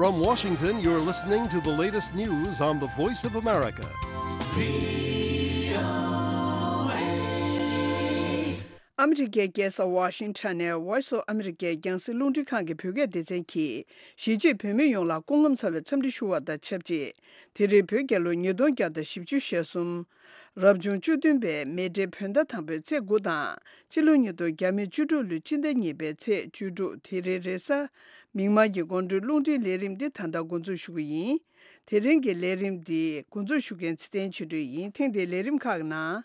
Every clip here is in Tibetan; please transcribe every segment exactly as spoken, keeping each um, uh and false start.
From Washington, you're listening to the latest news on the Voice of America. ཨ་མི་རི་ཀའི་རྒྱལ་ས་ཝ་ཤིང་ཊོན་ནས་Voice of America རྒྱང་སྲིང་རླུང་འཕྲིན་ཁང་གི་བོད་སྐད་སྡེ་ཚན་གྱིས་གཞིས་བྱེས་བོད་མི་ཡོངས་ལ་སྐུ་ཁམས་བཟང་བའི་འཚམས་འདྲི་ཞུ་བ་དང་ཆབས་ཅིག་དེ་རིང་བོད་རྒྱལ་ལོ་ཉིས་སྟོང་བརྒྱ་དང་བཞི་བཅུ་ཞེ་གསུམ། རབ་བྱུང་བཅུ་བདུན་པའི་མེ་སྤྲེལ་བོད་ཟླ་དང་པོའི་ཚེས་དགུ་དང་། སྤྱི་ལོ་ཉིས་སྟོང་བརྒྱ་མེད་བཅུ་དྲུག་ལོའི་སྤྱི་ཟླ་གཉིས་པའི་ཚེས་བཅུ་དྲུག་དེ་རིང་རེས་གཟའ་མིག་དམར་གྱི་དགོང་དྲོའི་རླུང་འཕྲིན་ལས་རིམ་འདི་ད་ལྟ་འགོ་འཛུགས་ཞུ་གི་ཡིན། དེ་རིང་གི་ལས་རིམ་འདི་འགོ་འཛུགས་ཞུ་མཁན་ཚེ་བརྟན་ཆོས་སྒྲོན་ཡིན། ཐེངས་འདིའི་ལས་རིམ་ཁག་ནང་།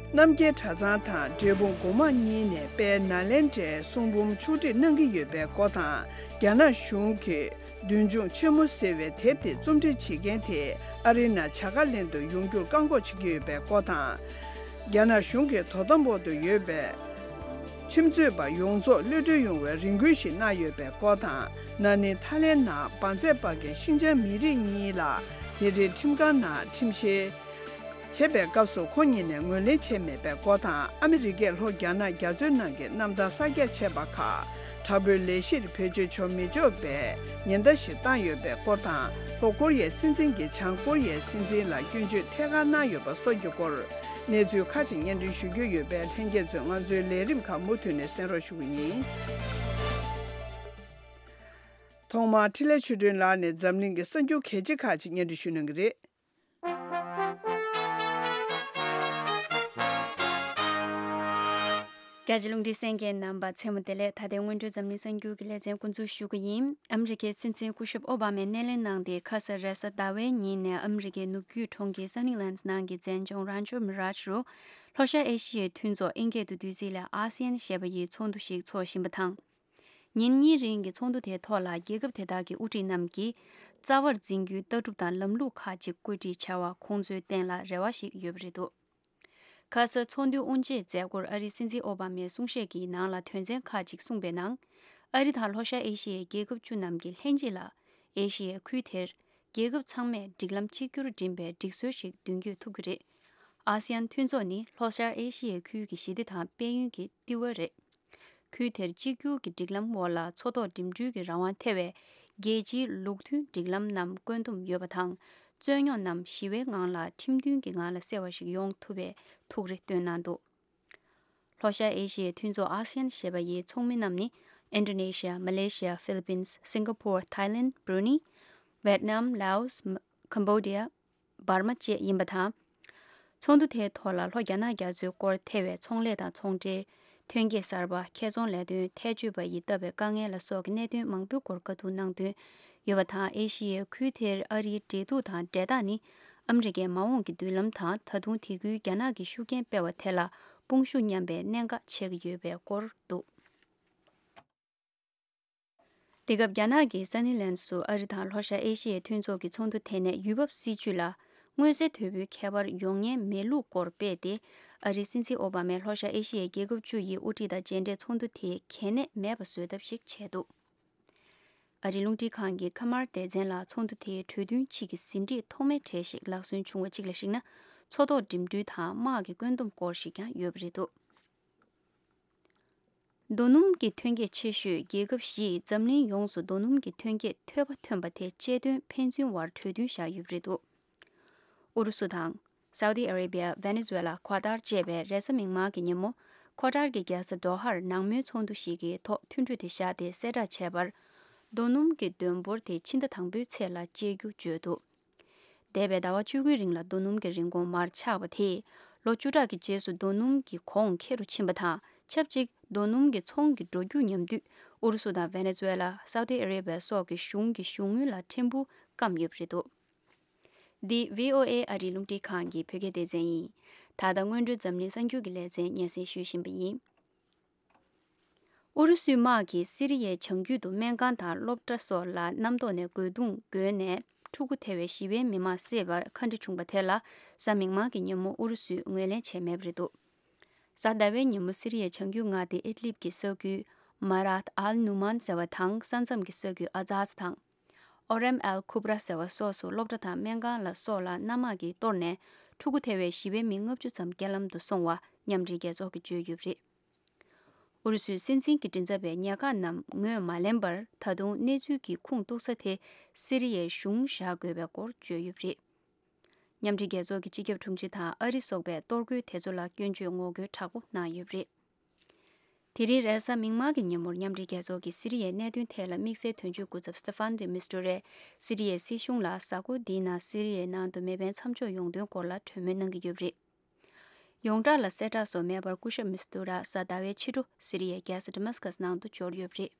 རྣམ་རྒྱལ་གྲྭ་ཚང་དང་འབྲས་སྤུངས་སྒོ་མང་གཉིས་ནས་དཔལ་ནཱ་ལེནྡྲའི་གསུང་འབུམ་ཕྱོགས་སྒྲིག་གནང་གི་ཡོད་པའི་སྐོར་དང་། རྒྱ་ནག་གཞུང་གིས་བདུད་འཇོམས་ཆེན་མོ་ཟེར་བའི་དེབ་དེ་རྩོམ་སྒྲིག་བྱེད་མཁན་དེ་ཨ་རིའི་ནང་བྱ་དགའ་ལེན་དུ་ཡོང་རྒྱུར་བཀག་འགོག་བྱེད་ཀྱི་ཡོད་པའི་སྐོར་དང་། རྒྱ་ནག་གཞུང་གིས་དོ་དམ་འོག་ཏུ་ཡོད་པའི་ཁྱིམ་མཚེས་པ་ཡོངས་རྫོགས་གློད་གྲོལ་ཡོང་བའི་རེ་སྐུལ་ཞིག་གནང་ཡོད་པའི་སྐོར་དང་། ན་ནིང་ཐའི་ལེན་ནང་འབར་རྫས་སྤར་མཁན་ཤིན་ཅང་མི་རིགས་གཉིས་ལ་དེ་རིང་ཁྲིམས་ཁང་ནང་ཁྲིམས་བཤེར་བྱེད་པའི་སྐབས་སུ་ཁོང་གཉིས་ནས་ངོས་ལེན་བྱས་མེད་པའི་སྐོར་དང་། ཨ་མི་རི་ཀས་ལྷོ་རྒྱ་ནག་རྒྱ་མཚོའི་ནང་གི་གནམ་ཐང་གསར་རྒྱག་བྱས་པ་ཁག་དྲག་པོའི་ལས་གཞིར་བེད་སྤྱོད་བྱ་མི་ཆོག་པའི་ཉེན་བརྡ་ཞིག་བཏང་ཡོད་པའི་སྐོར་དང་། ལྷོ་ཀོ་རི་ཡའི་སྲིད་འཛིན་གྱིས་བྱང་ཀོ་རི་ཡའི་སྲིད་འཛིན་ལ་སྐྱོན་བརྗོད་ཐད་ཀར་གནང་ཡོད་པ་སོགས་ཀྱི་སྐོར། གནས་ཚུལ་ཁག་ཅིག་སྙན་སྒྲོན་ཞུ་རྒྱུ་ཡོད་པས། ལྷན་རྒྱས་ཚོས་ང་ཚོའི་ལས་རིམ་ཁག་མུ་མཐུད་ནས་གསན་རོགས་ཞུ་གི་ཡིན། ཐོག་མར་འཕྲིན་ལས་ཆོས་སྒྲོན་ལགས་ནས་འཛམ་གླིང་གི་གསར་འགྱུར་གལ་ཆེ་ཁག་ཅིག་སྙན་སྒྲོན་ཞུ་གནང་གི་རེད། རྒྱ་ཆེ་རླུང་འཕྲིན་གསན་མཁན་རྣམ་པ་མཚན་མོ་བདེ་ལེགས། ད་ལྟའི་སྔོན་འགྲོའི་འཛམ་གླིང་གསར་འགྱུར་གྱི་ལེ་ཚན་འགོ་འཛུགས་ཞུ་གི་ཡིན། ཨ་མི་རི་ཀའི་སྲིད་འཛིན་སྐུ་ཞབས་ཨོ་བྷ་མས་སྣེ་ལེན་གནང་སྟེ། ཁ་ས་རེས་གཟའ་ཟླ་བའི་ཉིན་ནས་ཨ་མི་རི་ཀའི་ནུབ་རྒྱུད་གྲོང་ཁྱེར་སན་ནི་ལན་ནང་གི་མཛེས་ལྗོངས་རན་ཆོ་མི་རཱཇ་རུ་ལྷོ་ཤར་ཨེ་ཤི་ཡའི་མཐུན་ཚོགས་ཨིན་སྐད་དུ་བསྡུས་ཚིག་ལ་ཨ་སི་ཡན་ཞེས་པ་ཡི་ཚོགས་འདུ་ཞིག་འཚོགས་བཞིན་པ་དང་། ཉིན་གཉིས་རིང་གི་ཚོགས་འདུ་དེའི་ཐོག་ལ་རྒྱལ་ཁབ་དེ་དག་གི་དབུ་ཁྲིད་རྣམས་ཀྱིས་རྩ་བར་འཛིན་རྒྱུའི་ལྟ་གྲུབ་དང་ལམ་ལུགས་ཁག་ཅིག་བཀོད་སྒྲིག་བྱ་བ་ཁོང་ཚོའི་སྟེང་ལ་རེ་བ་ཞིག་ཡོད་པ་རེད་འདུག་ཁ་ས་ཚོགས་འདུའི་དབུ་འབྱེད་མཛད་སྒོར་ཨ་རིའི་སྲིད་འཛིན་ཨོ་བྷ་མས་གསུང་བཤད་ཀྱི་ནང་ལ་དོན་ཚན་ཁག་ཅིག་གསུངས་པའི་ནང་། ཨ་རི་དང་ལྷོ་ཤར་ཨེ་ཤི་ཡའི་རྒྱལ་ཁབ་བཅུ་རྣམས་ཀྱིས་ལྷན་གཅིག་ལ་ཨེ་ཤི་ཡའི་ཁུལ་དེར་རྒྱལ་ཁབ་ཚང་མས་སྒྲིག་ལམ་གཅིག་གྱུར་འགྲིམ་པའི་སྒྲིག་སྲོལ་ཞིག་མདུན་སྐྱོད་ཐུབ་ཀྱི་རེད། ཨ་སི་ཡན་མཐུན་ཚོགས་ནི་ལྷོ་ཤར་ཨེ་ཤི་ཡའི་ཁུལ་གྱི་ཞི་བདེ་དང་དཔལ་ཡོན་གྱི་ལྟེ་བ་རེད། ཁུལ་དེར་གཅིག་གྱུར་གྱི་སྒྲིག་ལམ་འོག་ལ་མཚོ་ཐོག་འགྲིམ་འགྲུལ་གྱི་རང་དབང་ཐེ་བའི་རྒྱལ་སྤྱིའི་ལུགས་མཐུན་སྒྲིག་ལམ་རྣམས་བཀོད་འདོམས་ཡོད་པ་དང་། རྩོད་རྙོག་རྣམས་ཞི་བའི་ངང་ལ་ཁྲིམས་མཐུན་གྱི་ངང་ལ་སེལ་བ་ཞིག་ཡོང་ཐུབ་པའི་ཐུགས་རེ་བཏོན་གནང་འདུག་ལྷོ་ཤར་ཨེ་ཤི་ཡའི་མཐུན་ཚོགས་ཨ་སི་ཡན་ཞེས་པ་ཡི་ཚོགས་མི་རྣམས་ནི། ཨིན་ཌོ་ནེ་ཤི་ཡ། མ་ལེ་ཤི་ཡ། ཧྥི་ལི་པིན། སིང་ག་པོར། ཐའི་ལེན། བྷུ་རུ་ནི། ཝེད་ནམ། ལའོ་སི། ཁམ་བྷོ་ཌི་ཡ། འབར་མ་བཅས་ཡིན་པ་དང་། ཚོགས་འདུ་དེའི་ཐོག་ལ་ལྷོ་རྒྱ་ནག་རྒྱ་མཚོའི་སྐོར་ཐེ་བའི་ཚོང་ལས་དང་ཚོང་འབྲེལ། ཐོན་སྐྱེད་གསར་པ། ཁེ་ཚོང་ལས་དོན། ཐལ་སྤྱོད་པ་ཡིས་བཏབ་པའི་དཀའ་ངལ་ལ་སོགས་ཀྱི་གནད་དོན་མང་པོའི་སྐོར་བཀའ་བསྡུར་གནང་དོན་ཡོད་པ་དང་། ཨེ་ཤི་ཡའི་ཁུལ་དེར་ཨ་རིའི་འབྲེལ་གཏུག་དང་འབྲེལ་ཐག་ནི་ཨ་མི་རི་ཀའི་མ་འོངས་ཀྱི་མདུན་ལམ་དང་། ད་དུང་དེ་ཁུལ་རྒྱ་ནག་གི་ཤུགས་རྐྱེན་སྤེལ་བ་དེ་ལ་དཔུང་ཤུགས་མཉམ་པའི་གནད་འགག་ཆགས་ཀྱི་ཡོད་པའི་སྐོར་འདུག་དེ་སྐབས་རྒྱ་ནག་གི་སན་ནི་ལན་སུ་ཨ་རི་དང་ལྷོ་ཤར་ཨེ་ཤི་ཡའི་མཐུན་ཚོགས་ཀྱི་ཚོགས་འདུ་དེ་ནས་ཡུལ་བབ་སྲིད་ཇུས་ལ་མངོན་གསལ་དོད་པོའི་ཁྱད་པར་ཡོང་ཉེན་མེད་ལུགས་སྐོར་སྤེལ་ཏེ། ཨ་རིའི་སྲིད་འཛིན་ཨོ་བྷ་མས་ལྷོ་ཤར་ཨེ་ཤི་ཡའི་རྒྱལ་ཁབ་བཅུ་ཡི་དབུ་ཁྲིད་དང་མཇལ་འཕྲད་ཚོགས་འདུ་དེ་གལ་གནད་མེད་པ་བཟོ་ཐབས་ཤིག་བྱས་འདུག་ཨ་རིའི་རླུང་འཕྲིན་ཁང་གི་ཁ་མར་སྡེ་ཚན་ལ་ཚོགས་འདུ་དེའི་གྲོས་མཐུན་ཕྱིས་ཀྱི་ཟིན་བྲིས་ཐོག་མའི་གྲས་ཤིག་ལག་སོན་བྱུང་བ་གཅིག་ལ་གཞིགས་ན། མཚོ་ཐོག་འགྲིམ་འགྲུལ་དང་དམག་གི་བཀོད་འདོམས་སྐོར་ཞིག་ཀྱང་ཡོད་པ་རེད་འདུག་རྡོ་སྣུམ་གྱི་ཐོན་སྐྱེད་ཆེ་ཤོས་རྒྱལ་ཁབ་བཞི་ཡིས་འཛམ་གླིང་ཡོངས་སུ་རྡོ་སྣུམ་གྱི་ཐོན་སྐྱེད་ཐོལ་པ་ཐོན་པ་དེ་གཅེས་འདོན་ཕན་ཚུན་དབར་གྲོས་མཐུན་བཞག་ཡོད་པ་རེད་འདུག་ཨུ་རུ་སུ་དང་། སའུ་ཏི་ཨ་རེ་བི་ཡ། ཝེ་ནེ་ཛུ་ཝེ་ལ། ཁོ་ཏར་བཅས་པས་རེས་གཟའ་མིག་དམར་གྱི་ཉིན་མོ། ཁོ་ཏར་གྱི་རྒྱལ་ས་དོ་ཧར་ནང་མོལ་ཚོགས་འདུ་ཞིག་གི་ཐོག་མཐུན་གྲོས་དེ་བཞག་སྟེ། གསལ་བསྒྲགས་བྱས་པར། རྡོ་སྣུམ་གྱི་འདོན་འབོར་དེ་ཕྱི་ཟླ་དང་པོའི་ཚེས་ལ་བཅད་རྒྱུ་བརྗོད་འདུག་འདས་པའི་ཟླ་བ་བཅུ་དགུའི་རིང་ལ་རྡོ་སྣུམ་གྱི་རིན་གོང་མར་ཆག་པ་དེས། ལོ་བཅུ་ཕྲག་གི་རྗེས་སུ་རྡོ་སྣུམ་གྱི་གོང་ཁེ་རུ་ཕྱིན་པ་དང་། ཆབས་ཅིག་རྡོ་སྣུམ་གྱི་ཚོང་གི་འགྲོ་རྒྱུག་ཉམས་དུས། ཨུ་རུ་སུ་དང་ཝེ་ནེ་ཛུ་ཝེ་ལ། སའུ་ཏི་ཨ་རེ་བི་ཡ་སོགས་ཀྱི་གཞུང་གི་གཞུང་དངུལ་ལ་ཕྲན་བུ་སྐམ་ཡོད་པ་རེད་འདུག་འདི་བྷི་ཨོ་ཨེ་ཨ་རིའི་རླུང་འཕྲིན་ཁང་གི་བོད་སྐད་སྡེ་ཚན་ཡིན། ད་ལྟ་སྔོན་འགྲོའི་འཛམ་གླིང་གསར་འགྱུར་གྱི་ལེ་ཚན་སྙན་སེང་ཞུ་བཞིན་པ་ཡིན། ཨུ་རུ་སུའི་དམག་གིས་སི་རི་ཡའི་བྱང་རྒྱུད་དུ་སྨན་ཁང་དང་སློབ་གྲྭ་སོགས་ལ་གནམ་ཐོག་ནས་རྒོལ་རྡུང་བརྒྱབ་ནས། ཕྲུ་གུ་ཐེ་བའི་བཞི་པའི་མི་མང་བསད་པར་ཁ་འདྲེ་བྱུང་བ་དེ་ལ། གཟའ་མིག་དམར་གྱི་ཉིན་མོ་ཨུ་རུ་སུས་ངོས་ལེན་བྱས་མེད་པ་རེད་འདུག་གཟའ་ཟླ་བའི་ཉིན་མོ་སི་རི་ཡའི་བྱང་རྒྱུད་མངའ་སྡེ་ཨིད་ལིབ་ཀྱི་ས་ཁུལ་མ་རཱད་ཨལ་ནུ་མཱན་ཟེར་བ་དང་། ས་མཚམས་ཀྱི་ས་ཁུལ་ཨ་ཛཱས་དང་། ཨོ་རེམ་ཨལ་ཁུབ་ར་ཟེར་བ་སོགས་སུ་སློབ་གྲྭ་དང་སྨན་ཁང་ལ་སོགས་ལ་གནམ་དམག་གིས་གཏོར་ནས། ཕྲུ་གུ་ཐེ་བའི་ཞི་བའི་མི་ལྔ་བཅུ་ཙམ་རྐྱེན་ལམ་དུ་སོང་བ་མཉམ་འབྲེལ་རྒྱལ་ཚོགས་ཀྱིས་བརྗོད་ཡོད་པ་རེད། ཨུ་རུ་སུའི་སྲིད་འཛིན་གྱི་མགྲིན་ཚབ་པས་ཉེན་ཁ་རྣམས་ངོས་མ་ལེན་པར། ད་དུང་གནས་ཚུལ་གྱི་ཁུངས་གཏུག་ས་དེ་སི་རི་ཡའི་གཞུང་བཞག་དགོས་པའི་སྐོར་བརྗོད་ཡོད་པ་རེད། མཉམ་འབྲེལ་རྒྱལ་ཚོགས་ཀྱི་སྤྱི་ཁྱབ་དྲུང་ཆེ་དང་ཨ་རི་སོགས་པས་གཏོར་རྒོལ་དེ་ཚོ་ལ་སྐྱོན་བརྗོད་ངོ་རྒོལ་དྲག་པོ་གནང་ཡོད་པ་རེད། དེ་རིང་རེས་གཟའ་མིག་དམར་གྱི་ཉིན་མོར་མཉམ་འབྲེལ་རྒྱལ་ཚོགས་ཀྱི་སི་རི་ཡའི་གནད་དོན་ཐད་ལ་དམིགས་བསལ་དོན་གཅོད་སྐུ་ཚབ་སི་ཏེ་ཕན་ཌི་མིས་ཏུ་རས་སི་རི་ཡའི་སྲིད་གཞུང་ལ་གཟའ་འཁོར་འདིའི་ནང་སི་རི་ཡའི་ནང་དུ་མེ་འཕེན་མཚམས་འཇོག་ཡོང་དོན་སྐོར་ལ་གྲོས་མོལ་གནང་གི་ཡོད་པ་རེད། ཡོངས་གྲགས་ལ་གསལ་བསྒྲགས་སོགས་མེད་པར་སྐུ་ཞབས་མིས་ཏུ་ར་གཟའ་ཟླ་བའི་ཕྱི་དྲོ་སི་རི་ཡའི་རྒྱལ་ས་ཌི་མཱ་སི་ཀཱས་ནང་དུ་འབྱོར་ཡོད་པ་རེད།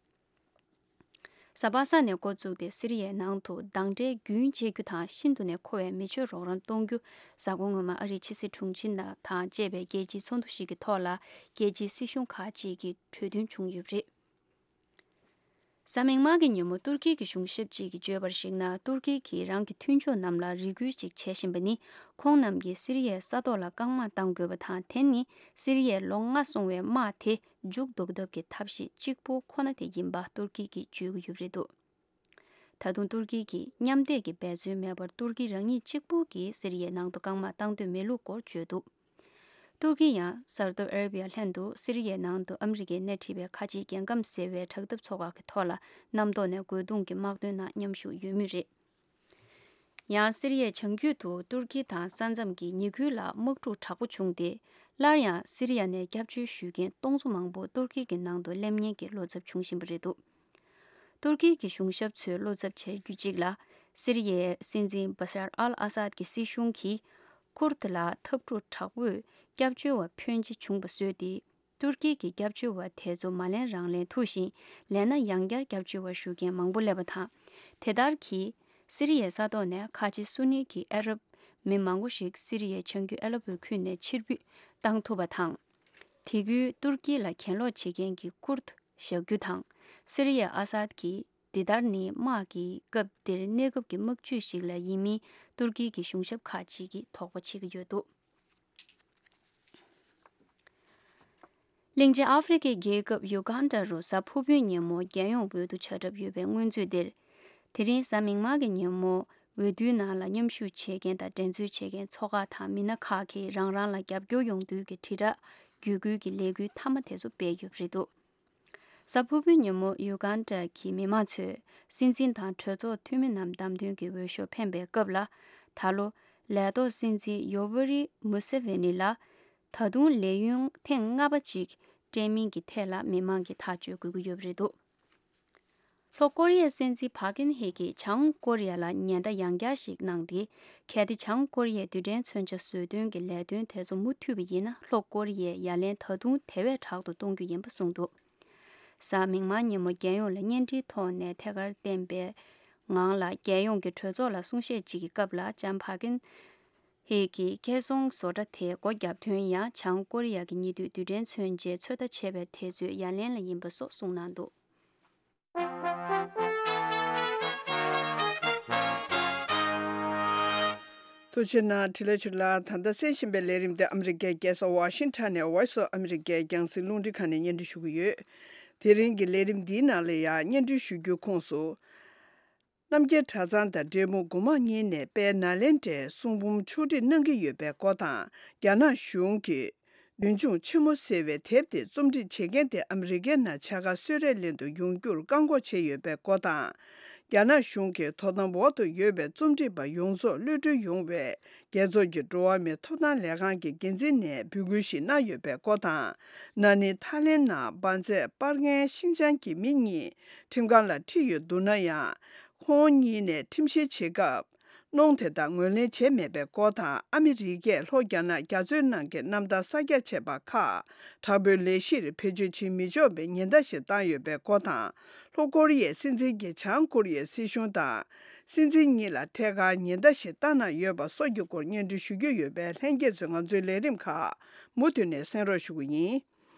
གཟའ་པ་སངས་ནས་འགོ་བཙུགས་ཏེ་སི་རི་ཡའི་ནང་དུ་སྡང་དགྲའི་རྒྱུན་གཅོད་རྒྱུ་དང་ཤིན་ཏུ་ནས་མཁོ་བའི་མི་ཆོས་རོགས་རམ་གཏོང་རྒྱུ། གཟའ་འཁོར་སྔོན་མ་ཨ་རིའི་ཕྱི་སྲིད་དྲུང་ཆེ་དང་བཅས་པའི་རྒྱལ་སྤྱིའི་ཚོགས་འདུ་ཞིག་གི་ཐོག་ལ་རྒྱལ་སྤྱིའི་སྲིད་གཞུང་ཁག་ཅིག་གིས་གྲོས་མཐུན་བྱུང་ཡོད་པ་རེད། གཟའ་མིག་དམར་གྱི་ཉིན་མོ་ཏུར་ཀི་གི་གཞུང་ཞབས་ཅིག་གིས་བརྗོད་པར་གཞིགས་ན། ཏུར་ཀི་གིས་རང་གི་མཐུན་ཕྱོགས་རྣམས་ལ་རེ་སྐུལ་ཅིག་བྱེད་བཞིན་པ་ནི། ཁོང་རྣམས་ཀྱིས་སི་རི་ཡའི་ས་ཐོག་ལ་རྐང་དམག་གཏང་དགོས་པ་དང་། དེ་ནི་སི་རི་ཡའི་ལོ་ལྔ་སོང་བའི་དམག་དེ་མཇུག་བསྡུ་ཐབས་ཀྱི་ཐབས་ཤེས་གཅིག་པུ་ཁོ་ན་དེ་ཡིན་པ་ཏུར་ཀི་གིས་བརྗོད་ཀྱི་ཡོད་པ་རེད་འདུག་ད་དུང་ཏུར་ཀི་གིས་མཉམ་འདེགས་ཀྱི་འབད་བརྩོན་མེད་པར། ཏུར་ཀི་རང་ཉིད་གཅིག་པུ་གིས་སི་རི་ཡའི་ནང་དུ་རྐང་དམག་གཏང་འདོད་མེད་ལུགས་སྐོར་བརྗོད་འདུག་ཏུར་ཀི་ཡང་སའུ་ཏི་ཨ་ར་བི་ཡ་ལྷན་དུ་སི་རི་ཡའི་ནང་དུ་ཨ་མི་རི་ཀས་སྣེ་ཁྲིད་པའི་ཁ་ཆེའི་རྒྱལ་ཁམས་ཟེར་བའི་དྲག་འཐབ་ཚོགས་ཁག་གི་ཐོག་ལ་གནམ་ཐོག་ནས་རྒོལ་རྡུང་གི་དམག་དོན་ནང་མཉམ་ཞུགས་ཡོད་མུས་རེད། ཡང་སི་རི་ཡའི་བྱང་རྒྱུད་དུ་ཏུར་ཀི་དང་ས་མཚམས་ཀྱི་ཉེ་ཁུལ་ལ་དམག་འཁྲུག་དྲག་པོ་བྱུང་སྟེ། སླར་ཡང་སི་རི་ཡ་ནས་སྐྱབས་བཅོལ་ཞུ་མཁན་སྟོང་ཚོ་མང་པོ་ཏུར་ཀི་གི་ནང་དུ་སླེབས་ཉེན་གྱི་བློ་འཚབ་བྱུང་བཞིན་པ་རེད་འདུག་ཏུར་ཀི་གི་གཞུང་ཞབས་ཚོས་བློ་འཚབ་བྱ་རྒྱུ་གཅིག་ལ། སི་རི་ཡའི་སྲིད་འཛིན་བ་ཤར་ཨལ་ཨ་སཱད་ཀྱི་སྲིད་གཞུང་གིས་ཁུར་དི་ལ་འཐབ་འཁྲུག་དྲག་པོས་སྐྱབས་བཅོལ་བ་ཕོན་ཆེ་བྱུང་བ་བཟོས་ཏེ། ཏུར་ཀི་གིས་སྐྱབས་བཅོལ་བ་དེ་ཚོ་མ་ལེན་རང་ལེན་ཐུག་ཅིང་། ལེན་ན་ཡང་བསྐྱར་སྐྱབས་བཅོལ་བ་ཞུ་མཁན་མང་པོ་སླེབས་པ་དང་། དེ་ལྟར་གྱིས་སི་རི་ཡའི་ས་ཐོག་ནས་ཁ་ཆེ་སུ་ནི་གི་ཨ་རབ་མི་མང་པོ་ཞིག་སི་རི་ཡའི་བྱང་རྒྱུད་ཨ་ལེ་པོ་ཁུལ་ནས་ཕྱིར་འབུད་བཏང་ཐུབ་པ་དང་། དེ་ཁུལ་ཏུར་ཀི་ལ་གྱེན་ལོག་བྱེད་མཁན་གྱི་ཀུར་ཏུ་བཞག་རྒྱུ་དང་། སི་རི་ཡའི་ཨ་སཱད་ཀྱིས་འདི་ལྟར་ནི་དམག་གི་སྐབས་འདིར་གནས་སྐབས་ཀྱི་དམག་ཇུས་ཤིག་ལ་ཡིན་མིན་ཏུར་ཀི་གི་གཞུང་ཞབས་ཁག་ཅིག་གིས་དོགས་པ་བྱེད་ཀྱི་ཡོད་འདུག་གླིང་ཆེན་ཨ་ཧྥེ་རི་ཁའི་རྒྱལ་ཁབ་ཡུ་གྷན་ཌ་རུ་གཟའ་ཕུར་བུའི་ཉིན་མོ་རྒྱལ་ཡོངས་འོས་བསྡུ་བྱ་གྲབས་ཡོད་པའི་སྔོན་ཚུད་འདིར། དེ་རིང་གཟའ་མིག་དམར་གྱི་ཉིན་མོ་འོས་བསྡུའི་ནང་ལ་མཉམ་ཞུགས་བྱེད་མཁན་དང་འགྲན་རྩོད་བྱེད་མཁན་ཚོགས་ཁག་དང་མི་སྣ་ཁག་གིས་རང་རང་ལ་རྒྱབ་སྐྱོར་ཡོང་རྒྱུའི་དྲིལ་བསྒྲགས་བརྒྱུད་སྐུལ་གྱི་ལས་འགུལ་མཐའ་མ་དེ་ཚོ་སྤེལ་ཡོད་པ་རེད་འདུག་གཟའ་ཕུར་བུའི་ཉིན་མོ་ཡུ་གྷན་ཌ་གི་མི་མང་ཚོས་སྲིད་འཛིན་དང་གྲོས་ཚོགས་འཐུས་མི་རྣམས་བདམས་ཐོན་གྱི་འོས་ཤོག་འཕེན་པའི་སྐབས་ལ། ད་ལོ་ལས་ཐོག་སྲིད་འཛིན་ཡོ་ཝེ་རི་མུ་སེ་ཝེ་ནི་ལ་ད་དུང་ལས་ཡུན་ཐེངས་ལྔ་པ་ཅིག་སྤྲད་མིན་གྱི་ཐད་ལ་མི་མང་གིས་ཐག་གཅོད་དགོས་ཀྱི་ཡོད་པ་རེད་འདུག་ལྷོ་ཀོ་རི་ཡའི་སྲིད་འཛིན་ཕ་ཀིན་ཧེ་གིས་བྱང་ཀོ་རི་ཡ་ལ་ཉེན་བརྡ་ཡང་བསྐྱར་ཞིག་གནང་སྟེ། གལ་ཏེ་བྱང་ཀོ་རི་ཡས་རྡུལ་ཕྲན་མཚོན་ཆ་བཟོ་སྐྲུན་གྱི་ལས་དོན་དེ་ཚོ་མུ་མཐུད་པ་ཡིན་ན། ལྷོ་ཀོ་རི་ཡས་ཡ་ལན་ད་དུང་དེ་བས་དྲག་ཏུ་གཏོང་རྒྱུ་ཡིན་པ་གསུངས་འདུག་གཟའ་མིག་དམར་ཉིན་མོ་རྒྱལ་ཡོངས་ལ་བརྙན་འཕྲིན་ཐོག་ནས་ཐད་ཀར་བསྟན་པའི་ངང་ལ། རྒྱལ་ཡོངས་ཀྱི་གྲོས་ཚོགས་ལ་གསུང་བཤད་ཅིག་གི་སྐབས་ལ་ལྕམ་ཕ་ཀིན་ཧེ་གིས་ཁེ་སོང་བཟོ་གྲྭ་དེའི་སྒོ་བརྒྱབ་དོན་ཡང་བྱང་ཀོ་རི་ཡ་གི་ཉེ་དུས་རྡུལ་ཕྲན་མཚོན་ཆའི་ཚོད་ལྟ་བྱས་པའི་དུས་ཚོད་ཡ་ལན་ལ་ཡིན་པ་སོགས་གསུངས་གནང་འདུག་ཐུགས་རྗེ་གནང་། བཀྲ་ཤིས་བདེ་ལེགས་ཆུ་ལགས། ད་ལྟ་གསན་བཞིན་པའི་ལས་རིམ་དེ་ཨ་མི་རི་ཀའི་རྒྱལ་ས་ཝ་ཤིང་ཊོན་ནས་Voice of America རྒྱང་སྲིང་རླུང་འཕྲིན་ཁང་ནས་སྙན་སྒྲོན་ཞུ་གི་ཡོད། དེ་རིང་གི་ལས་རིམ་འདིའི་ནང་ལ་ཡང་སྙན་སྒྲོན་ཞུ་རྒྱུའི་ཁོངས་སུ། རྣམ་རྒྱལ་གྲྭ་ཚང་དང་འབྲས་སྤུངས་དགོན་དམངས་གཉིས་ནས་དཔལ་ནཱ་ལེནྡྲའི་གསུང་འབུམ་ཕྱོགས་སྒྲིག་གནང་གི་ཡོད་པའི་སྐོར་དང་། རྒྱ་ནག་གཞུང་གིས་བདུད་འཇོམས་ཆེན་མོ་ཟེར་བའི་དེབ་དེ་རྩོམ་སྒྲིག་བྱེད་མཁན་དེ་ཨ་མི་རི་ཀའི་ནང་བྱ་དགའ་གསོལ་རས་ལེན་དུ་ཡོང་རྒྱུར་བཀག་འགོག་བྱས་ཡོད་པའི་སྐོར་དང་། རྒྱ་ནག་གཞུང་གིས་དོ་དམ་འོག་ཏུ་ཡོད་པའི་རྩོམ་སྒྲིག་པ་ཡོངས་རྫོགས་གློད་གྲོལ་ཡོང་བའི་རྒྱལ་ཚོགས་ཀྱི་འགྲོ་བ་མིའི་ཐོབ་ཐང་ལས་ཁང་གི་འགན་འཛིན་ནས་འབོད་སྐུལ་ཞིག་གནང་ཡོད་པའི་སྐོར་དང་། ན་ནིང་ཐའི་ལེན་ནང་འབར་རྫས་སྤར་མཁན་ཤིན་ཅང་གི་མི་གཉིས་ཁྲིམས་ཁང་ལ་ཁྲིད་ཡོད་འདུག་ན་ཡང་། ཁོང་གཉིས་ནས་ཁྲིམས་བཤེར་བྱེད་སྐབས། གནོང་དེ་དག་ངོས་ལེན་བྱས་མེད་པའི་སྐོར་དང་། ཨ་མི་རི་ཀས་ལྷོ་རྒྱ་ནག་རྒྱ་མཚོའི་ནང་གི་གནམ་ཐང་གསར་རྒྱག་བྱས་པ་ཁག་དྲག་པོའི་ལས་གཞིར་བེད་སྤྱོད་བྱེད་མི་ཆོག་པའི་ཉེན་བརྡ་ཞིག་བཏང་ཡོད་པའི་སྐོར་དང་། ལྷོ་ཀོ་རི་ཡའི་སྲིད་འཛིན་གྱིས་བྱང་ཀོ་རི་ཡའི་སྲིད་གཞུང་དང་། སྲིད་འཛིན་གཉིས་ལ་ཐད་ཀར་ཉེན་བརྡ་ཞིག་བཏང་གནང་ཡོད་པ་སོགས་ཀྱི་སྐོར་སྙན་སྒྲོན་ཞུ་རྒྱུ་ཡོད་པས། ལྷན་རྒྱས་ཚོས་ང་ཚོའི་ལས་རིམ་ཁག་མུ་མཐུད་ནས་གསན་རོགས་ཞུ་གི་ཡིན།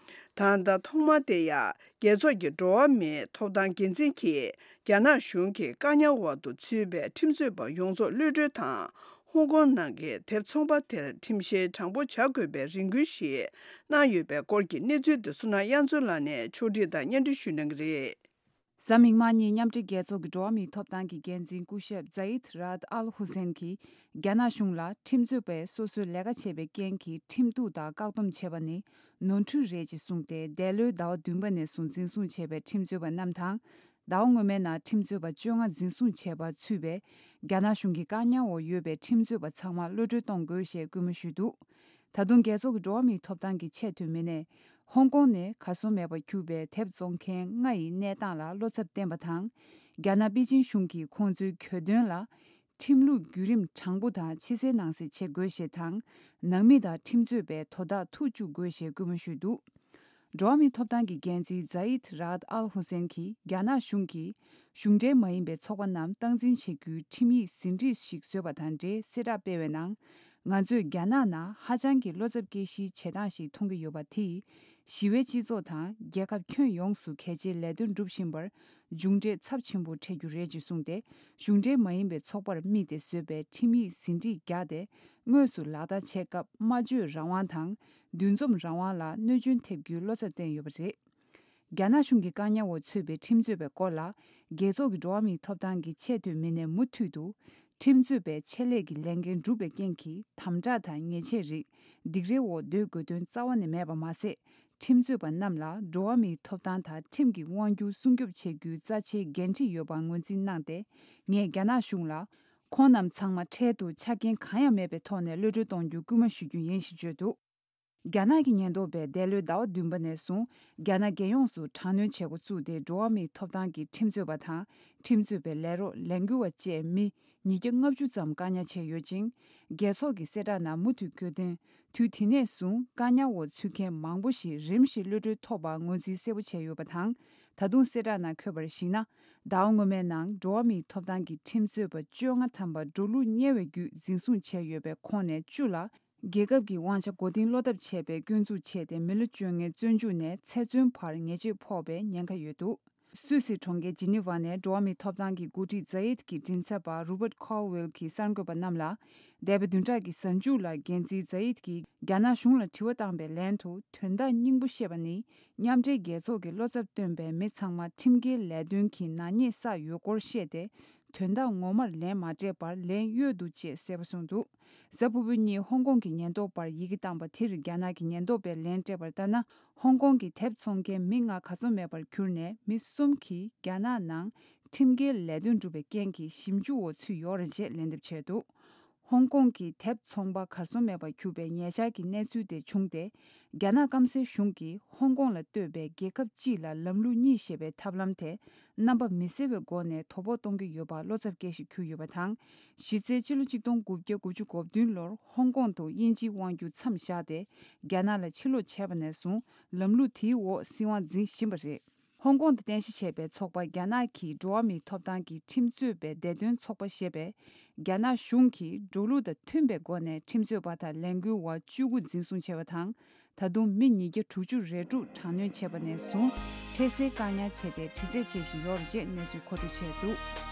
ད་ལྟ་ཐོག་མ་དེ་ཡང་རྒྱལ་ཚོགས་ཀྱི་འགྲོ་བ་མིའི་ཐོབ་ཐང་འགན་འཛིན་གྱིས་རྒྱ་ནག་གཞུང་གིས་བཀག་ཉར་འོག་ཏུ་ཚུད་པའི་ཁྲིམས་རྩོད་པ་ཡོངས་རྫོགས་གློད་གྲོལ་དང་། ཧོང་ཀོང་ནང་གི་དེབ་ཚོང་པ་དེར་ཁྲིམས་བཤེར་དྲང་པོ་བྱ་དགོས་པའི་རེ་སྐུལ་ཞིག་གནང་ཡོད་པའི་སྐོར་གྱི་གནས་ཚུལ་དེ་བསོད་ནམས་དབྱངས་མཚོ་ལགས་ནས་ཕྱོགས་སྒྲིག་དང་སྙན་སྒྲོན་ཞུ་གནང་གི་རེད། གཟའ་མིག་དམར་ཉིན་མཉམ་འབྲེལ་རྒྱལ་ཚོགས་ཀྱི་འགྲོ་བ་མིའི་ཐོབ་ཐང་གི་འགན་འཛིན་སྐུ་ཞབས་ཛ་ཡིད་ར་ཨད་ཨལ་ཧུ་སེན་གྱིས་རྒྱ་ནག་གཞུང་ལ་ཁྲིམས་རྩོད་པས་སོ་སོའི་ལས་ཀ་བྱས་པའི་རྐྱེན་གྱིས་ཁྲིམས་གཏུག་དང་བཀག་སྡོམ་བྱས་པ་ནི་ནོར་འཁྲུལ་རེད་ཅེས་གསུངས་ཏེ། འདས་ལོའི་ཟླ་བ་བདུན་པ་ནས་བཟུང་འཛིན་བཟུང་བྱས་པའི་ཁྲིམས་རྩོད་པ་རྣམས་དང་། ཟླ་བ་སྔོན་མའི་ནང་ཁྲིམས་རྩོད་པ་བཅོ་ལྔ་འཛིན་བཟུང་བྱས་པ་ཚུད་པའི་རྒྱ་ནག་གཞུང་གི་བཀག་ཉར་འོག་ཡོད་པའི་ཁྲིམས་རྩོད་པ་ཚང་མ་གློད་གྲོལ་གཏོང་དགོས་ཞེས་སྐུལ་མ་ཞུས་འདུག། ད་དུང་རྒྱལ་ཚོགས་ཀྱི་འགྲོ་བ་མིའི་ཐོབ་ཐང་གི་ཆེས་མཐོའི་མི་སྣས། ཧོང་ཀོང་ནས་གར་སོང་མེད་པར་གྱུར་པའི་དེབ་བཙོང་མཁན་ལྔ་ཡི་གནས་སྟངས་ལ་བློ་འཚབ་བསྟན་པ་དང་། རྒྱ་ནག་པེ་ཅིན་གཞུང་གིས་ཁོང་ཚོའི་གྱོད་དོན་ལ། ཁྲིམས་ལུགས་བརྒྱུད་རིམ་དྲང་པོ་དང་ཕྱི་གསལ་ནང་གསལ་བྱེད་དགོས་ཞེས་དང་། ནང་མི་དང་ཁྲིམས་རྩོད་པའི་དོ་བདག་ཐུག་བཅུག་དགོས་ཞེས་སྐུལ་མ་ཞུས་འདུག། འགྲོ་བ་མིའི་ཐོབ་ཐང་གི་འགན་འཛིན་ཛ་ཡིད་ར་ཨད་ཨལ་ཧུ་སེན་གྱིས་རྒྱ་ནག་གཞུང་གིས་གཞུང་འབྲེལ་མ་ཡིན་པའི་ཚོགས་པ་རྣམས་སྟངས་འཛིན་བྱེད་རྒྱུའི་ཁྲིམས་ཡིག་ཟིན་བྲིས་ཤིག་བཟོས་པ་དང་འབྲེལ་གསལ་བསྒྲགས་སྤེལ་བའི་ནང་། ང་ཚོས་རྒྱ་ནག་ནང་ཧ་ཅང་གི་བློ་འཚབ་སྐྱེ་གཞིའི་བྱེད་སྟངས་ཤིག་མཐོང་གི་ཡོད་པ་དེས། ཞི་བའི་སྤྱི་ཚོགས་དང་རྒྱལ་ཁབ་ཁྱོན་ཡོངས་སུ་གལ་ཆེའི་ལས་དོན་སྒྲུབ་བཞིན་པར་མཇུག་འབྲས་ཚབས་ཆེན་པོ་འཕྲད་རྒྱུ་རེད་ཅེས་གསུངས་ཏེ། གཞུང་འབྲེལ་མ་ཡིན་པའི་ཚོགས་པར་དམིགས་ཏེ་བཟོས་པའི་ཁྲིམས་ཡིག་ཟིན་བྲིས་བརྒྱ་དེ། དངོས་སུ་ལག་བསྟར་བྱེད་སྐབས་སྨྲ་བརྗོད་རང་དབང་དང་། འདུ་འཛོམས་རང་དབང་ལ་གནོད་སྐྱོན་ཐེབས་རྒྱུའི་བློ་འཚབ་བསྟན་ཡོད་པ་རེད། རྒྱ་ནག་གཞུང་གི་བཀག་ཉར་འོག་ཚུད་པའི་ཁྲིམས་རྩོད་པའི་སྐོར་ལ། རྒྱལ་ཚོགས་ཀྱི་འགྲོ་བ་མིའི་ཐོབ་ཐང་གི་ཆེས་མཐོའི་མི་སྣས་མུ་མཐུད་དུ། ཁྲིམས་རྩོད་པའི་ཆེད་ལས་ཀྱི་ལས་འགན་བསྒྲུབས་པའི་རྐྱེན་གྱིས་དམ་དྲག་དང་ཉེས་ཆད་རིགས་སྡིགས་རའི་འོག་སྡོད་དགོས་དོན་རྩ་བ་ནས་མེད་པ་མ་ཟད། ཁྲིམས་རྩོད་པ་རྣམས་ལ་འགྲོ་བ་མིའི་ཐོབ་ཐང་དང་ཁྲིམས་ཀྱི་དབང་སྒྱུར་སྲུང་སྐྱོབ་བྱེད་རྒྱུའི་རྩ་ཆེའི་འགན་འཁྲི་ཡོད་པ་ངོས་འཛིན་གནང་སྟེ། ངས་རྒྱ་ནག་གཞུང་ལ། ཁོང་རྣམས་ཚང་མ་འཕྲལ་དུ་ཆ་རྐྱེན་གང་ཡང་མེད་པའི་ཐོག་ནས་གློད་གྲོལ་གཏོང་རྒྱུ་སྐུལ་མ་ཞུ་རྒྱུ་ཡིན་ཞེས་བརྗོད་འདུག། རྒྱ་ནག་གི་ཉེན་རྟོག་པས་འདས་ལོའི་ཟླ་བ་བདུན་པ་ནས་བཟུང་རྒྱ་ནག་རྒྱལ་ཡོངས་སུ་དྲག་གནོན་བྱེད་འགོ་བཙུགས་ཏེ། འགྲོ་བ་མིའི་ཐོབ་ཐང་གི་ཁྲིམས་རྩོད་པ་དང་ཁྲིམས་རྩོད་པའི་ལས་རོགས་ལས་འགུལ་བ་བཅས་མི་ཉིས་བརྒྱ་ལྔ་བཅུ་ཙམ་བཀག་ཉར་བྱས་ཡོད་ཅིང་། རྒྱལ་ཚོགས་ཀྱི་གསལ་བསྒྲགས་ནང་མུ་མཐུད་བཀོད་དོན། དུས་དེ་ནས་བཟུང་བཀག་ཉར་འོག་ཚུད་མཁན་མང་པོ་ཞིག་རིམ་བཞིན་གློད་གྲོལ་ཐོབ་པ་ངོས་འཛིན་གསལ་པོ་བྱས་ཡོད་པ་དང་། ད་དུང་གསལ་བསྒྲགས་ནང་འཁོད་པར་གཞིགས་ན། ཟླ་བ་སྔོན་མའི་ནང་འགྲོ་བ་མིའི་ཐོབ་ཐང་གི་ཁྲིམས་རྩོད་པ་བཅོ་ལྔ་ཐམ་པ་འགྲོ་ལུགས་དམྱལ་བའི་བརྒྱུད་འཛིན་བཟུང་བྱས་ཡོད་པའི་ཁོངས་ནས་བཅུ་ལ། རྒྱལ་ཁབ་ཀྱི་དབང་ཆ་མགོ་རྟིང་སློག་ཐབས་བྱས་པའི་སྐྱོན་འཛུགས་བྱས་ཏེ། མི་ལོ་བཅོ་ལྔའི་བཙོན་འཇུག་ནས་ཚེ་བཙོན་བར་ཉེས་ཆད་ཕོག་པའི་ཉེན་ཁ་ཡོད་འདུག། སུད་སི་གྲོང་ཁྱེར་ཇི་ནི་ཝ་ནས་འགྲོ་བ་མིའི་ཐོབ་ཐང་གི་འགོ་ཁྲིད་ཛ་ཡིད་ཀྱི་མགྲིན་ཚབ་པ་རུ་པར་ཁོལ་ཝེལ་གྱིས་གསར་འགོད་པ་རྣམས་ལ། འདས་པའི་བདུན་ཕྲག་གི་གཟའ་མཇུག་ལ་འགན་འཛིན་ཛ་ཡིད་ཀྱིས་རྒྱ་ནག་གཞུང་ལ་དྲི་བ་བཏང་པའི་ལན་དུ། དོན་དག་སྙིང་པོ་བཤད་པ་ནི། མཉམ་འབྲེལ་རྒྱལ་ཚོགས་ཀྱིས་བློ་འཚབ་སྟོན་པའི་མི་ཚང་མ་ཁྲིམས་འགལ་ལས་དོན་གྱི་ནག་ཉེས་བསགས་ཡོད་སྐོར་བཤད་དེ། དོན་དག་ངོ་མར་ལན་མ་སྤྲད་པར་ལན་གཡོལ་འདུག་ཅེས་གསལ་པོ་གསུངས་འདུག། གཟའ་ཕུར་བུ་ཉིན་ཧོང་ཀོང་གི་ཉེན་རྟོག་པར་ཡི་གེ་བཏང་པ་དེར་རྒྱ་ནག་གི་ཉེན་རྟོག་པས་ལན་སྤྲད་པར་ལྟར་ན། ཧོང་ཀོང་གི་དེབ་འཚོང་མཁན་མི་ལྔ་གར་སོང་མེད་པར་གྱུར་ནས། མི་གསུམ་གྱིས་རྒྱ་ནག་ནང་ཁྲིམས་འགལ་ལས་དོན་བསྒྲུབས་པའི་རྐྱེན་གྱིས་ཞིབ་འཇུག་འོག་ཚུད་ཡོད་རེད་ཅེས་ལན་འདེབས་བྱས་འདུག། ཧོང་ཀོང་གི་དེབ་ཚོང་པ་གར་སོང་མེད་པར་གྱུར་པའི་ཉེ་ཆར་གྱི་གནས་ཚུལ་དེ་བྱུང་སྟེ། རྒྱ་ནག་སྐམ་སའི་གཞུང་གིས་ཧོང་ཀོང་ལ་ལྟོས་པའི་རྒྱལ་ཁབ་སྤྱི་ལ་ལམ་ལུགས་གཉིས་ཞེས་པའི་ཐབས་ལམ་དེ་རྣམ་པ་མི་གསལ་བའི་སྒོ་ནས་དོ་ཕོག་གཏོང་གི་ཡོད་པ་བློ་འཚབ་སྐྱེ་གཞི་གྱུར་ཡོད་པ་དང་། གཞི་རྩའི་ཕྱི་ལོ་ཆིག་སྟོང་དགུ་བརྒྱ་དགུ་བཅུ་གོ་བདུན་ལོར་ཧོང་ཀོང་དུ་དབྱིན་ཇིའི་དབང་སྒྱུར་མཚམས་བཞག་སྟེ། རྒྱ་ནག་ལ་ཕྱིར་ལོག་བྱས་པ་ནས་བཟུང་ལམ་ལུགས་དེའི་འོག་སྲིད་དབང་འཛིན་བཞིན་པ་རེད། ཧོང་ཀོང་དུ་རྟེན་གཞི་བྱས་པའི་ཚོགས་པ་རྒྱ་ནག་གི་འགྲོ་བ་མིའི་ཐོབ་ཐང་གི་ཁྲིམས་རྩོད་པའི་བདེ་དོན་ཚོགས་པ་ཞེས་པས། རྒྱ་ནག་གཞུང་གིས་འགྲོ་ལུགས་དང་མཐུན་པའི་སྒོ་ནས་ཁྲིམས་རྩོད་པ་དང་ལས་འགུལ་བ་བཅུ་དགུ་འཛིན་བཟུང་བྱས་པ་དང་། ད་དུང་མི་ཉིས་བརྒྱ་དྲུག་ཅུ་རེ་དྲུག་དྲག་གནོན་བྱས་པ་ནས་བཟུང་འཕྲལ་སེལ་བཀག་ཉར་བྱས་ཏེ། དྲི་རྩད་བྱེད་བཞིན་ཡོད་རེད་ཅེས་གནས་ཚུལ་མཁོ་སྤྲོད་བྱས་འདུག།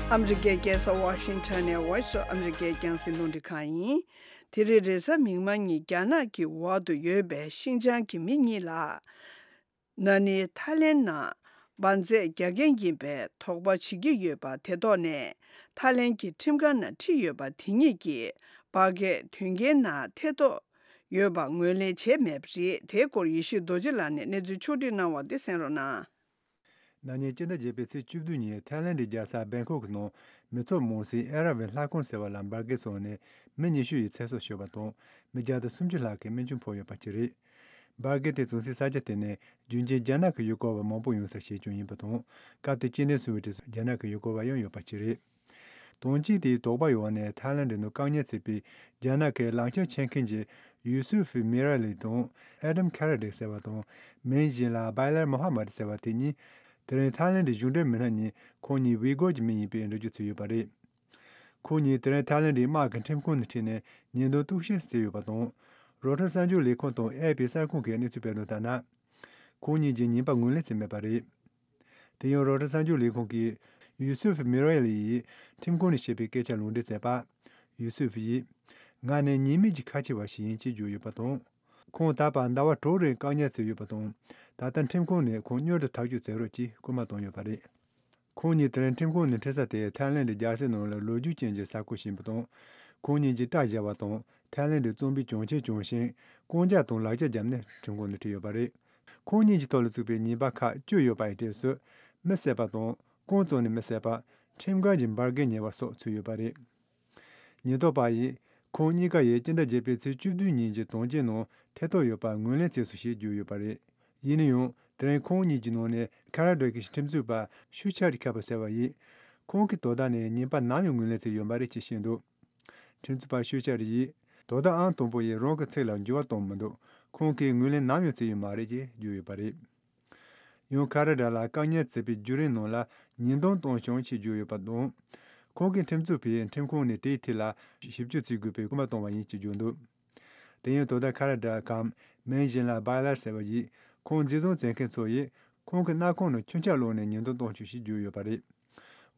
ཨ་མི་རི་ཀའི་རྒྱལ་ས་ཝ་ཤིང་ཊོན་ནས་Voice of America རྒྱང་སྲིང་རླུང་འཕྲིན་ཁང་ཡིན། དེ་རིང་རེས་གཟའ་མིག་དམར་ཉིན་རྒྱ་ནག་གི་འོག་ཏུ་ཡོད་པའི་ཤིན་ཅང་གི་མི་གཉིས་ལ། ན་ནིང་ཐའི་ལེན་ནང་འབར་རྫས་རྒྱག་མཁན་ཡིན་པའི་དོགས་པ་བྱེད་ཀྱི་ཡོད་པ་དེ་ཐོག་ནས། ཐའི་ལེན་གྱི་ཁྲིམས་ཁང་ནང་ཁྲིད་ཡོད་པ་དེ་གཉིས་ཀྱིས་པར་སྐད་དོན་རྐྱེན་ནང་ཐེ་གཏོགས་ཡོད་པ་ངོས་ལེན་བྱས་མེད་པ་རེད། དེའི་སྐོར་ཡེ་ཤེས་རྡོ་རྗེ་ལགས་ནས་གནས་ཚུལ་ཕྱོགས་བསྒྲིགས་གནང་བ་འདི་གསན་རོགས་གནང་། ན་ནིང་སྤྱི་ཟླ་བརྒྱད་པའི་ཚེས་བཅུ་བདུན་ཉིན་ཐའི་ལེན་གྱི་རྒྱལ་ས་བེང་ཀོག་གི་ནང་མི་ཚོགས་མང་སའི་ཨེ་ར་ཝི་ལྷ་ཁང་ཟེར་བ་ལ་འབར་གས་སོང་ནས་མི་ཉི་ཤུ་ཡི་ཚེ་སྲོག་ཤོར་བ་དང་། མི་བརྒྱ་དང་སུམ་ཅུ་ལྷག་གིས་རྨས་སྐྱོན་ཕོག་ཡོད་པ་བཅས་རེད། འབར་གས་དེ་བྱུང་སའི་ས་ཆ་དེ་ནི་རྒྱུན་གྱི་རྒྱ་ནག་གི་ཡུལ་སྐོར་བ་མང་པོ་ཡོང་ས་ཞིག་ཀྱང་ཡིན་པ་དང་། སྐབས་དེར་སྐྱེ་གནས་སུ་བའི་གྲས་སུ་རྒྱ་ནག་གི་ཡུལ་སྐོར་བ་ཡང་ཡོད་པ་བཅས་རེད། དོན་རྐྱེན་དེའི་དོགས་པ་ཡོད་པ་ནས་ཐའི་ལེན་ནང་བཀག་ཉར་བྱས་པའི་རྒྱ་ནག་གི་ལག་ཁྱེར་འཁྱེར་མཁན་གྱི་ཡུ་སུ་ཧྥི་མི་ར་ལི་དང་ཨེ་ཌམ་ཁ་ར་ཏེ་ཟེར་བ་དང་། མིང་གཞན་ལ་བྷའི་ལར་མོ་ཧ་མད་ཟེར་བ་དེ་གཉིས། དེ་རིང་ཐའི་ལེན་གཞུང་འབྲེལ་མི་སྣ་གཉིས་ཁོང་གཉིས་ཝི་གོར་གྱི་མི་ཡིན་པའི་འགྲེལ་བརྗོད་བྱས་ཡོད་པ་རེད། ཁོང་གཉིས་དེ་རིང་ཐའི་ལེན་དམག་གི་ཁྲིམས་ཁང་ནང་ཁྲིད་ནས་ཉེས་རྡུང་གཏུག་བཤེར་བྱས་ཡོད་པ་དང་། རོའི་ཊར་གསར་འགྱུར་ལས་ཁུངས་དང་ཨེ་ཨེཕ་པི་གསར་ཁང་གིས་གནས་ཚུལ་སྤེལ་དོན་ལྟར་ན། ཁོང་གཉིས་ཀྱི་ཉེས་པ་ངོས་ལེན་བྱས་མེད་པ་རེད། དེ་ཡང་རོའི་ཊར་གསར་འགྱུར་ལས་ཁུངས་ཀྱིས་ ཡུ་སུབ་མི་རོ་ཡལ་ཡིས་ཁྲིམས་ཁང་ནས་བཤད་པའི་སྐད་ཆ་ལུང་འདྲེན་མཛད་པ། ཡུ་སུབ་ཡིས། ང་ནི་ཉེས་མེད་ཀྱི་ཁ་ཆེ་བ་ཞིག་ཡིན་ཅེས་བརྗོད་ཡོད་པ་དང་། ཁོང་ད་བར་ཟླ་བ་དྲུག་རིང་བཀག་ཉར་བྱས་ཡོད་པ་དང་། ད་ལྟ་ཁྲིམས་ཁང་ནས་ཁོང་མྱུར་དུ་ཐག་གཅོད་མཛད་རོགས་ཅེས་སྐུལ་མ་བཏང་ཡོད་པ་རེད། ཁོང་གཉིས་དེ་རིང་ཁྲིམས་ཁང་ནས་ཁྲིད་ས་དེ་ཐའི་ལེན་ཌི་རྒྱལ་སའི་ནང་ལ་ལོ་རྒྱུས་ཅན་གྱི་ས་ཁུལ་ཞིག་ཡིན་པ་དང་། ཁོང་གཉིས་ཀྱིས་སྐྲ་བཞར་བ་དང་། ཐའི་ལེན་ཌི་རྩོམ་པའི་གྱོན་ཆས་གྱོན་ཞིང་རྐང་རྒྱག་དང་ལག་ཆ་བརྒྱབ་ནས་ཁྲིམས་ཁང་ནང་ཁྲིད་ཡོད་པ་རེད། ཁོང་གཉིས་ཀྱི་ཐོག་ལ་བཙུགས་པའི་ཉེས་པ་ཁག་བཅུ་ཡོད་པ་ཡི་གྲས་སུ། མི་བསད་པ་དང་། རྐང་བཙུགས་ནས་མི་བསད་པ། ཁྲིམས་འགལ་གྱི་འབར་གས་ཉར་བ་སོགས་ཚུད་ཡོད་པ་རེད། ཉེན་རྟོག་པ་ཡིས། ཁོང་གཉིས་ཀ་ཡིས་སྤྱི་ཟླ་བརྒྱད་པའི་ཚེས་བཅུ་བདུན་ཉིན་གྱི་དོན་རྐྱེན་ནང་ཐེ་གཏོགས་ཡོད་པ་ངོས་ལེན་བྱས་སོང་ཞེས་བརྗོད་ཡོད་པ་རེད། ཡིན་ན་ཡང་། དེ་རིང་ཁོང་གཉིས་ཀྱི་ནང་ནས་ཁ་ར་ཌ་གི་ཁྲིམས་རྩོད་པ་ཤུ་ཆ་རི་ཁ་པ་ཟེར་བ་ཡིས། ཁོང་གིས་དོ་བདག་ནས་ཉེས་པ་ནམ་ཡང་ངོས་ལེན་བྱས་ཡོད་མ་རེད་ཅེས་བཤད་འདུག་ཁྲིམས་རྩོད་པ་ཤུ་ཆ་རི་ཡིས། དོ་བདག་ཨང་དང་པོ་ཡིས་རང་གི་ཚིག་ལ་འགྱུར་བ་བཏང་མི་འདུག་ཁོང་གིས་ངོས་ལེན་ནམ་ཡང་བྱས་ཡོད་མ་རེད་ཅེས་བརྗོད་ཡོད་པ་རེད། ཡང་ཁ་ར་ཌ་ལ་བཀག་ཉར་བྱས་པའི་བརྒྱུད་རིམ་ནང་ལ་ཉེས་རྡུང་བཏང་བྱུང་ཞེས་བརྗོད་ཡོད་པ་དང་། ཁོང་གིས་ཁྲིམས་རྩོད་པས་ཁྲིམས་ཁང་ནས་དེའི་ཐད་ལ་ཞིབ་དཔྱོད་བྱེད་དགོས་པའི་སྐུལ་མ་བཏང་བ་ཡིན་ཞེས་བརྗོད་འདུག་དེ་ཡང་དོ་བདག་ཁ་ར་ཌ་གམ་མིང་གཞན་ལ་བྷའི་ལར་ཟེར་བ་ཡིས། ཁོང་འཛིན་བཟུང་བྱེད་མཁན་ཚོ་ཡིས་ཁོང་གི་སྣ་ཁུང་ནང་མཆོད་ཆས་བླུགས་ནས་ཉེས་རྡུང་བཏང་བྱུང་ཞེས་བརྗོད་ཡོད་པ་རེད།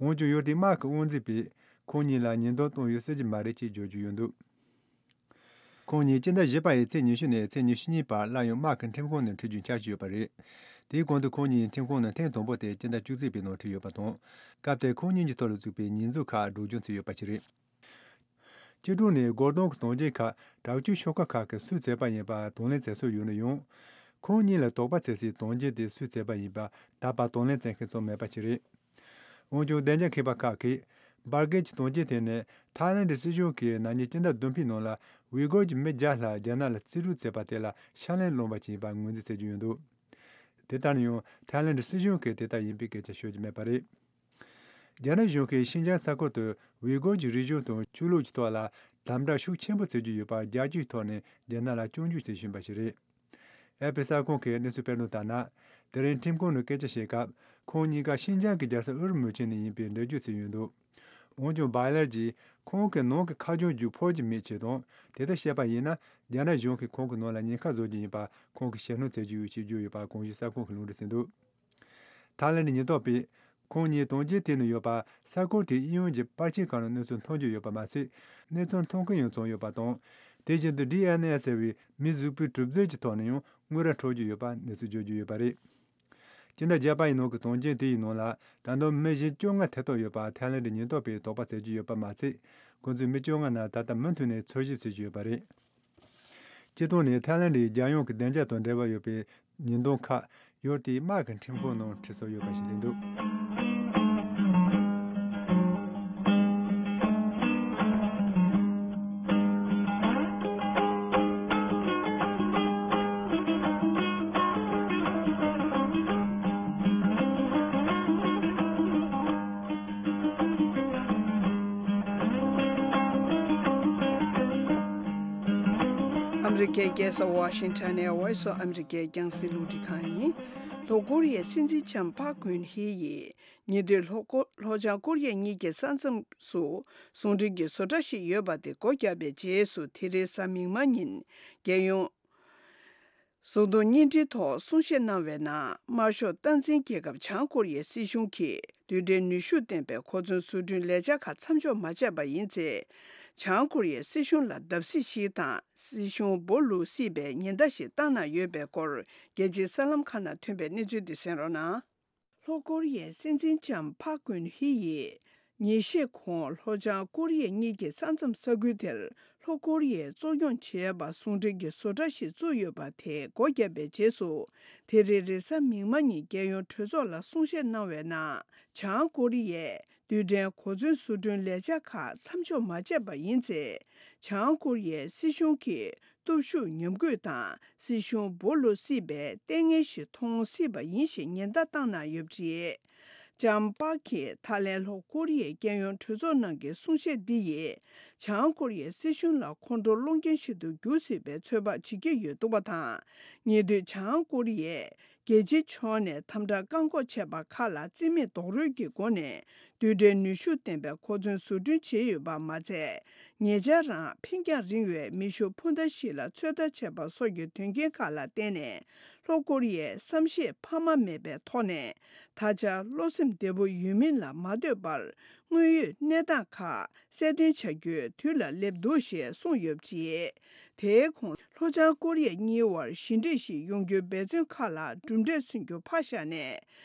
འོན་ཀྱང་ཡུལ་དེའི་དམག་གི་དབང་འཛིན་པས་ཁོང་གཉིས་ལ་ཉེས་རྡུང་བཏང་ཡོད་ཟེར་གྱི་མ་རེད་ཅེས་བརྗོད་ཀྱི་ཡོད་འདུག་ཁོང་གཉིས་སྤྱི་ཟླ་བཞི་པ་ཡི་ཚེས་ཉི་ཤུ་ནས་ཚེས་ཉི་ཤུ་གཉིས་བར་སླར་ཡང་དམག་གི་ཁྲིམས་ཁང་ནང་ཁྲིད་རྒྱུའི་འཆར་གཞི་ཡོད་པ་རེད། དེའི་གོང་དུ་ཁོང་གཉིས་ཁྲིམས་ཁང་ནང་ཐེངས་དང་པོ་དེ་སྤྱི་ཟླ་བཅུ་གཅིག་པའི་ནང་ཁྲིད་ཡོད་པ་དང་། སྐབས་དེར་ཁོང་གཉིས་ཀྱི་ཐོག་ལ་བཙུགས་པའི་ཉེས་འཛུགས་ཁག་སྒྲོག་སྦྱང་བྱས་ཡོད་པ་ཞིག་རེད། སྤྱི་དྲུང་ནས་སྒོ་རྡུང་གི་དོན་རྐྱེན་ཁག་དྲག་སྤྱོད་ཤོག་ཁག་ཁག་གིས་སུས་བྱས་པ་ཡིན་པ་དང་ལེན་བྱས་སྲོལ་ཡོད་ན་ཡང་། ཁོང་གཉིས་ལ་དོགས་པ་བྱེད་སའི་དོན་རྐྱེན་དེ་སུས་བྱས་པ་ཡིན་པ་ད་བར་དང་ལེན་བྱེད་མཁན་ཚོ་མེད་པ་ཞིག་རེད། འོན་ཀྱང་བདེ་འཇགས་མཁས་པ་ཁག་གིས་འབར་གས་ཀྱི་དོན་རྐྱེན་དེ་ནི་ཐའི་ལེན་ཌི་སྲིད་གཞུང་གིས་ན་ནིང་སྤྱི་ཟླ་བདུན་པའི་ནང་ལ་ཝི་གོར་གྱི་མི་བརྒྱ་ལྷག་རྒྱ་ནག་ལ་རྩིས་སྤྲོད་བྱས་པ་དེ་ལ་ཕྱག་ལེན་བླངས་པ་ཞིག་ཡིན་པ་ངོས་འཛིན་བྱེད་ཀྱི་ཡོད་འདུག་དེ་ལྟར་ན་ཡང་ཐའི་ལེན་ཌི་སྲིད་གཞུང་གིས་དེ་ལྟར་ཡིན་པའི་སྐད་ཆ་ཤོད་ཀྱི་མེད་པ་རེད། རྒྱ་ནག་གཞུང་གིས་ཤིན་ཅང་ས་ཁུལ་དུ་ཝི་གོར་གྱི་རིག་གཞུང་དང་ཆོས་ལུགས་ཀྱི་ཐོག་ལ་དམ་དྲག་ཤུགས་ཆེན་པོ་བྱེད་ཀྱི་ཡོད་པར་རྒྱལ་སྤྱིའི་ཐོག་ནས་རྒྱ་ནག་ལ་སྐྱོན་བརྗོད་བྱེད་བཞིན་པ་ཞིག་རེད། ཨེ་ཕི་གསར་ཁང་གིས་གནས་ཚུལ་སྤེལ་དོན་ལྟར་ན། དེ་རིང་ཁྲིམས་ཁང་ནང་སྐད་ཆ་བཤད་སྐབས་ཁོང་གཉིས་ཀ་ཤིན་ཅང་གི་རྒྱལ་ས་ཨུ་རུ་མུ་ཆི་ནས་ཡིན་པའི་འགྲེལ་བརྗོད་བྱས་ཡོད་འདུག་འོན་ཀྱང་བྷའི་ལར་གྱིས་ཁོང་གི་ནང་གི་ཁ་རྒྱུན་རྒྱུག་ཕོད་ཀྱི་མེད་ཅེས་དང་། དེ་ལྟར་བཤད་པ་ཡིན་ན་རྒྱ་ནག་གཞུང་གིས་ཁོང་གི་ནང་ལ་ཉེན་ཁ་བཟོ་རྒྱུ་ཡིན་པ་ཁོང་གིས་ཞེད་སྣང་བྱེད་ཀྱི་ཡོད་ཅེས་བརྗོད་ཡོད་པ་གོང་ཞུས་གསར་ཁང་གིས་ལུང་འདྲེན་བྱས་འདུག་ཐའི་ལེན་ཌི་ཉེན་རྟོག་པས་ཁོང་གཉིས་དོན་རྐྱེན་དེ་ནང་ཡོད་པ་ས་ཁུལ་དེའི་གཡས་གཡོན་གྱི་པར་ཆས་ཁག་ནང་གནས་ཚུལ་མཐོང་རྒྱུ་ཡོད་པ་མ་ཟད། གནས་ཚུལ་མཐོང་མཁན་ཡང་བྱུང་ཡོད་པ་དང་། དེ་བཞིན་དུ་ཌི་ཨེན་ཨེ་ཟེར་བའི་མིའི་གཟུགས་པོའི་གྲུབ་རྫས་ཀྱི་ཐོག་ནས་ཡང་དངུལ་རྭ་འཕྲོག་རྒྱུ་ཡོད་པ་གནས་ཚུལ་བརྗོད་རྒྱུ་ཡོད་པ་རེད། སྤྱི་ཟླ་བརྒྱད་པ་ཡི་ནང་གི་དོན་རྐྱེན་དེ་ཡི་ནང་ལ་ད་དུང་མི་གཞན་བཅོ་ལྔ་ཐེ་གཏོགས་ཡོད་པ་ཐའི་ལེན་ཌི་ཉེན་རྟོག་པས་དོགས་པ་བྱེད་ཀྱི་ཡོད་པ་མ་ཟད། ཁོང་ཚོའི་མི་བཅོ་ལྔ་རྣམས་ད་ལྟ་མུ་མཐུད་ནས་འཚོལ་ཞིབ་བྱེད་ཀྱི་ཡོད་པ་རེད། སྤྱིར་བཏང་ནས་ཐའི་ལེན་ཌིའི་རྒྱལ་ཡོངས་ཀྱི་བདེ་འཇགས་དང་འབྲེལ་བ་ཡོད་པའི་ཉེས་རྡུང་ཁག་ཡུལ་དེའི་དམག་གི་ཁྲིམས་ཁང་ནང་ཁྲིད་སྲོལ་ཡོད་པ་ཞིག་རེད་འདུག་ཨ་མི་རི་ཀའི་རྒྱལ་ས་ཝ་ཤིང་ཊོན་ནས་Voice of America རྒྱང་སྲིང་རླུང་འཕྲིན་ཁང་ཡིན། ལྷོ་ཀོ་རི་ཡའི་སྲིད་འཛིན་ལྕམ་པཱ་ཀུན་ཧི་ཡིས་ཉེ་དུས་ལྷོ་ཀོ་ལྷོ་བྱང་ཀོ་རི་ཡ་གཉིས་ཀྱི་ས་མཚམས་སུ་ཟུང་འབྲེལ་གྱི་བཟོ་གྲྭ་ཞིག་ཡོད་པ་དེ་སྒོ་བརྒྱབ་པའི་རྗེས་སུ་དེ་རིང་གཟའ་མིག་དམར་ཉིན་རྒྱལ་ཡོངས་བཟོ་ལྟ་བརྙན་འཕྲིན་ཐོག་གསུང་བཤད་གནང་བའི་ནང་། དམར་ཤོག་སྟངས་འཛིན་རྒྱལ་ཁབ་བྱང་ཀོ་རི་ཡའི་སྲིད་གཞུང་གིས་རྡུལ་ཕྲན་ནུས་ཤུགས་ལྡན་པའི་གོ་མཚོན་བཟོ་སྐྲུན་ལས་འཆར་ཁག་མཚམས་འཇོག་མ་བྱས་པ་ཡིན་ཚེ། བྱང་ཀོ་རི་ཡའི་སྲིད་གཞུང་ལ་བརྡབ་གསིག་ཞིག་དང་སྲིད་གཞུང་སྦོ་ལུག་སྲིད་པའི་ཉེན་བརྡ་ཞིག་བཏང་གནང་ཡོད་པའི་སྐོར། རྒྱལ་སྤྱིའི་གསར་ལམ་ཁག་ནང་ཐོན་པའི་གནས་ཚུལ་འདི་གསན་རོགས་གནང་། ལྷོ་ཀོ་རི་ཡའི་སྲིད་འཛིན་ལྕམ་པཱ་ཀུན་ཧི་ཡིས། ཉིན་ཤས་གོང་ལྷོ་བྱང་ཀོ་རི་ཡ་གཉིས་ཀྱི་ས་མཚམས་ས་ཁུལ་དེར་ལྷོ་ཀོ་རི་ཡས་གཙོ་སྐྱོང་བྱེད་པ་ཟུང་འབྲེལ་གྱི་བཟོ་གྲྭ་ཞིག་བཙུགས་ཡོད་པ་དེ་སྒོ་བརྒྱབ་པའི་རྗེས་སུ། དེ་རིང་རེས་གཟའ་མིག་དམར་ཉིན་རྒྱལ་ཡོངས་གྲོས་ཚོགས་ལ་གསུང་བཤད་གནང་བའི་ནང་། བྱང་ཀོ་རི་ཡས་རྡུལ་ཕྲན་གོ་མཚོན་བཟོ་སྐྲུན་ལས་འཆར་ཁག་མཚམས་འཇོག་མ་བྱས་པ་ཡིན་ཚེ། བྱང་ཀོ་རི་ཡའི་སྲིད་གཞུང་གིས། སྟོབས་ཤུགས་ཉམས་རྒུད་དང་སྲིད་གཞུང་སྦོ་ལུག་སྲིད་པའི་ལྟས་ངན་ཞིག་མཐོང་སྲིད་པ་ཡིན་ཞེས་ཉེན་བརྡ་བཏང་གནང་ཡོད་པ་རེད། ལྕམ་པཱ་གིས་ད་ལན་ལྷོ་ཀོ་རི་ཡའི་རྒྱལ་ཡོངས་གྲོས་ཚོགས་ནང་གི་གསུང་བཤད་འདི་ཡིས་བྱང་ཀོ་རི་ཡའི་སྲིད་གཞུང་ལ་ཁོང་ཁྲོ་སློང་རྐྱེན་ཞིག་ཏུ་འགྱུར་སྲིད་པའི་ཚོད་དཔག་བྱེད་ཀྱི་ཡོད་འདུག་པ་དང་། ཉེ་དུས་བྱང་ཀོ་རི་ཡས་རྒྱལ་སྤྱིའི་ཕྱོགས་ནས་དམ་དྲག་བཀག་འགོག་བྱས་པ་ཁག་ལ་རྩིས་མེད་རྡོག་རོལ་གྱི་སྒོ་ནས། རྡུལ་ཕྲན་ནུས་ཤུགས་ལྡན་པའི་གོ་མཚོན་བཟོ་སྐྲུན་བྱས་ཡོད་པ་མ་ཟད། ཉེ་ཆར་རང་འཕེན་རྒྱང་རིང་བའི་མེ་ཤུགས་འཕུར་མདའ་ཞིག་ལ་ཚོད་ལྟ་བྱས་པ་སོགས་ཀྱི་དོན་རྐྱེན་ཁག་ལ་བརྟེན་ནས། ལྷོ་ཀོ་རི་ཡས་བསམ་ཤེས་འཕར་མ་མེད་པའི་ཐོག་ནས། ད་ཆ་བློ་སེམས་བདེ་པོ་ཡོད་མིན་ལ་མ་ལྟོས་པར། དངོས་ཡོད་གནས་སྟངས་ཁག་གསལ་སྟོན་བྱ་རྒྱུའི་དུས་ལ་སླེབས་འདུག་ཞེས་གསུངས་ཡོད་པ་རེད། དེའི་གོང་ལྷོ་བྱང་ཀོ་རི་ཡ་གཉིས་དབར་ཞི་འགྲིག་ཞིག་ཡོང་རྒྱུའི་འབད་བརྩོན་ཁག་ལ་གྲུབ་འབྲས་སོན་རྒྱུ་ཕར་བཞག་ནས།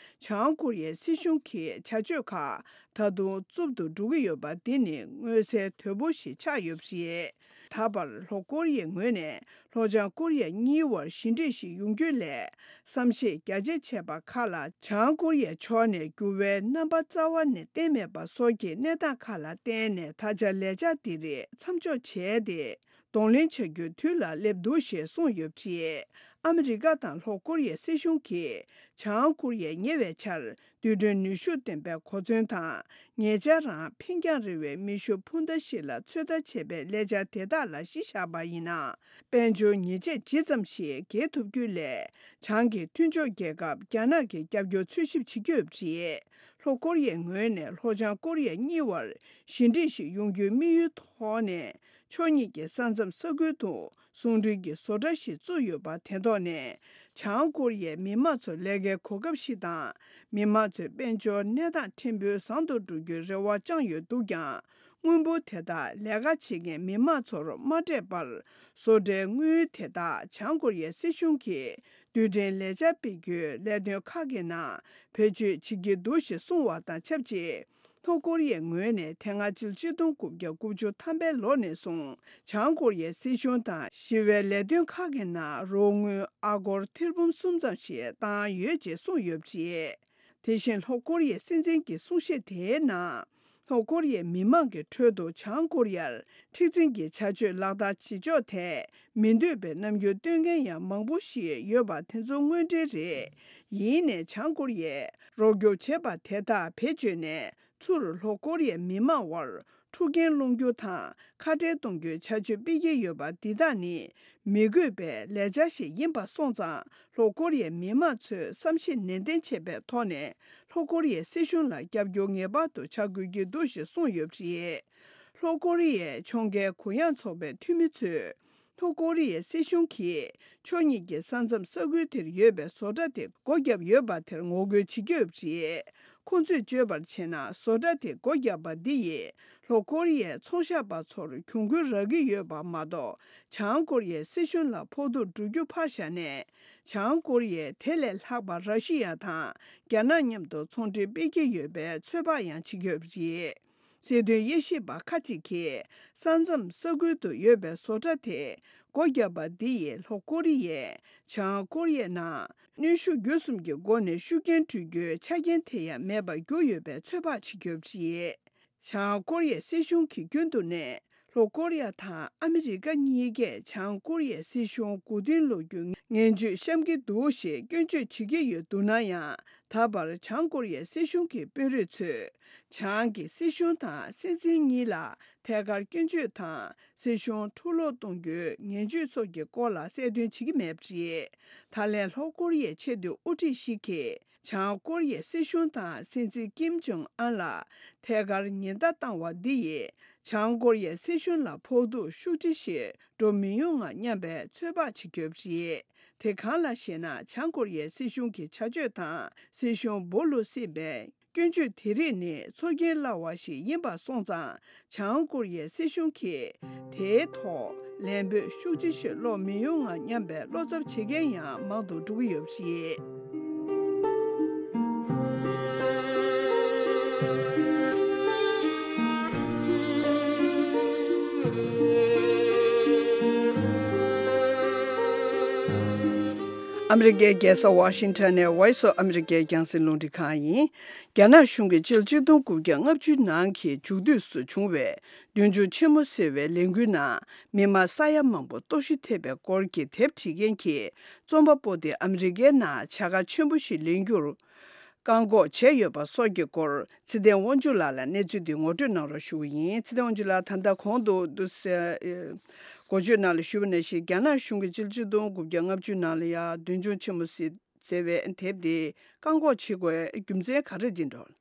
བྱང་ཀོ་རི་ཡའི་སྲིད་གཞུང་གི་བྱ་སྤྱོད་ཁག་ད་དུང་རྩུབ་ཏུ་འགྲོ་གི་ཡོད་པ་འདི་ནི་མངོན་གསལ་དོད་པོ་ཞིག་ཆགས་ཡོད་པ་རེད། ད་བར་ལྷོ་ཀོ་རི་ཡའི་ངོས་ནས་ལྷོ་བྱང་ཀོ་རི་ཡ་གཉིས་དབར་ཞི་འགྲིག་ཞིག་ཡོང་རྒྱུ་ལས་བསམ་ཤེས་རྒྱ་ཆེ་བྱས་པ་ཁག་ལ་བྱང་ཀོ་རི་ཡའི་ཕྱོགས་ནས་འགྱུར་བའི་རྣམ་པ་རྩ་བ་ནས་བསྟན་མེད་པ་སོགས་ཀྱི་གནས་སྟངས་ཁག་ལ་བརྟེན་ནས། ད་ཆ་ལས་འཆར་འདི་རིགས་མཚམས་འཇོག་བྱས་ཏེ། གདོང་ལེན་བྱ་རྒྱུའི་དུས་ལ་སླེབས་འདུག་ཞེས་གསུངས་ཡོད་པ་རེད། ཨ་མི་རི་ཀ་དང་ལྷོ་ཀོ་རི་ཡའི་སྲིད་གཞུང་གིས་བྱང་ཀོ་རི་ཡས་ཉེ་བའི་ཆར་རྡུལ་ཕྲན་ནུས་ཤུགས་ལྡན་པའི་གོ་མཚོན་དང་། ཉེ་ཆར་རང་འཕེན་རྒྱང་རིང་བའི་མེ་ཤུགས་འཕུར་མདའ་ཞིག་ལ་ཚོད་ལྟ་བྱས་པའི་ལས་འཆར་དེ་དག་ལ་གཞི་བཞག་པ་ཡིན་ན། དཔལ་འབྱོར་ཉེས་ཆད་ཇི་ཙམ་ཞིག་འགེལ་ཐུབ་རྒྱུ་ལས། བྱང་གི་མཐུན་ཕྱོགས་རྒྱལ་ཁབ་རྒྱ་ནག་གི་རྒྱབ་སྐྱོར་འཚོལ་ཞིབ་བྱེད་ཀྱི་ཡོད་པ་རེད། ལྷོ་ཀོ་རི་ཡའི་ངོས་ནས་ལྷོ་བྱང་ཀོ་རི་ཡ་གཉིས་དབར་ཞི་འགྲིག་ཞིག་ཡོང་རྒྱུའི་དམིགས་ཡུལ་ཐོག་ནས། ཕྱོགས་གཉིས་ཀྱི་ས་མཚམས་ས་ཁུལ་དུ་ཟུང་འབྲེལ་གྱི་བཟོ་གྲྭ་ཞིག་བཙུགས་ཡོད་པ་དེ་ཐོག་ནས། བྱང་ཀོ་རི་ཡའི་མི་དམངས་ཚོར་ལས་ཀའི་གོ་སྐབས་ཤིག་དང་། མི་དམངས་ཚོའི་དཔལ་འབྱོར་གནས་སྟངས་ཕྲན་བུ་བཟང་དུ་འགྲོ་རྒྱུའི་རེ་བ་བཅངས་ཡོད་འདུག་ཀྱང་། དངུལ་འབོར་དེ་དག་ལས་ཀ་བྱེད་མཁན་མི་དམངས་ཚོར་མ་སྤྲད་པར། བཟོ་གྲྭའི་དངུལ་དེ་དག་བྱང་ཀོ་རི་ཡའི་སྲིད་གཞུང་གིས་རྡུལ་ཕྲན་ལས་འཆར་སྤེལ་རྒྱུའི་ལས་དོན་ཁག་གི་ནང་བེད་སྤྱོད་བྱེད་ཀྱི་འདུག་ཞེས་གསུངས་པ་དང་ཆབས་ཅིག་ལྷོ་ཀོ་རི་ཡའི་ངོས་ནས་དེ་སྔ་ཕྱི་ལོ་ཆིག་སྟོང་དགུ་བརྒྱ་དགུ་བཅུ་ཐམ་པའི་ལོ་ནས་བཟུང་། བྱང་ཀོ་རི་ཡའི་སྲིད་གཞུང་དང་ཞི་བའི་ལས་དོན་ཁག་གི་ནང་རོགས་དངུལ་ཨ་སྒོར་ཐེར་འབུམ་གསུམ་ཙམ་ཞིག་བཏང་ཡོད་ཅེས་གསུངས་ཡོད་པ་རེད། དེ་བཞིན་ལྷོ་ཀོ་རི་ཡའི་སྲིད་འཛིན་གྱི་གསུང་བཤད་དེའི་ནང་། ལྷོ་ཀོ་རི་ཡའི་མི་མང་གི་ཁྲོད་དུ་བྱང་ཀོ་རི་ཡར་མཁྲེགས་འཛིན་གྱི་བྱ་སྤྱོད་ལག་བསྟར་བྱེད་ཕྱོགས་ཐད་མི་འདོད་པའི་རྣམ་འགྱུར་སྟོན་མཁན་ཡང་མང་པོ་ཞིག་ཡོད་པ་དེ་ཚོ་དངོས་འབྲེལ་རེད། ཡིན་ནའི་བྱང་ཀོ་རི་ཡས་རོགས་སྐྱོར་བྱས་པ་དེ་དག་བེད་སྤྱོད་ནས། ཚུར་ལྷོ་ཀོ་རི་ཡའི་མི་མང་དབར་འཁྲུག་རྐྱེན་སློང་རྒྱུ་དང་ཁ་བྲལ་གཏོང་རྒྱུའི་བྱ་སྤྱོད་སྤེལ་གྱི་ཡོད་པ་འདི་དག་ནི་མི་དགོས་པའི་ལས་འཆར་ཞིག་ཡིན་པ་སོང་ཙང་། ལྷོ་ཀོ་རི་ཡའི་མི་མང་ཚོས་བསམ་ཤེས་ནན་ཏན་བྱས་པའི་ཐོག་ནས་ལྷོ་ཀོ་རི་ཡའི་སྲིད་གཞུང་ལ་རྒྱབ་སྐྱོར་ངེས་པར་དུ་བྱ་དགོས་ཀྱི་འདུག་ཞེས་གསུངས་ཡོད་པ་རེད། ལྷོ་ཀོ་རི་ཡའི་ཕྱོགས་འགལ་གུ་ཡངས་ཚོགས་པའི་འཐུས་མི་ཚོས། ལྷོ་ཀོ་རི་ཡའི་སྲིད་གཞུང་གིས་ཕྱོགས་གཉིས་ཀྱི་ས་མཚམས་ས་ཁུལ་དེར་ཡོད་པའི་བཟོ་གྲྭ་དེ་སྒོ་བརྒྱབ་ཡོད་པ་དེར་ངོ་རྒོལ་བྱེད་ཀྱི་ཡོད་པ་རེད། ཁོང་ཚོས་བརྗོད་པར་བྱས་ན། བཟོ་གྲྭ་དེ་སྒོ་བརྒྱབ་པ་འདི་ཡིས་ལྷོ་ཀོ་རི་ཡའི་ཚོང་ཤག་པ་ཚོར་གྱོང་གུན་རག་གི་ཡོད་པ་མ་གཏོགས། བྱང་ཀོ་རི་ཡའི་སྲིད་གཞུང་ལ་ཕོག་ཐུག་འགྲོ་རྒྱུ་ཕར་བཞག་ནས། བྱང་ཀོ་རི་ཡས་དེ་ལས་ལྷག་པ་ར་ཤི་ཡ་དང་རྒྱ་ནག་མཉམ་དུ་ཚོང་འབྲེལ་སྤེལ་གྱི་ཡོད་པའི་ཚོད་དཔག་ཡང་བྱེད་ཀྱི་ཡོད་པ་རེད། སྲིད་དོན་དབྱེ་ཞིབ་པ་ཁག་ཅིག་གིས། ས་མཚམས་ས་ཁུལ་དུ་ཡོད་པའི་བཟོ་གྲྭ་དེ་སྒོ་བརྒྱབ་པ་འདི་ཡིས་ལྷོ་ཀོ་རི་ཡས་བྱང་ཀོ་རི་ཡའི་ནང་གནོན་ཤུགས་བརྒྱུད་གསུམ་གྱི་སྒོ་ནས་ཤུགས་རྐྱེན་སྤྲོད་རྒྱུའི་ཆ་རྐྱེན་དེ་ཡང་མེད་པར་གྱུར་ཡོད་པའི་ཚོད་དཔག་བྱེད་ཀྱི་ཡོད་པ་རེད། བྱང་ཀོ་རི་ཡའི་སྲིད་གཞུང་གིས་རྒྱུན་དུ་ནས་ལྷོ་ཀོ་རི་ཡ་དང་ཨ་མི་རི་ཀ་གཉིས་ཀས་བྱང་ཀོ་རི་ཡའི་སྲིད་གཞུང་མགོ་རྟིང་སློག་རྒྱུའི་ངན་ཇུས་བཤམས་ཀྱི་འདུག་ཞེས་སྐྱོན་བརྗོད་བྱེད་ཀྱི་ཡོད་འདུག་ན་ཡང་། ད་བར་བྱང་ཀོ་རི་ཡའི་སྲིད་གཞུང་གི་དཔོན་རིགས་ཚོས། བྱང་གི་སྲིད་གཞུང་དང་སྲིད་འཛིན་གཉིས་ལ་ཐད་ཀར་སྐྱོན་བརྗོད་དང་། སྲིད་གཞུང་འཁྲུག་སློང་གཏོང་རྒྱུའི་ངན་ཇུས་སོགས་ཀྱི་སྐོར་ལ་གསལ་སྟོན་བྱེད་ཀྱི་མེད་པ་རེད། ད་ལན་ལྷོ་ཀོ་རི་ཡའི་ཆེས་མཐོའི་དབུ་ཁྲིད་ཞིག་གིས། བྱང་ཀོ་རི་ཡའི་སྲིད་གཞུང་དང་སྲིད་འཛིན་ཀིམ་ཇོང་ཨན་ལ་ཐད་ཀར་ཉེན་བརྡ་བཏང་བ་འདི་ཡིས། བྱང་ཀོ་རི་ཡའི་སྲིད་གཞུང་ལ་ཕོག་ཐུག་ཤུགས་ཆེ་ཞིག་འགྲོ་མི་ཡོང་ངམ་སྙམ་པའི་ཚོད་དཔག་བྱེད་ཀྱི་ཡོད་པ་རེད། དེ་གང་ལགས་ཤེ་ན། བྱང་ཀོ་རི་ཡའི་སྲིད་གཞུང་གི་བྱ་སྤྱོད་དང་། སྲིད་གཞུང་སྦོ་ལོ་སྲིད་པའི་སྐྱོན་བརྗོད་དེ་རིགས་ནི་ཚོར་སྐྱེན་སླ་བ་ཞིག་ཡིན་པ་སོང་ཙང་། བྱང་ཀོ་རི་ཡའི་སྲིད་གཞུང་གིས་དེའི་ཐོག་ལན་འབོད་ཤུགས་ཆེ་ཞིག་སློག་མི་ཡོང་ངམ་སྙམ་པའི་བློ་འཚབ་བྱེད་མཁན་ཡང་མང་དུ་འགྲོ་གི་ཡོད་པ་རེད། ཨ་མི་རི་ཀའི་རྒྱལ་ས་ཝ་ཤིང་ཊོན་ནས་Voice of America་རྒྱང་སྲིང་རླུང་འཕྲིན་ཁང་ཡིན། རྒྱ་ནག་གཞུང་གིས་ཕྱི་ལོ་ཆིག་སྟོང་དགུ་བརྒྱ་ལྔ་བཅུ་ནང་གི་མཇུག་དུས་སུ་བྱུང་བའི་མདུན་ལྗོངས་ཆེན་མོ་ཟེར་བའི་ལས་འགུལ་ནང་མི་དམངས་ས་ཡ་མང་པོ་ལྟོགས་ཤི་ཐེབས་པའི་སྐོར་གྱི་དེབ་བྲིས་མཁན་གྱི་རྩོམ་པ་པོ་དེ་ཨ་མི་རི་ཀའི་ནང་བྱ་དགའ་ཆེན་པོ་ཞིག་ལེན་རྒྱུར་བཀག་འགོག་བྱས་ཡོད་པ་སོགས་ཀྱི་སྐོར་ཚེ་བརྟན་དབང་ཕྱུག་ལགས་ལ་གནས་ཚུལ་འདི་ངོ་སྤྲོད་གནང་རོགས་ཞུ་གི་ཡིན། ཚེ་བརྟན་དབང་ཕྱུག་ལགས། ད་ལྟ་གོང་དུ་འདུག་སེ་འགོ་བརྗོད་ནང་ལ་ཞུས་པ་ནང་བཞིན། རྒྱ་ནག་གཞུང་གིས་ཕྱི་ལོ་ཆིག་སྟོང་དགུ་བརྒྱ་ལྔ་བཅུ་ནང་ལ་ཡ་མདུན་ལྗོངས་ཆེན་མོ་ཟེར་ཟེར་བའི་དེབ་དེ་བཀག་འགོག་བྱེད་དགོས་རྒྱུ་མཚན་ག་རེ་ཡིན་འགྲོ།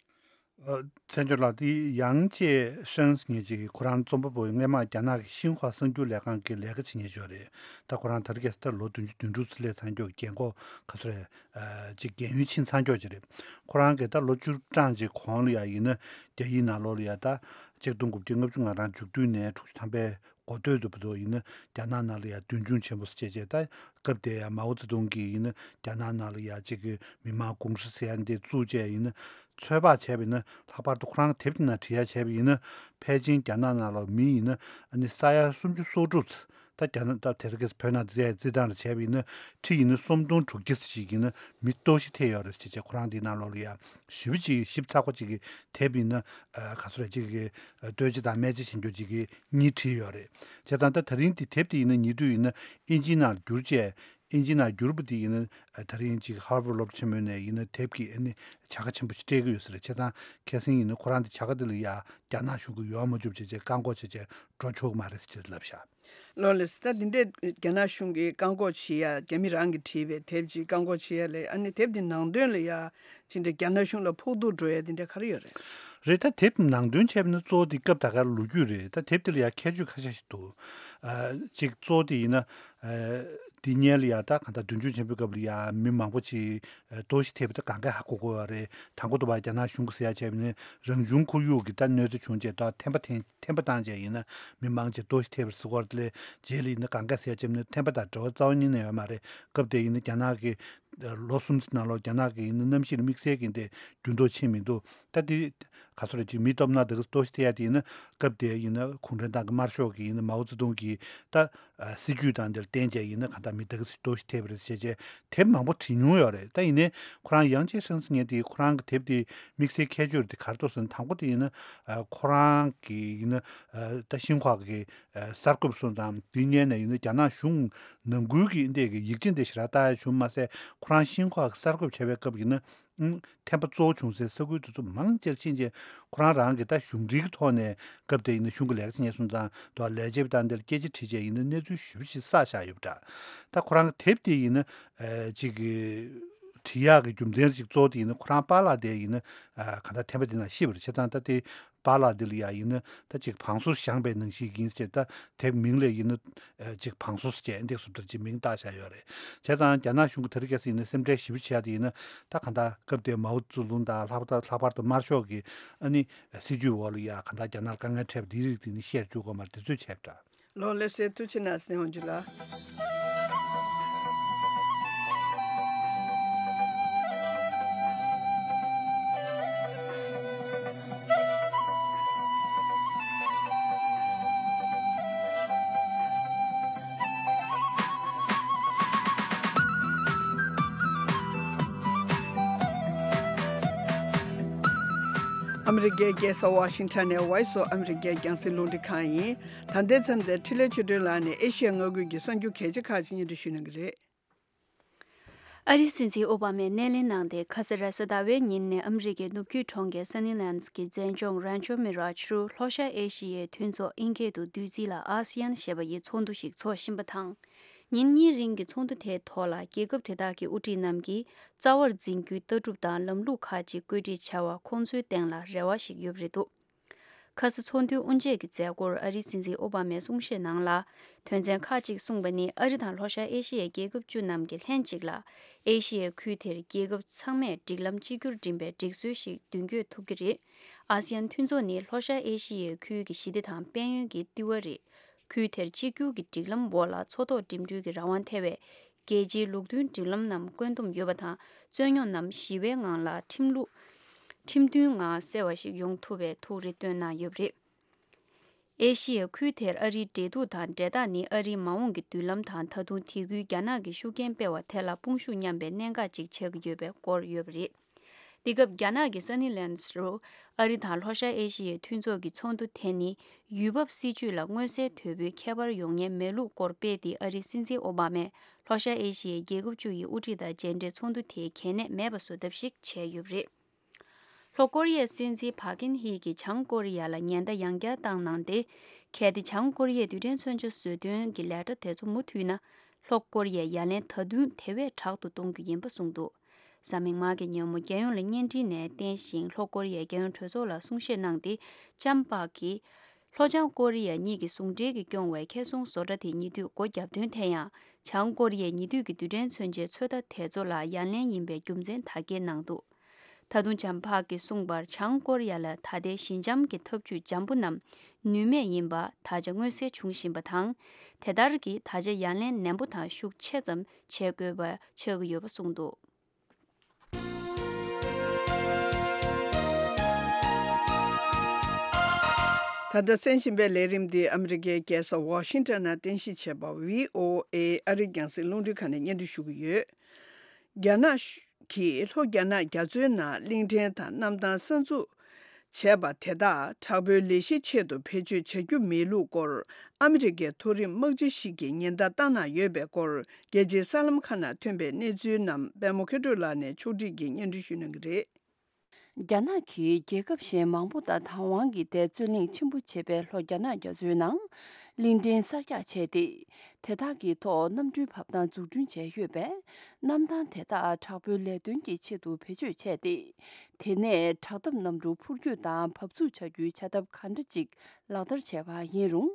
ཨ། མཚན་སྦྱོར་ལགས། དེ་ཡང་ཅེ་ཧྲན་ཟེར་མཁན་ཅིག་ཁོ་རང་རྩོམ་པ་པོ་སྔས་མ་རྒྱ་ནག་གི་ཤིན་ཧྭ་གསར་འགྱུར་ལས་ཁང་གི་ལས་ཀ་བྱེད་མཁན་ཅིག་ཡོད་རེད། ད་ཁོ་རང་ད་རེས་ཁ་སང་ད་ལོ་བདུན་ཅུ་དོན་དྲུག་ཙམ་སླེབས་ཚར་མཁན་རྒན་གོག་ག་ཚོད་རེད། ཨ། ཅིག་རྒན་ཡོལ་ཕྱིན་ཚར་མཁན་ཅིག་རེད། ཁོ་རང་གིས་ད་ལོ་བཅུ་གྲངས་ཅིག་གོང་ལ་ཡ་ཡིན་ན་རྒྱ་ཡིག་ནང་ལོགས་ལ་ཡ་ད་ཆིག་སྟོང་དགུ་བརྒྱ་ལྔ་བཅུ་ང་གྲངས་དྲུག་ཅུ་ནས་དྲུག་ཅུ་ཐམ་པའི་འགོ་སྟོད་དུ་བར་དུ་ཡིན་ན་རྒྱ་ནག་ནང་ལ་ཡ་མདུན་མཆོང་ཆེན་པོ་བྱས་བྱས། ད་སྐབས་དེ་ཡ་མའོ་ཙེ་ཏུང་གིས་ཡིན་ན་རྒྱ་ནག་ནང་ལ་ཡ་ཅིག་གི་མི་དམངས་ཀུང་ཧྲི་ཟེར་ཡ་འདི་བཙུགས་བྱས་ཡིན་ན་ཚོད་དཔག་བྱས་པ་ཡིན་ན། ལྷག་པར་དུ་ཁོ་རང་དེབ་དེ་ནང་བྲིས་ཡ་བྱས་པ་ཡིན་ན། ཕལ་ཆེར་རྒྱ་ནག་ནང་ལ་མི་ཡིན་ན་ཨ་ནི་ས་ཡ་སུམ་ཅུ་སོ་དྲུག་ཙམ། ད་རྒྱ་ནག་ད་དེ་རིང་ཁ་སང་བོད་ནང་བརྩི་ཡ་བརྩི་སྟངས་ལ་བྱས་པ་ཡིན་ན་ཁྲི་ཡིན་ན་སུམ་སྟོང་དྲུག་བརྒྱ་ཙམ་ཞིག་ཡིན་ན་མི་གཏོར་བཤིག་ཐེབས་ཡོད་རེད་ཟེར་བྱས། ཁོ་རང་དེའི་ནང་ལོགས་ལ་ཡ་ཞེ་པོ་ཅིག་ཞིབ་ཚགས་པོ་ཅིག་གི་དེབ་ཡིན་ན། ཨ། ག་ཚོད་རེད། ཅིག་གི་ཨ་ལྟོ་ཆས་དང་སྨན་རྩིས་བྱེད་རྒྱུ་ཅིག་གི་གཉིས་བྲིས་ཡོད་རེད། བྱས་ཙང་ད་ད་རིང་དེ་དེབ་དེ་ཡིན་ན་ཉེ་དུས་ཡིན་ན་ཨིན་ཇིའི་ནང་བསྒྱུར་བྱས། ཨིན་ཇི་ནང་བསྒྱུར་བ་དེ་ཡིན་ན་ཨ་ད་རིང་ཅིག་ཧར་ཝརཌ་སློབ་གྲྭ་ཆེན་མོའི་ནས་ཡིན་ན་དེབ་ཀྱི་ཨ་ནི་བྱ་དགའ་ཆེན་པོ་ཞིག་སྤྲད་ཀྱི་ཡོད་ས་རེད། བྱས་ཙང་ཁ་སང་ཡིན་ན་ཁོ་རང་དེ་བྱ་དགའ་དེ་ལ་ཡ་རྒྱ་ནག་གཞུང་གིས་ཡོང་མ་བཅུག་བྱས་བྱས་བཀག་འགོག་བྱས་བྱས་འགྲོ་ཆོག་གི་མ་རེད་ཟེར་ལབ་ཤག་ལགས་ལགས་སོ། ད་འདི་འདྲའི་རྒྱ་ནག་གཞུང་གིས་བཀག་འགོག་བྱེད་ཡ། རྒྱ་མི་རང་གིས་བྲིས་པའི་དེབ་ཅིག་བཀག་འགོག་བྱེད་ཡ་ལས། ཨ་ནི་དེབ་འདི་ནང་དོན་ལ་ཡ་ཅི་འདྲ་རྒྱ་ནག་གཞུང་ལ་ཕོག་ཐུག་འགྲོ་ཡ་འདི་འདྲ་ག་རེ་ཡོད་རེད། རེད། ད་དེབ་ནང་དོན་བྱས་པ་ན་གཙོ་བོ་དེ་སྐབས་ད་ག་ལོ་རྒྱུས་རེད། ད་དེབ་དེ་ལ་ཡ་ཁྱད་ཆོས་ཁ་ཤས་ཤིག་འདུག་ཨ། གཅིག་གཙོ་བོ་དེ་ཡིན་ན། ཨ། དེ་སྔོན་ལ་ཡ་ད་གང་ལྟར་མདུན་མཆོང་ཆེན་པོའི་སྐབས་ལ་ཡ་མི་མང་པོ་ཅིག་ཨ་གཏོར་བཤིག་ཐེབས་པ་དེ་གང་གས་ཧ་གོ་གོ་བ་རེད། དང་པོ་དུ་བ་རྒྱ་ནག་གཞུང་གིས་ཟེར་ཡ་བྱས་པ་ནི་རང་བྱུང་ཁོར་ཡུག་གི་ད་གནོད་འཚེ་བྱུང་རྗེས་ད་ཐན་པ་ཐན་ཐན་པ་བཏང་རྗེས་ཡིན་ན་མི་མང་ཅིག་གཏོར་བཤིག་ཐེབས་པ་རེད་ཟེར་གོ་རེད། དེ་ལས་རྗེས་ལ་ཡིན་ན་གང་གས་ཟེར་ཡ་བྱས་པ་ནི་ཐན་པ་དང་འབྲེལ་བ་རྩ་བ་ཉིད་ནས་ཡོད་མ་རེད། སྐབས་དེ་ཡིན་ན་རྒྱ་ནག་གི་ལོ་གསུམ་ཙམ་ནང་ལོགས་རྒྱ་ནག་གི་ཡིན་ན་གནམ་གཤིས་ལ་དམིགས་བསལ་གྱི་འདི་འགྱུར་ལྡོག་ཕྱིན་མི་འདུག་ད་དེ་ག་ཚོད་རེད། ཅིག་མི་སྟོབས་ན་དེ་ག་གཏོར་བཤིག་ཐེབས་ཡ་དེ་ཡིན་ན་སྐབས་དེ་ཡིན་ན་གུང་ཁྲན་ཏང་གི་དམར་ཤོག་གི་ཡིན་ན་མའོ་ཙེ་ཏུང་གི་ད་ཨ་སྲིད་ཇུས་དང་དེར་བརྟེན་བྱས་ཡིན་ན་གང་ལྟར་མི་དེ་ག་གཏོར་བཤིག་ཐེབས་པ་རེད་ཟེར་བྱས་དེབ་མང་པོ་བྲིས་མྱོང་ཡོད་རེད། ད་ཡིན་ནའི་ཁོ་རང་ཡང་ཅེ་ཧྲན་ཟེར་མཁན་དེ་ཁོ་རང་གི་དེབ་དེ་དམིགས་བསལ་ཁྱད་ཆོས་དེ་ག་རེ་འདུག་ཟེར་ན། དང་པོ་དེ་ཡིན་ན་ཨ་ཁོ་རང་གི་ཡིན་ན་ཨ་ད་ཤིན་ཧྭ་གི་ཨ་གསར་འགོད་པ་སོང་ཙང་དེ་སྔོན་ནས་ཡིན་ན་རྒྱ་ནག་གཞུང་ནང་ཁུལ་གྱི་འདི་གི་ཡིག་ཆ་འདི་ཞེ་དྲག་ལྟ་ཡ་བྱུང་མ་ཟད། ཁོ་རང་ཤིན་ཧྭ་གི་གསར་འགོད་པ་བྱས་པའི་སྐབས་ཡིན་ན་ཨང་ཐན་པ་གཙོ་བོ་བྱུང་སའི་ས་ཁུལ་དེ་ཚོ་མང་ཆེར་ཕྱིན་རྗེས་ཁོ་རང་རང་གི་ད་གཞུང་འབྲེལ་གྱི་ཐོག་ནས་སྐབས་དེ་ཡིན་ན་གཞུང་གི་ལས་ཀ་བྱེད་མཁན་སོང་ཙང་དུ་ལས་བྱེད་པ་དང་འདིར་སྐད་ཆ་དྲིས་རྗེས་ཡིན་ན་གནས་ཚུལ་ཞེ་པོ་ཞིག་བསགས་བཞག་ཡོད་པ་འདྲ། ད་ཁོ་རང་གི་དེབ་དེ་ཡིན་ན་ཨ་ཅིག་གི་བྲིས་ཡག་གི་རྒྱུ་མཚན་ཅིག་གཙོ་བོ་དེ་ཡིན་ན་ཁོ་རང་པཱ་ལགས་དེ་ཡིན་ན་ཨ་གང་ལྟར་ཐན་པ་དེ་ནང་ཤི་བ་རེད། བྱས་ཙང་ད་དེ་པཱ་ལགས་འདི་ལ་ཡ་ཡིན་ན་ད་ཅིག་བང་སོ་བཞེངས་པའི་ནང་བཞིན་ཡིན་ཟེར། ད་དེབ་མིང་ལ་ཡིན་ན་ཨ་ཅིག་བང་སོ་ཟེར་བྱས་འདི་སུབ་ལྟར་ཅིག་མིང་བཏགས་བཞག་ཡོད་རེད། བྱས་ཙང་རྒྱ་ནག་གཞུང་གི་དེ་རིང་ཁ་སང་ཡིན་ན་སེམས་ཁྲལ་ཞེ་པོ་བྱས་ཏེ་ཡིན་ན་ད་གང་ལྟར་སྐབས་དེའི་མའོ་ཙེ་ཏུང་དང་ལྷག་པར་ལྷག་པར་དུ་དམར་ཤོག་གི་ཨ་ནི་སྲིད་ཇུས་འོག་ལ་ཡ་གང་ལྟར་རྒྱ་ནག་ལ་དཀའ་ངལ་འཕྲད་པ་དེའི་རིགས་དེ་ནི་བཤད་བཅུག་དགོས་མ་རེད། དེ་ཚོས་བྱས་པ་འདྲ། ལགས་ལགས་སོ། ཐུགས་རྗེ་གནང་། སྣེ་ཧོང་ཇི་ལགས། ཨ་མི་རི་ཀའི་རྒྱལ་ས་ཝ་ཤིང་ཊོན་ནས་Voice of America རྒྱང་སྲིང་རླུང་འཕྲིན་ཁང་ཡིན། ད་ལྟའི་མཚམས་འདིར་འཕྲིན་ལས་ཆོས་སྒྲོན་ལགས་ནས་ཨེ་ཤི་ཡ་མངའ་ཁུལ་གྱི་གསར་འགྱུར་གལ་ཆེ་ཁག་ཅིག་སྙན་སྒྲོན་ཞུ་གནང་གི་རེད། ཨ་རིའི་སྲིད་འཛིན་ཨོ་བྷ་མས་སྣེ་ལེན་གནང་སྟེ། ཁ་ས་རེས་གཟའ་ཟླ་བའི་ཉིན་ནས་ཨ་མི་རི་ཀའི་ནུབ་རྒྱུད་གྲོང་ཁྱེར་སན་ནི་ལན་སི་གི་མཛེས་ལྗོངས་རན་ཆོ་མི་རཱཇ་རུ་ལྷོ་ཤར་ཨེ་ཤི་ཡའི་མཐུན་ཚོགས་ཨིན་སྐད་དུ་བསྡུས་ཚིག་ལ་ཨ་སི་ཡན་ཞེས་པ་ཡི་ཚོགས་འདུ་ཞིག་འཚོགས་བཞིན་པ་དང་། ཉིན་གཉིས་རིང་གི་ཚོགས་འདུ་དེའི་ཐོག་ལ་རྒྱལ་ཁབ་དེ་དག་གི་དབུ་ཁྲིད་རྣམས་ཀྱིས་རྩ་བར་འཛིན་རྒྱུའི་ལྟ་གྲུབ་དང་ལམ་ལུགས་ཁག་ཅིག་བཀོད་སྒྲིག་བྱ་བ་ཁོང་ཚོའི་སྟེང་ལ་རེ་བ་ཞིག་ཡོད་པ་རེད་འདུག་ཁ་ས་ཚོགས་འདུའི་དབུ་འབྱེད་ཀྱི་མཛད་སྒོར་ཨ་རིའི་སྲིད་འཛིན་ཨོ་བྷ་མས་གསུང་བཤད་ནང་ལ། དོན་ཚན་ཁག་ཅིག་གསུངས་པ་ནི། ཨ་རི་དང་ལྷོ་ཤར་ཨེ་ཤི་ཡའི་རྒྱལ་ཁབ་བཅུ་རྣམས་ཀྱི་ལྷན་ཅིག་ལ་ཨེ་ཤི་ཡའི་ཁུལ་དེར་རྒྱལ་ཁབ་ཚང་མས་སྒྲིག་ལམ་གཅིག་གྱུར་འགྲིམ་པའི་སྒྲིག་སྲོལ་ཞིག་མདུན་སྐྱོད་ཐུབ་ཀྱི་རེད། ཨ་སི་ཡན་མཐུན་ཚོགས་ནི་ལྷོ་ཤར་ཨེ་ཤི་ཡའི་ཁུལ་གྱི་ཞི་བདེ་དང་དཔལ་ཡོན་གྱི་ལྟེ་བ་རེད། ཁུལ་དེར་གཅིག་གྱུར་གྱི་སྒྲིག་ལམ་འོག་ལ་མཚོ་ཐོག་འགྲིམ་འགྲུལ་གྱི་རང་དབང་ཐེ་བའི་རྒྱལ་སྤྱིའི་ལུགས་མཐུན་སྒྲིག་ལམ་རྣམས་བཀོད་འདོམས་ཡོད་པ་དང་། རྩོད་རྙོག་རྣམས་ཞི་བའི་ངང་ལ་ཁྲིམས་ལུགས། ཁྲིམས་མཐུན་ངང་སེལ་བ་ཞིག་ཡོང་ཐུབ་པའི་ཐུགས་རེ་བཏོན་གནང་ཡོད་པ་རེད། ཨེ་ཤི་ཡའི་ཁུལ་དེར་ཨ་རིའི་འབྲེལ་གཏུག་དང་འབྲེལ་ཐག་ནི་ཨ་རིའི་མ་འོངས་ཀྱི་མདུན་ལམ་དང་། ད་དུང་དེ་ཁུལ་རྒྱ་ནག་གིས་ཤུགས་རྐྱེན་སྤེལ་བ་དེ་ལ་དཔུང་ཤུགས་མཉམ་པའི་གནད་འགག་ཅིག་ཆགས་ཀྱི་ཡོད་པའི་སྐོར་ཡོད་པ་རེད། འདི་སྐབས་རྒྱ་ནག་གི་སན་ནི་ལན་སི་རུ་ཨ་རི་དང་ལྷོ་ཤར་ཨེ་ཤི་ཡའི་མཐུན་ཚོགས་ཀྱི་ཚོགས་འདུ་དེ་ནི་ཡུལ་བབ་སྲིད་ཇུས་ལ་མངོན་གསལ་དོད་པོའི་ཁྱད་པར་ཡོང་ཉེན་མེད་ལུགས་སྐོར་སྤེལ་ཏེ། ཨ་རིའི་སྲིད་འཛིན་ཨོ་བྷ་མས་ལྷོ་ཤར་ཨེ་ཤི་ཡའི་རྒྱལ་ཁབ་བཅུ་ཡི་དབུ་ཁྲིད་དང་མཇལ་འཕྲད་ཚོགས་འདུ་དེ་གལ་གནད་མེད་པ་བཟོ་ཐབས་ཤིག་བྱས་ཡོད་པ་རེད། ལྷོ་ཀོ་རི་ཡའི་སྲིད་འཛིན་ཕ་ཀིན་ཧི་གིས་བྱང་ཀོ་རི་ཡ་ལ་ཉེན་བརྡ་ཡང་བསྐྱར་བཏང་གནང་སྟེ། གལ་ཏེ་བྱང་ཀོ་རི་ཡས་རྡུལ་ཕྲན་མཚོན་ཆ་བཟོ་འདོན་གྱི་ལས་གྲྭ་དེ་ཚོ་མུ་མཐུད་ན། ལྷོ་ཀོ་རི་ཡས་ཡ་ལན་ད་དུང་དེ་བས་དྲག་ཏུ་གཏོང་རྒྱུ་ཡིན་པ་གསུངས་འདུག་གཟའ་མིག་དམར་གྱི་ཉིན་མོ་རྒྱལ་ཡོངས་ལ་བརྙན་འཕྲིན་ནས་བསྟན་ཞིང་ལྷོ་ཀོ་རི་ཡའི་རྒྱལ་ཡོངས་གྲོས་ཚོགས་ལ་གསུང་བཤད་གནང་སྟེ། ལྕམ་པག་གིས་ལྷོ་བྱང་ཀོ་རི་ཡ་གཉིས་ཀྱི་ཟུང་འབྲེལ་གྱིས་སྐྱོང་བའི་ཁེ་སྲུང་བཟོ་གྲྭ་དེ་ཉེ་དུས་སྒོ་བརྒྱབ་དོན་དེ་ཡང་བྱང་ཀོ་རི་ཡས་ཉེ་དུས་ཀྱི་རྡུལ་ཕྲན་མཚོན་ཆའི་ཚོད་ལྟ་དེ་ཚོ་ལ་ཡ་ལན་ཡིན་པའི་རྒྱུ་མཚན་དག་སྐྱེལ་གནང་འདུག་ད་དུང་ལྕམ་པག་གིས་གསུངས་པར་བྱང་ཀོ་རི་ཡ་ལ་ད་ལྟའི་ཞི་འཇམ་གྱི་ཐབས་ཇུས་འཇམ་པོ་རྣམས་ནུས་མེད་ཡིན་པ་ད་ཆ་མངོན་གསལ་འབྱུང་བཞིན་པ་དང་། དེ་ལྟར་གྱི་ད་ཆ་ཡ་ལན་ནན་པོ་དང་ཤུགས་ཆེ་ཙམ་བྱེད་དགོས་པ་ཆགས་ཀྱི་ཡོད་པ་གསུངས་འདུག་ད་ལྟ་གསན་བཞིན་པའི་ལས་རིམ་འདི་ཨ་མི་རི་ཀའི་རྒྱལ་ས་ཝ་ཤིང་ཊོན་ནང་རྟེན་གཞི་བྱས་པ་བྷི་ཨོ་ཨེ་ཨ་རིའི་རྒྱང་སྲིང་རླུང་འཕྲིན་ཁང་ནས་སྙན་སྒྲོན་ཞུ་གི་ཡོད། རྒྱ་ནག་གིས་ལྷོ་རྒྱ་ནག་རྒྱ་མཚོའི་ནང་གླིང་ཕྲན་དང་གནམ་ཐང་གསར་འཛུགས་བྱས་པ་དེ་དག་དྲག་པོའི་ལས་གཞི་ཆེད་དུ་བེད་སྤྱོད་བྱ་རྒྱུ་མེད་ལུགས་སྐོར་ཨ་མི་རི་ཀའི་མཐོ་རིམ་དམག་སྤྱི་ཞིག་གིས་ཉེན་བརྡ་བཏང་གནང་ཡོད་པའི་སྐོར་རྒྱལ་སྤྱིའི་གསར་ལམ་ཁག་ནང་ཐོན་པའི་གནས་ཚུལ་རྣམས་པད་མ་མཁས་གྲུབ་ལགས་ནས་ཕྱོགས་སྒྲིག་གིས་སྙན་སྒྲོན་ཞུ་གནང་གི་རེད། རྒྱ་ནག་གིས་རྒྱལ་ཁབ་གཞན་མང་པོ་དང་བདག་དབང་གིས་ཏེ་རྩོད་གླེང་ཆེན་པོ་བྱེད་པའི་ལྷོ་རྒྱ་ནག་རྒྱ་མཚོའི་ནང་གླིང་ཕྲན་གསར་རྒྱག་བྱས་ཏེ། དེ་དག་གི་ཐོག་གནམ་གྲུའི་བབས་ཐང་འཛུགས་སྐྲུན་བྱས་ཡོད་པས། གནམ་ཐང་དེ་དག་དྲག་པོའི་ལས་དོན་གྱི་ཆེད་དུ་བེད་སྤྱོད་བྱས་ཏེ། དེ་ནས་དྲག་འཐབ་གནམ་གྲུ་འཕུར་སྐྱོད་དང་བབས་ཚུགས་བྱ་རྒྱུའི་བྱ་ཐབས་གང་འདྲ་ཅིག་ལག་བསྟར་བྱས་པ་ཡིན་རུང་།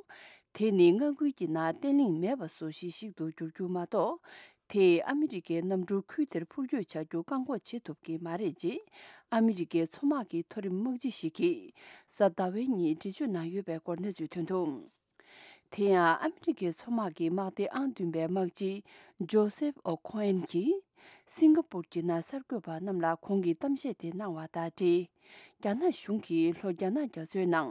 དེ་ནི་མངའ་ཁུལ་གྱི་ནང་བརྟན་ལྷིང་མེད་པ་བཟོ་གཞི་ཞིག་ཏུ་འགྱུར་རྒྱུ་མ་གཏོགས། དེས་ཨ་མི་རི་ཀའི་གནམ་གྲུ་ཁུལ་དེར་འཕུར་སྐྱོད་བྱ་རྒྱུ་བཀག་འགོག་བྱེད་ཐུབ་ཀྱི་མ་རེད་ཅེས། ཨ་མི་རི་ཀའི་མཚོ་དམག་གི་མཐོ་རིམ་དམག་སྤྱི་ཞིག་གིས་གཟའ་ཟླ་བའི་ཉིན་འགྲེལ་བརྗོད་གནང་ཡོད་པའི་སྐོར་གནས་ཚུལ་ཐོན་འདུག་དེ་ཡང་ཨ་མི་རི་ཀའི་མཚོ་དམག་གི་དམག་སྡེ་ཨང་བདུན་པའི་དམག་སྤྱི་ཇོ་སེབ་ཨོ་ཁོ་ཨེན་གྱིས། སིང་ག་པུར་གྱི་ནང་གསར་འགོད་པ་རྣམས་ལ་ཁོང་གིས་གཏམ་བཤད་དེ་གནང་བ་དང་འབྲེལ། རྒྱ་ནག་གཞུང་གིས་ལྷོ་རྒྱ་ནག་རྒྱ་མཚོའི་ནང་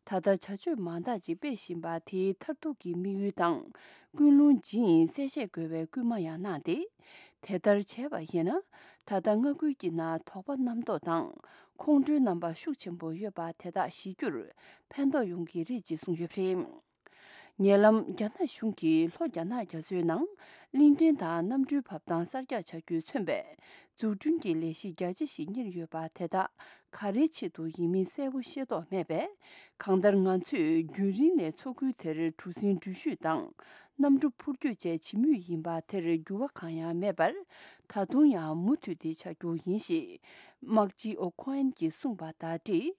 ད་ལྟ་བྱ་སྤྱོད་མང་དག་ཅིག་སྤེལ་བཞིན་པ་དེའི་མཐར་ཐུག་གི་དམིགས་ཡུལ་དང་ཀུན་སློང་ཇི་ཡིན་གསལ་བཤད་དགོས་པའི་སྐུལ་མ་ཡང་གནང་སྟེ། དེ་ལྟར་བྱས་པ་ཡིན་ན། ད་ལྟ་མངའ་ཁུལ་གྱི་ནང་དོགས་པ་རྣམ་རྟོག་དང་ཁོང་ཁྲོའི་རྣམ་པ་ཤུགས་ཆེན་པོ་ཡོད་པ་དེ་དག་ཞི་རྒྱུར་ཕན་ཐོགས་ཡོང་གི་རེད་ཅེས་གསུངས་ཡོད་པ་རེད། ཉེ་ལམ་རྒྱ་ནག་གཞུང་གིས་ལྷོ་རྒྱ་ནག་རྒྱ་མཚོའི་ནང་གླིང་ཕྲན་དང་གནམ་གྲུའི་བབས་ཐང་གསར་རྒྱག་བྱ་རྒྱུས་མཚོན་པའི་འཛུགས་སྐྲུན་གྱི་ལས་གཞི་རྒྱ་ཆེ་ཞིག་གཉེར་ཡོད་པ་དེ་དག་ག་རེའི་ཆེད་དུ་ཡིན་མིན་གསལ་པོ་ཤེས་རྟོགས་མེད་པས། གང་ལྟར་ང་ཚོས་རྒྱུན་རིང་ནས་མཚོ་ཁུལ་དེར་གྲུ་གཟིངས་འགྲུལ་བཞུད་དང་གནམ་གྲུ་འཕུར་སྐྱོད་བཅས་བྱེད་མུས་ཡིན་པ་དེར་འགྱུར་བ་གང་ཡང་མེད་པར། ད་དུང་ཡང་མུ་མཐུད་དེ་བྱ་རྒྱུ་ཡིན་ཞེས་དམག་སྤྱི་ཨོ་ཁོ་ཨན་གྱིས་གསུངས་པ་དང་འབྲེལ།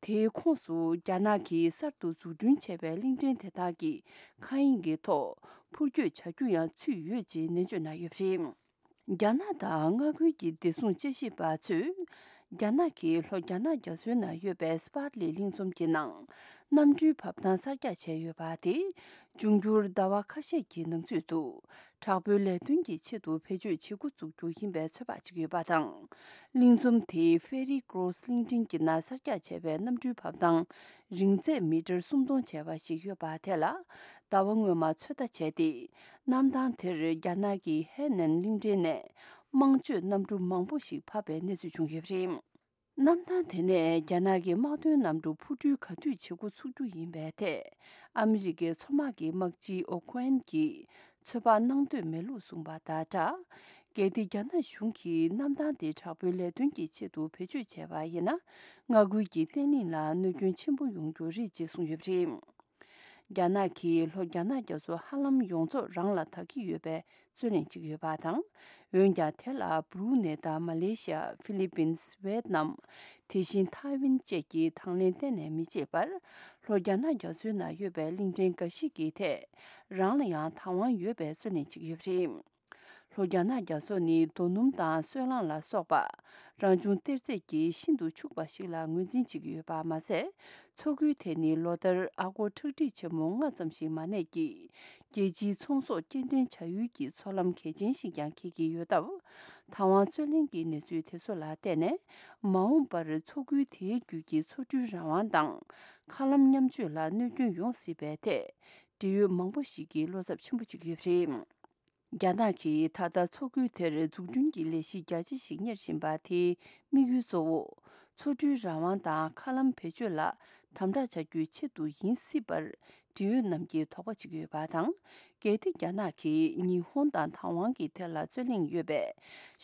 དེའི་ཁོངས་སུ་རྒྱ་ནག་གིས་གསར་དུ་འཛུགས་སྐྲུན་བྱས་པའི་གླིང་ཕྲན་དེ་དག་གི་མཁའ་དབྱིངས་ཀྱི་ཐོག་འཕུར་སྐྱོད་བྱ་རྒྱུ་ཡང་ཚུད་ཡོད་ཅེས་ནན་བརྗོད་གནང་ཡོད་པ་རེད། རྒྱ་ནག་དང་མངའ་ཁུལ་གྱི་བདེ་སྲུང་དཔྱད་ཞིབ་པ་ཚོས། རྒྱ་ནག་གིས་ལྷོ་རྒྱ་ནག་རྒྱ་མཚོའི་ནང་ཡོད་པའི་སྤར་ལི་གླིང་ཚོམ་གྱི་ནང་གནམ་གྲུའི་བབས་ཐང་གསར་རྒྱག་བྱས་ཡོད་པ་དེ། འབྱུང་འགྱུར་ཟླ་བ་ཁ་ཤས་ཀྱི་ནང་ཚུད་དུ། དྲག་པོའི་ལས་དོན་གྱི་ཆེད་དུ་བེད་སྤྱོད་བྱེད་འགོ་འཛུགས་རྒྱུ་ཡིན་པའི་ཚོད་དཔག་བྱེད་ཀྱི་ཡོད་པ་དང་། གླིང་ཚོམ་དེའི་ཧྥེ་རི་ཀྲོ་སི་གླིང་ཕྲན་གྱི་ནང་གསར་རྒྱག་བྱས་པའི་གནམ་གྲུའི་བབས་ཐང་རིང་ཚད་མི་ཊར་སུམ་སྟོང་བྱས་པ་ཞིག་ཡོད་པ་དེ་ལ། ཟླ་བ་སྔོན་མ་ཚོད་ལྟ་བྱས་ཏེ། གནམ་ཐང་དེར་རྒྱ་ནག་གི་ཧེ་ནན་གླིང་ཕྲན་ནས་དམངས་སྤྱོད་གནམ་གྲུ་མང་པོ་ཞིག་བབས་པའི་གནས་ཚུལ་བྱུང་ཡོད་པ་རེད། གནམ་ཐང་དེ་ནས་རྒྱ་ནག་གི་དམག་དོན་གནམ་གྲུ་འཕུར་འགྲུལ་ག་དུས་བྱེད་འགོ་ཚུགས་རྒྱུ་ཡིན་པའི་ཐད། ཨ་མི་རི་ཀའི་མཚོ་དམག་གི་དམག་སྤྱི་ཨོ་ཁོ་ཨན་གྱིས་ཚོད་དཔག་གནང་འདོད་མེད་ལུགས་གསུངས་པ་དང་སྦྲགས། གལ་ཏེ་རྒྱ་ནག་གཞུང་གིས་གནམ་ཐང་དེ་དྲག་པོའི་ལས་དོན་གྱི་ཆེད་དུ་བེད་སྤྱོད་བྱས་པ་ཡིན་ན། མངའ་ཁུལ་གྱི་བརྟན་ལྷིང་ལ་གནོད་སྐྱོན་ཆེན་པོ་ཡོང་རྒྱུ་རེད་ཅེས་གསུངས་ཡོད་པ་རེད། རྒྱ་ནག་གིས་ལྷོ་རྒྱ་ནག་རྒྱ་མཚོ་ཧ་ལམ་ཡོངས་རྫོགས་རང་ལ་བདག་གི་ཡོད་པའི་རྩོད་གླེང་བྱེད་ཀྱི་ཡོད་པ་དང་། འོན་ཀྱང་དེ་ལ་སྦུ་རུ་ནེ་དང་མ་ལེ་ཤི་ཡ། ཧྥི་ལི་པིན། ཝེད་ནམ། དེ་བཞིན་ཐའེ་ཝན་བཅས་ཀྱིས་དང་ལེན་གཏན་ནས་མི་བྱེད་པར། ལྷོ་རྒྱ་ནག་རྒྱ་མཚོའི་ནང་ཡོད་པའི་གླིང་ཕྲན་འགའ་ཞིག་གི་ཐད་རང་ལ་ཡང་བདག་དབང་ཡོད་པའི་རྩོད་གླེང་བྱེད་ཀྱི་ཡོད་པ་རེད། ལྷོ་རྒྱ་ནག་རྒྱ་མཚོ་ནི་རྡོ་སྣུམ་དང་སོལ་རླངས་ལ་སོགས་པ། རང་བྱུང་གཏེར་རྫས་ཀྱིས་ཤིན་ཏུ་ཕྱུག་པ་ཞིག་ལ་ངོས་འཛིན་བྱེད་ཀྱི་ཡོད་པ་མ་ཟད། མཚོ་ཁུལ་དེ་ནི་ལོ་ལྟར་ཨ་སྒོར་ཁྲག་ཁྲིག་ཆེན་མོ་ལྔ་ཙམ་ཞིག་མ་གནས་ཀྱིས། རྒྱལ་སྤྱིའི་ཚོང་ཟོག་སྐྱེལ་འདྲེན་བྱ་ཡུལ་གྱི་མཚོ་ལམ་གལ་ཆེན་ཞིག་ཀྱང་འཁེལ་གྱི་ཡོད་སྟབས། བདག་དབང་རྩོད་གླེང་གི་གནས་ཚུལ་དེ་ཚོ་ལ་བལྟས་ནས། མ་འོངས་པར་མཚོ་ཁུལ་དེའི་རྒྱུད་ཀྱི་མཚོ་འགྲུལ་རང་དབང་དང་། མཁའ་ལམ་མཉམ་སྤྱོད་ལ་གནོད་སྐྱོན་ཡོང་སྲིད་པའི་ཐད། འབྲེལ་ཡོད་མང་པོ་ཞིག་གིས་བློ་འཚབ་ཆེན་པོ་བྱེད་ཀྱི་ཡོད་པ་རེད། རྒྱ་ནག་གིས་ད་ལྟ་མཚོ་ཁུལ་དེར་འཛུགས་སྐྲུན་གྱི་ལས་གཞི་རྒྱ་ཆེ་ཞིག་གཉེར་བཞིན་པ་དེའི་དམིགས་ཡུལ་གཙོ་བོ། འཚོ་སྤྲོའི་རང་དབང་དང་མཁའ་ལམ་བེད་སྤྱོད་ལ་དམ་དྲག་བྱ་རྒྱུའི་ཆེད་དུ་ཡིན་སྲིད་པར་འབྲེལ་ཡོད་རྣམས་ཀྱིས་དོགས་པ་བྱེད་ཀྱི་ཡོད་པ་དང་། གལ་ཏེ་རྒྱ་ནག་གིས་ཉི་ཧོང་དང་ཐའེ་ཝན་གྱི་ཐད་ལ་རྩོད་གླེང་ཡོད་པས།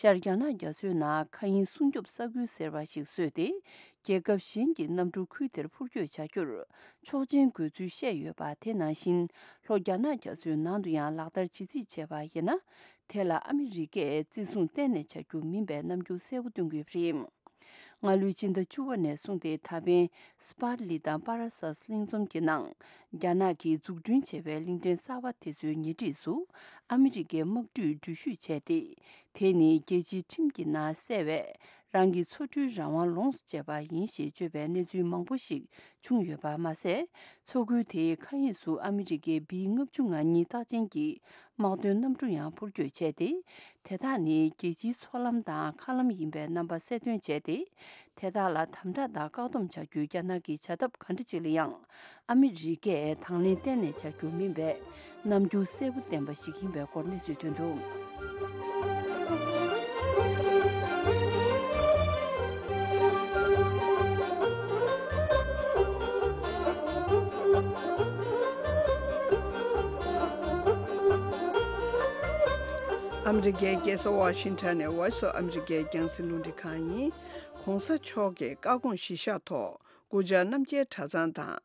ཤར་རྒྱ་ནག་རྒྱ་མཚོའི་ནང་མཁའ་དབྱིངས་སྲུང་སྐྱོབ་ས་ཁུལ་ཟེར་བ་ཞིག་བཟོས་ཏེ། རྒྱལ་ཁབ་གཞན་གྱི་གནམ་གྲུ་ཁུལ་དེར་འཕུར་སྐྱོད་བྱ་རྒྱུར་ཆོག་མཆན་དགོས་ཚུལ་བཤད་ཡོད་པ། དེ་ནང་བཞིན་ལྷོ་རྒྱ་ནག་རྒྱ་མཚོའི་ནང་དུ་ཡང་ལག་བསྟར་བྱེད་རྩིས་བྱས་པ་ཡིན་ན། དེ་ལ་ཨ་མི་རི་ཀས་བརྩི་སྲུང་གཏན་ནས་བྱ་རྒྱུ་མིན་པའི་རྣམ་འགྱུར་གསལ་པོ་སྟོན་གྱི་ཡོད་པ་རེད། སྔ་ལོའི་ཕྱི་ཟླ་བཅུ་པ་ནས་བཟུང་སྟེ་ད་ཕན་སི་པར་ལི་དང་པ་ར་སཱས་གླིང་ཚོམ་གྱི་ནང་རྒྱ་ནག་གིས་འཛུགས་སྐྲུན་བྱས་པའི་གླིང་ཕྲན་གསར་པ་དེ་ཚོའི་ཉེ་འཁྲིས་སུ་ཨ་མི་རི་ཀའི་དམག་གྲུས་འགྲུལ་བཞུད་བྱས་ཏེ། དེ་ནི་རྒྱལ་སྤྱིའི་ཁྲིམས་ཀྱི་ནང་གསལ་བའི་རང་གི་འཚོ་སྤྲོའི་རང་དབང་ལོངས་སུ་སྤྱད་པ་ཡིན་ཞེས་བརྗོད་པའི་གནས་ཚུལ་མང་པོ་ཞིག་བྱུང་ཡོད་པ་མ་ཟད། མཚོ་ཁུལ་དེའི་མཁའ་དབྱིངས་སུ་ཨ་མི་རི་ཀའི་བི་ལྔ་བཅུ་ང་གཉིས་རྟགས་ཅན་གྱི་དམག་དོན་གནམ་གྲུ་ཡང་འཕུར་སྐྱོད་བྱས་ཏེ། དེ་དག་ནི་རྒྱལ་སྤྱིའི་མཚོ་ལམ་དང་མཁའ་ལམ་ཡིན་པའི་རྣམ་པ་གསལ་སྟོན་བྱས་ཏེ། དེ་དག་ལ་དམ་དྲག་དང་བཀག་སྡོམ་བྱ་རྒྱུའི་རྒྱ་ནག་གི་བྱ་ཐབས་ག་འདྲ་ཅིག་ལ་ཡང་ཨ་མི་རི་ཀས་དང་ལེན་གཏན་ནས་བྱ་རྒྱུ་མིན་པའི་རྣམ་འགྱུར་གསལ་པོ་བསྟན་པ་ཞིག་ཡིན་པའི་སྐོར་གནས་ཚུལ་ཐོན་འདུག། ཨ་མི་རི་ཀའི་རྒྱལ་ས་ཝ་ཤིང་ཊོན་ནས་Voice of America རྒྱང་སྲིང་རླུང་འཕྲིན་ཁང་ཡིན། ༸གོང་ས་མཆོག་གི་བཀའ་དགོངས་གཞིར་བཞག་ཐོག་སྐུ་བཅར་རྣམ་རྒྱལ་གྲྭ་ཚང་དང་།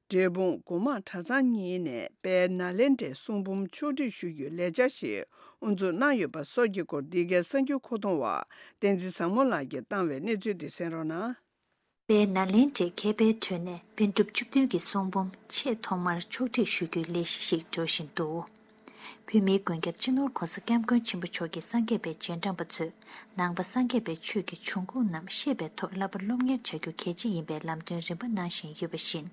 འབྲས་སྤུངས་སྒོ་མང་གྲྭ་ཚང་གཉིས་ནས་དཔལ་ནཱ་ལེནྡྲའི་གསུང་འབུམ་ཕྱོགས་སྒྲིག་ཞུ་རྒྱུའི་ལས་འཆར་ཞིག་དབུ་འཛུགས་གནང་ཡོད་པ་སོགས་ཀྱི་སྐོར། འདི་གའི་གསར་འགྱུར་མཁོ་གཏོང་བ་བསྟན་འཛིན་བཟང་མོ་ལགས་ཀྱིས་བཏང་བའི་གནས་ཚུལ་འདི་གསན་རོགས་གནང་། དཔལ་ནཱ་ལེནྡྲའི་མཁས་པའི་ཁྲོད་ནས་པཎ་གྲུབ་བཅུ་བདུན་གྱི་གསུང་འབུམ་ཆེས་ཐོག་མར་ཕྱོགས་སྒྲིག་ཞུ་རྒྱུའི་ལས་གཞི་ཞིག་འགྲོ་བཞིན་འདུག། བོད་མིའི་མགོན་སྐྱབས་སྤྱི་ནོར་༸གོང་ས་༸སྐྱབས་མགོན་ཆེན་པོ་མཆོག་གིས་སངས་རྒྱས་པའི་རྗེས་འབྲང་པ་ཚོས་ནང་པ་སངས་རྒྱས་པའི་ཆོས་ཀྱི་འབྱུང་ཁུངས་རྣམས་ཤེས་པའི་ཐོག་བསླབ་པ་སློབ་གཉེར་བྱ་རྒྱུ་གལ་ཆེ་ཡིན་པའི་ལམ་སྟོན་རིམ་པ་གནང་བཞིན་ཡོད་པ་བཞིན།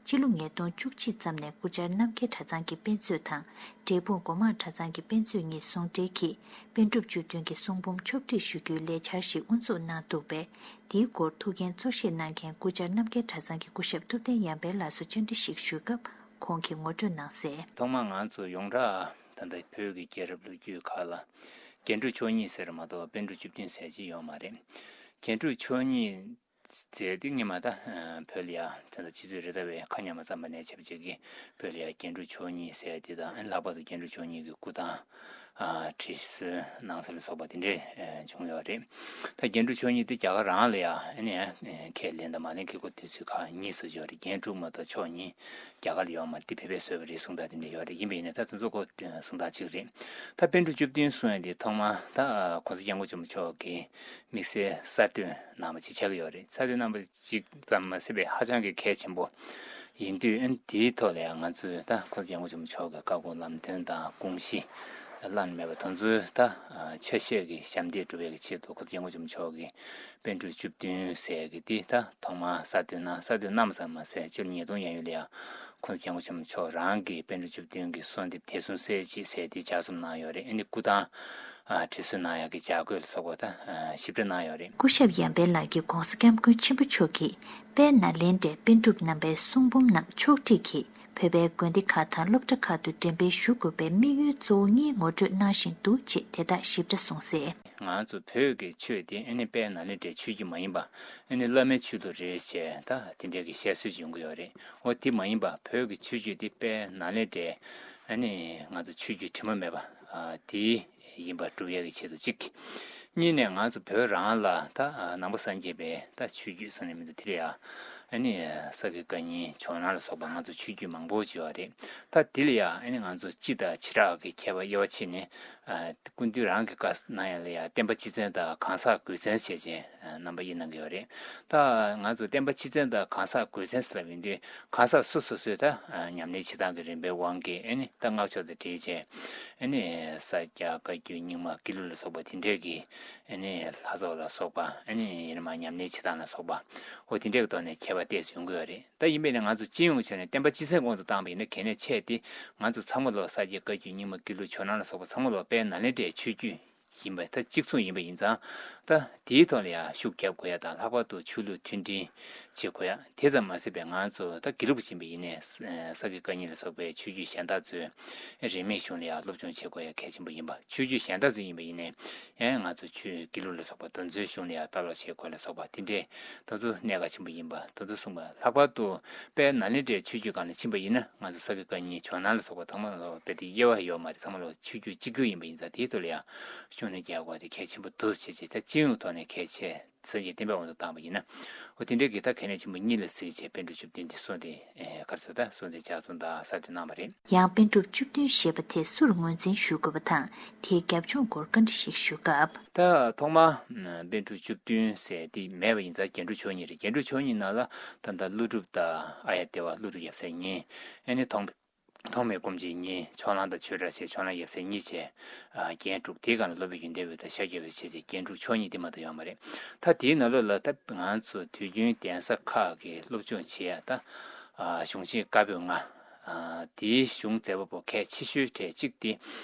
སྤྱི་ལོ་ཉིས་སྟོང་བཅུ་གཅིག་ཙམ་ནས་སྐུ་བཅར་རྣམ་རྒྱལ་གྲྭ་ཚང་གི་དཔེ་མཛོད་དང་། འབྲས་སྤུངས་སྒོ་མང་གྲྭ་ཚང་གི་དཔེ་མཛོད་གཉིས་ཟུང་འབྲེལ་གྱིས་པཎ་གྲུབ་བཅུ་བདུན་གྱི་གསུང་འབུམ་ཕྱོགས་སྒྲིག་ཞུ་རྒྱུའི་ལས་འཆར་ཞིག་དབུ་འཛུགས་གནང་འདུག་པས། དེའི་སྐོར་ཐུགས་འགན་གཙོ་བཞེས་གནང་མཁན་སྐུ་བཅར་རྣམ་རྒྱལ་གྲྭ་ཚང་གི་སྐུ་ཞབས་ཐུབ་བསྟན་ཡར་འཕེལ་ལགས་སུ་བཅར་འདྲི་ཞིག་ཞུས་སྐབས། ཁོང་གིས་ངོ་སྤྲོད་གནང་གསལ། ཐོག་མར་ང་ཚོ་ཡོངས་གྲགས་ད་ལྟ་བོད་ཀྱི་རྒྱལ་རབས་ལོ་རྒྱུས་ཁག་ལ་རྒྱན་དྲུག་མཆོག་གཉིས་ཟེར་མ་གཏོགས་པཎ་གྲུབ་བཅུ་བདུན་ཟེར་གྱི་ཡོད་མ་རེད། རྒྱན་དྲུག་མཆོག་གཉིས་ཟེར་དེ་ངས་མ་ད་བོད་ལ་ཡ་ད་ལྟ་ཕྱི་ཚུལ་རེ་ལྟ་བའི་ཁ་ཉམས་མ་བསམ་པ་ནས་བྱས་པ་ཅིག་གིས་བོད་ལ་ཡ་རྒྱན་དྲུག་མཆོག་གཉིས་ཟེར་དེ་དང་། ཨ་ནི་ལྷག་པར་དུ་རྒྱན་དྲུག་མཆོག་གཉིས་ཀྱི་སྐུ་ཐང་ཨ་བྲིས་སྲོལ་གནང་སྲོལ་ལ་སོགས་པ་དེ་འདྲས་ཨ་བྱུང་ཡོད་རེད། ད་རྒྱན་དྲུག་མཆོག་གཉིས་དེ་རྒྱ་གར་རང་ལ་ཡ་ཨ་ནི་ཨ་ཁས་ལེན་དང་མ་ལེན་གྱི་སྐོར་དུས་ཚོད་ཁག་གཉིས་སུ་ཡོད་རེད། རྒྱན་དྲུག་མ་གཏོགས་མཆོག་གཉིས་རྒྱ་གར་ལ་ཡོད་མ་རེད། དེ་བོད་པས་བཟོས་པ་རེད་གསུང་སྟངས་དེ་འདྲ་ཡོད་རེད། ཡིན་པ་ཡིན་ནའི་ད་དེ་ཚོ་ཁོ་གསུང་སྟངས་གཅིག་རེད། ད་པཎ་གྲུབ་བཅུ་བདུན་གསུང་ཡ་དེ་ཐོག་མ་ད་༸གོང་ས་༸སྐྱབས་མགོན་ཆེན་པོ་མཆོག་གིས་དམིགས་བསལ་གསར་བཏོན་གནང་བ་ཅིག་ཆགས་ཀྱི་ཡོད་རེད། གསར་བཏོན་གནང་བ་ཅིག་ཙམ་མ་ཟད་པའི་ཧ་ཅང་གི་གལ་ཆེན་པོ་ཡིན་དུས། ཨ་ནི་དེའི་ཐོག་ལ་ཡང་ང་ཚོས་ད་༸གོང་ས་༸སྐྱབས་མགོན་ཆེན་པོ་མཆོག་གི་བཀའ་དགོངས་ལམ་སྟོན་དང་དགོངས་གཞི་བླ་ན་མེད་པ་དེ་ཚོའི་ད་ཆ་ཤས་ཀྱི་ཞབས་འདེགས་སྒྲུབ་པའི་ཆེད་དུ་༸གོང་ས་༸སྐྱབས་མགོན་ཆེན་པོ་མཆོག་གིས་པཎ་གྲུབ་བཅུ་བདུན་ཟེར་གྱི་དེ་ད་ཐོག་མར་གསར་བཏོན་གནང་། གསར་བཏོན་གནང་བ་ཙམ་མ་ཟད་སྤྱི་ལོ་ཉིས་སྟོང་ཡན་ཡོལ་ལ་ཡང་༸གོང་ས་༸སྐྱབས་མགོན་ཆེན་པོ་མཆོག་རང་གིས་པཎ་གྲུབ་བཅུ་བདུན་གྱི་གསོལ་འདེབས་དད་གསུམ་གསལ་བྱེད་ཟེར་དེ་ལྗགས་རྩོམ་གནང་ཡོད་རེད། ཨ་ནི་སྐུ་ཐང་ཨ་བྲིས་སྲོལ་གནང་ཡག་གི་བྱ་དགོས་ལ་སོགས་པ་ད་ཨ་ཞིབ་ཕྲ་གནང་ཡོད་རེད། སྐུ་ཞབས་ཡར་འཕེལ་ལགས་ཀྱིས་༸གོང་ས་༸སྐྱབས་མགོན་ཆེན་པོ་མཆོག་གིས་དཔལ་ནཱ་ལེནྡྲའི་པཎ་གྲུབ་རྣམ་པའི་གསུང་འབུམ་རྣམས་ཕྱོགས་སྒྲིག་གིས་བོད་པའི་དགོན་སྡེ་ཁག་དང་སློབ་གྲྭ་ཁག་ཏུ་འགྲེམས་སྤེལ་ཞུ་དགོས་པའི་དམིགས་ཡུལ་གཙོ་བོ་གཉིས་ངོ་སྤྲོད་གནང་བཞིན་འདུག་ཅེས་དེ་དག་ཞིབ་ཕྲ་གསུངས་གསལ། ང་ཚོ་བོད་ཀྱི་ཆོས་དེ་ཨ་ནི་དཔལ་ནཱ་ལེནྡྲའི་ཆོས་བརྒྱུད་མ་ཡིན་པ། ཨ་ནི་བླ་མའི་ཆོས་ལུགས་རེད་ཅེས་ད་དེ་འདྲའི་གི་བཤད་སྲོལ་ཡོང་གི་ཡོད་རེད། འོ་དེ་མ་ཡིན་པ་བོད་ཀྱི་ཆོས་བརྒྱུད་དེ་དཔལ་ནཱ་ལེནྡྲའི་ཨ་ནི་ང་ཚོ་ཆོས་བརྒྱུད་དྲི་མ་མེད་པ་ཨ་དེ་ཡིན་པ་སྒྲུབ་ཡག་གི་ཆེད་དུ་གཅིག། གཉིས་ནས་ང་ཚོ་བོད་རང་ལ་ད་ནང་པ་སངས་རྒྱས་པའི་ད་ཆོས་བརྒྱུད་ཟེར་ནས་མི་འདུག། དེ་ལ་ཡ་ཨ་ནི་ས་དགེ་བཀའ་རྙིང་ཇོ་ནང་ལ་སོགས་པ་ང་ཚོ་ཆོས་བརྒྱུད་མང་པོ་ཅིག་ཡོད་རེད། ད་དེ་ལ་ཡ་ཨ་ནི་ང་ཚོ་སྤྱི་དང་བྱེ་བྲག་གི་ཁྱད་པར་དབྱེ་བ་ཕྱེ་ནས་ཨ་སྐུ་མདུན་རང་གི་བཀའ་གནང་ཡ་ལ་ཡ་བསྟན་པ་སྤྱི་མཚན་དང་གང་ཟག་དགོས་མཚན་བྱས་བྱས་རྣམ་པ་དབྱེ་གནང་གི་ཡོད་རེད། ད་ང་ཚོ་བསྟན་པ་སྤྱི་མཚན་དང་གང་ཟག་དགོས་མཚན་ཟེར་བ་ཡིན་དུས་གང་ཟག་སོ་སོ་སོས་ད་ཉམས་ལེན་བྱེད་སྟངས་ཀྱི་རིམ་པའི་དབང་གིས་ཨ་ནི་ད་སྔགས་ཕྱོགས་དང་འབྲེལ་བྱས་ཨ་ནི་ས་སྐྱ་བཀའ་བརྒྱུད་རྙིང་མ་དགེ་ལུགས་ལ་སོགས་པ་དེ་འདྲས་ཀྱི་ཨ་ནི་ལྷ་ཚོགས་ལ་སོགས་པ། ཨ་ནི་ཡིན་ན་མ་ཉམས་ལེན་བྱེད་སྟངས་ལ་སོགས་པ་འོ་དེ་འདྲས་ཀྱི་ཐོག་ནས་ཁྱད་པར་ཏོག་ཙམ་ཡོང་གི་ཡོད་རེད། ད་ཡིན་པས་ན་ང་ཚོ་སྤྱི་ཡོངས་བྱས་ནས་བསྟན་པ་སྤྱི་མཚན་དབང་དུ་བཏང་བ་ཡིན་ན་གལ་གནད་ཆེ་སྟེ། ང་ཚོ་ཚང་མ་ལོ་ས་སྐྱ་བཀའ་བརྒྱུད་རྙིང་མ་དགེ་ལུགས་ཇོ་ནང་ལ་སོགས་པ་ཚང་མ་ལོ་དཔལ་ནཱ་ལེནྡྲའི་ཆོས་བརྒྱུད་ ཡིན་པ་ད་གཅིག་མཚུངས་ཡིན་པ་ཡིན་ཙང་། ད་དེའི་ཐོག་ལ་ཡང་ཤུགས་རྒྱབ་དགོས་ཡ་དང་། ལྷག་པར་དུ་ཆོས་ལུགས་མཐུན་སྒྲིལ་བྱེད་དགོས་ཡ། དེ་ཙམ་མ་ཟད་པའི་ང་ཚོ་ད་དགེ་ལུགས་པ་ཡིན་པ་ཡིན་ནའི་ས་དགེ་བཀའ་རྙིང་ལ་སོགས་པའི་ཆོས་བརྒྱུད་གཞན་དག་ཚོས་རིས་མེད་གཞུང་ལ་ཡང་སློབ་སྦྱོང་བྱེད་དགོས་ཡ་གལ་ཆེན་པོ་ཡིན་པ། ཆོས་བརྒྱུད་གཞན་དག་ཚོ་ཡིན་པ་ཡིན་ནའི་ཡང་ང་ཚོ་ཆོས་དགེ་ལུགས་ལ་སོགས་པ་དེ་ཚོའི་གཞུང་ལ་ཡང་ལྟ་ཀློག་བྱེད་དགོས་ལ་སོགས་པ་དེ་འདྲའི་དེ་ཚོ་གནད་འགག་ཆེན་པོ་ཡིན་པ་དེ་ཚོ་གསུངས་པ། ལྷག་པར་དུ་དཔལ་ནཱ་ལེནྡྲའི་ཆོས་བརྒྱུད་སྒང་ལ་ཕྱིན་པ་ཡིན་ན་ང་ཚོ་ས་དགེ་བཀའ་རྙིང་ཇོ་ནང་ལ་སོགས་པ་ཚང་མ་ལ་དཔེ་དེ་དབྱེ་བ་ཡོད་མ་རེད། ཚང་མ་ལ་ཆོས་བརྒྱུད་གཅིག་གྱུར་ཡིན་པ་ཡིན་ཙང་དེའི་ཐོག་ལ་ཡང་ཤུགས་སྣོན་རྒྱག་དགོས་དེ་གལ་ཆེན་པོ་འདུག་བྱས་བྱས། ད་སྤྱི་ཡོངས་ཐོག་ནས་གལ་ཆེ་སེམས་ཀྱི་བསྟན་པའི་དབང་དུ་བཏང་པ་ཡིན་ན། འོ་དེ་འདྲའི་གི་ད་གལ་གནད་ཆེན་པོ་གཉིས་ལ་གཟིགས་བྱས་པཎ་གྲུབ་བཅུ་བདུན་འདི་གསུངས་ཏེ་གར་སོང་། ད་གསུངས་ཏེ་ལྗགས་རྩོམ་དང་གསར་འགྱུར་གནང་བ་རེད། ཡང་པཎ་གྲུབ་བཅུ་བདུན་ཞེས་པ་དེ་སུར་ངོས་འཛིན་ཞུ་དགོས་པ་དང་། དེའི་རྒྱབ་ལྗོངས་སྐོར་བཀའ་འདྲི་ཞིག་ཞུ་སྐབས། ད་ཐོག་མ་པཎ་གྲུབ་བཅུ་བདུན་ཟེར་དེ་མེད་པ་ཡིན་ཙང་རྒྱན་དྲུག་མཆོག་གཉིས་རེད། རྒྱན་དྲུག་མཆོག་གཉིས་ནང་ལ་ད་ལྟ་ཀླུ་སྒྲུབ་དང་ཨཱརྱ་དེ་བ། ཀླུ་སྒྲུབ་ཡབ་སྲས་གཉིས། ཨ་ནི་ཐོགས་ཐོགས་མེད་སྒོམ་ཆེན་གཉིས། ཕྱོགས་གླང་དང་ཆོས་གྲགས་བཅས་ཕྱོགས་གླང་ཡབ་སྲས་གཉིས་བཅས། ཨ་རྒྱན་དྲུག་དེའི་སྒང་ལ་སློབ་དཔོན་ཡོན་ཏན་འོད་དང་ཤཱཀྱ་འོད་བཅས་ཀྱི་རྒྱན་དྲུག་མཆོག་གཉིས་དེ་མ་གཏོགས་ཡོད་མ་རེད། ད་དེའི་ནང་ལོགས་ལ་ད་ང་ཚོ་དུས་རྒྱུན་གདན་ས་ཁག་གི་སློབ་སྦྱོང་བྱེད་ཡ་ད་ཨ་གཞུང་ཆེན་བཀའ་པོད་ལྔ། ཨ་དེའི་གཞུང་མཛད་པ་པོ་གལ་ཆེ་ཤོས་གྲས་གཅིག་དེ་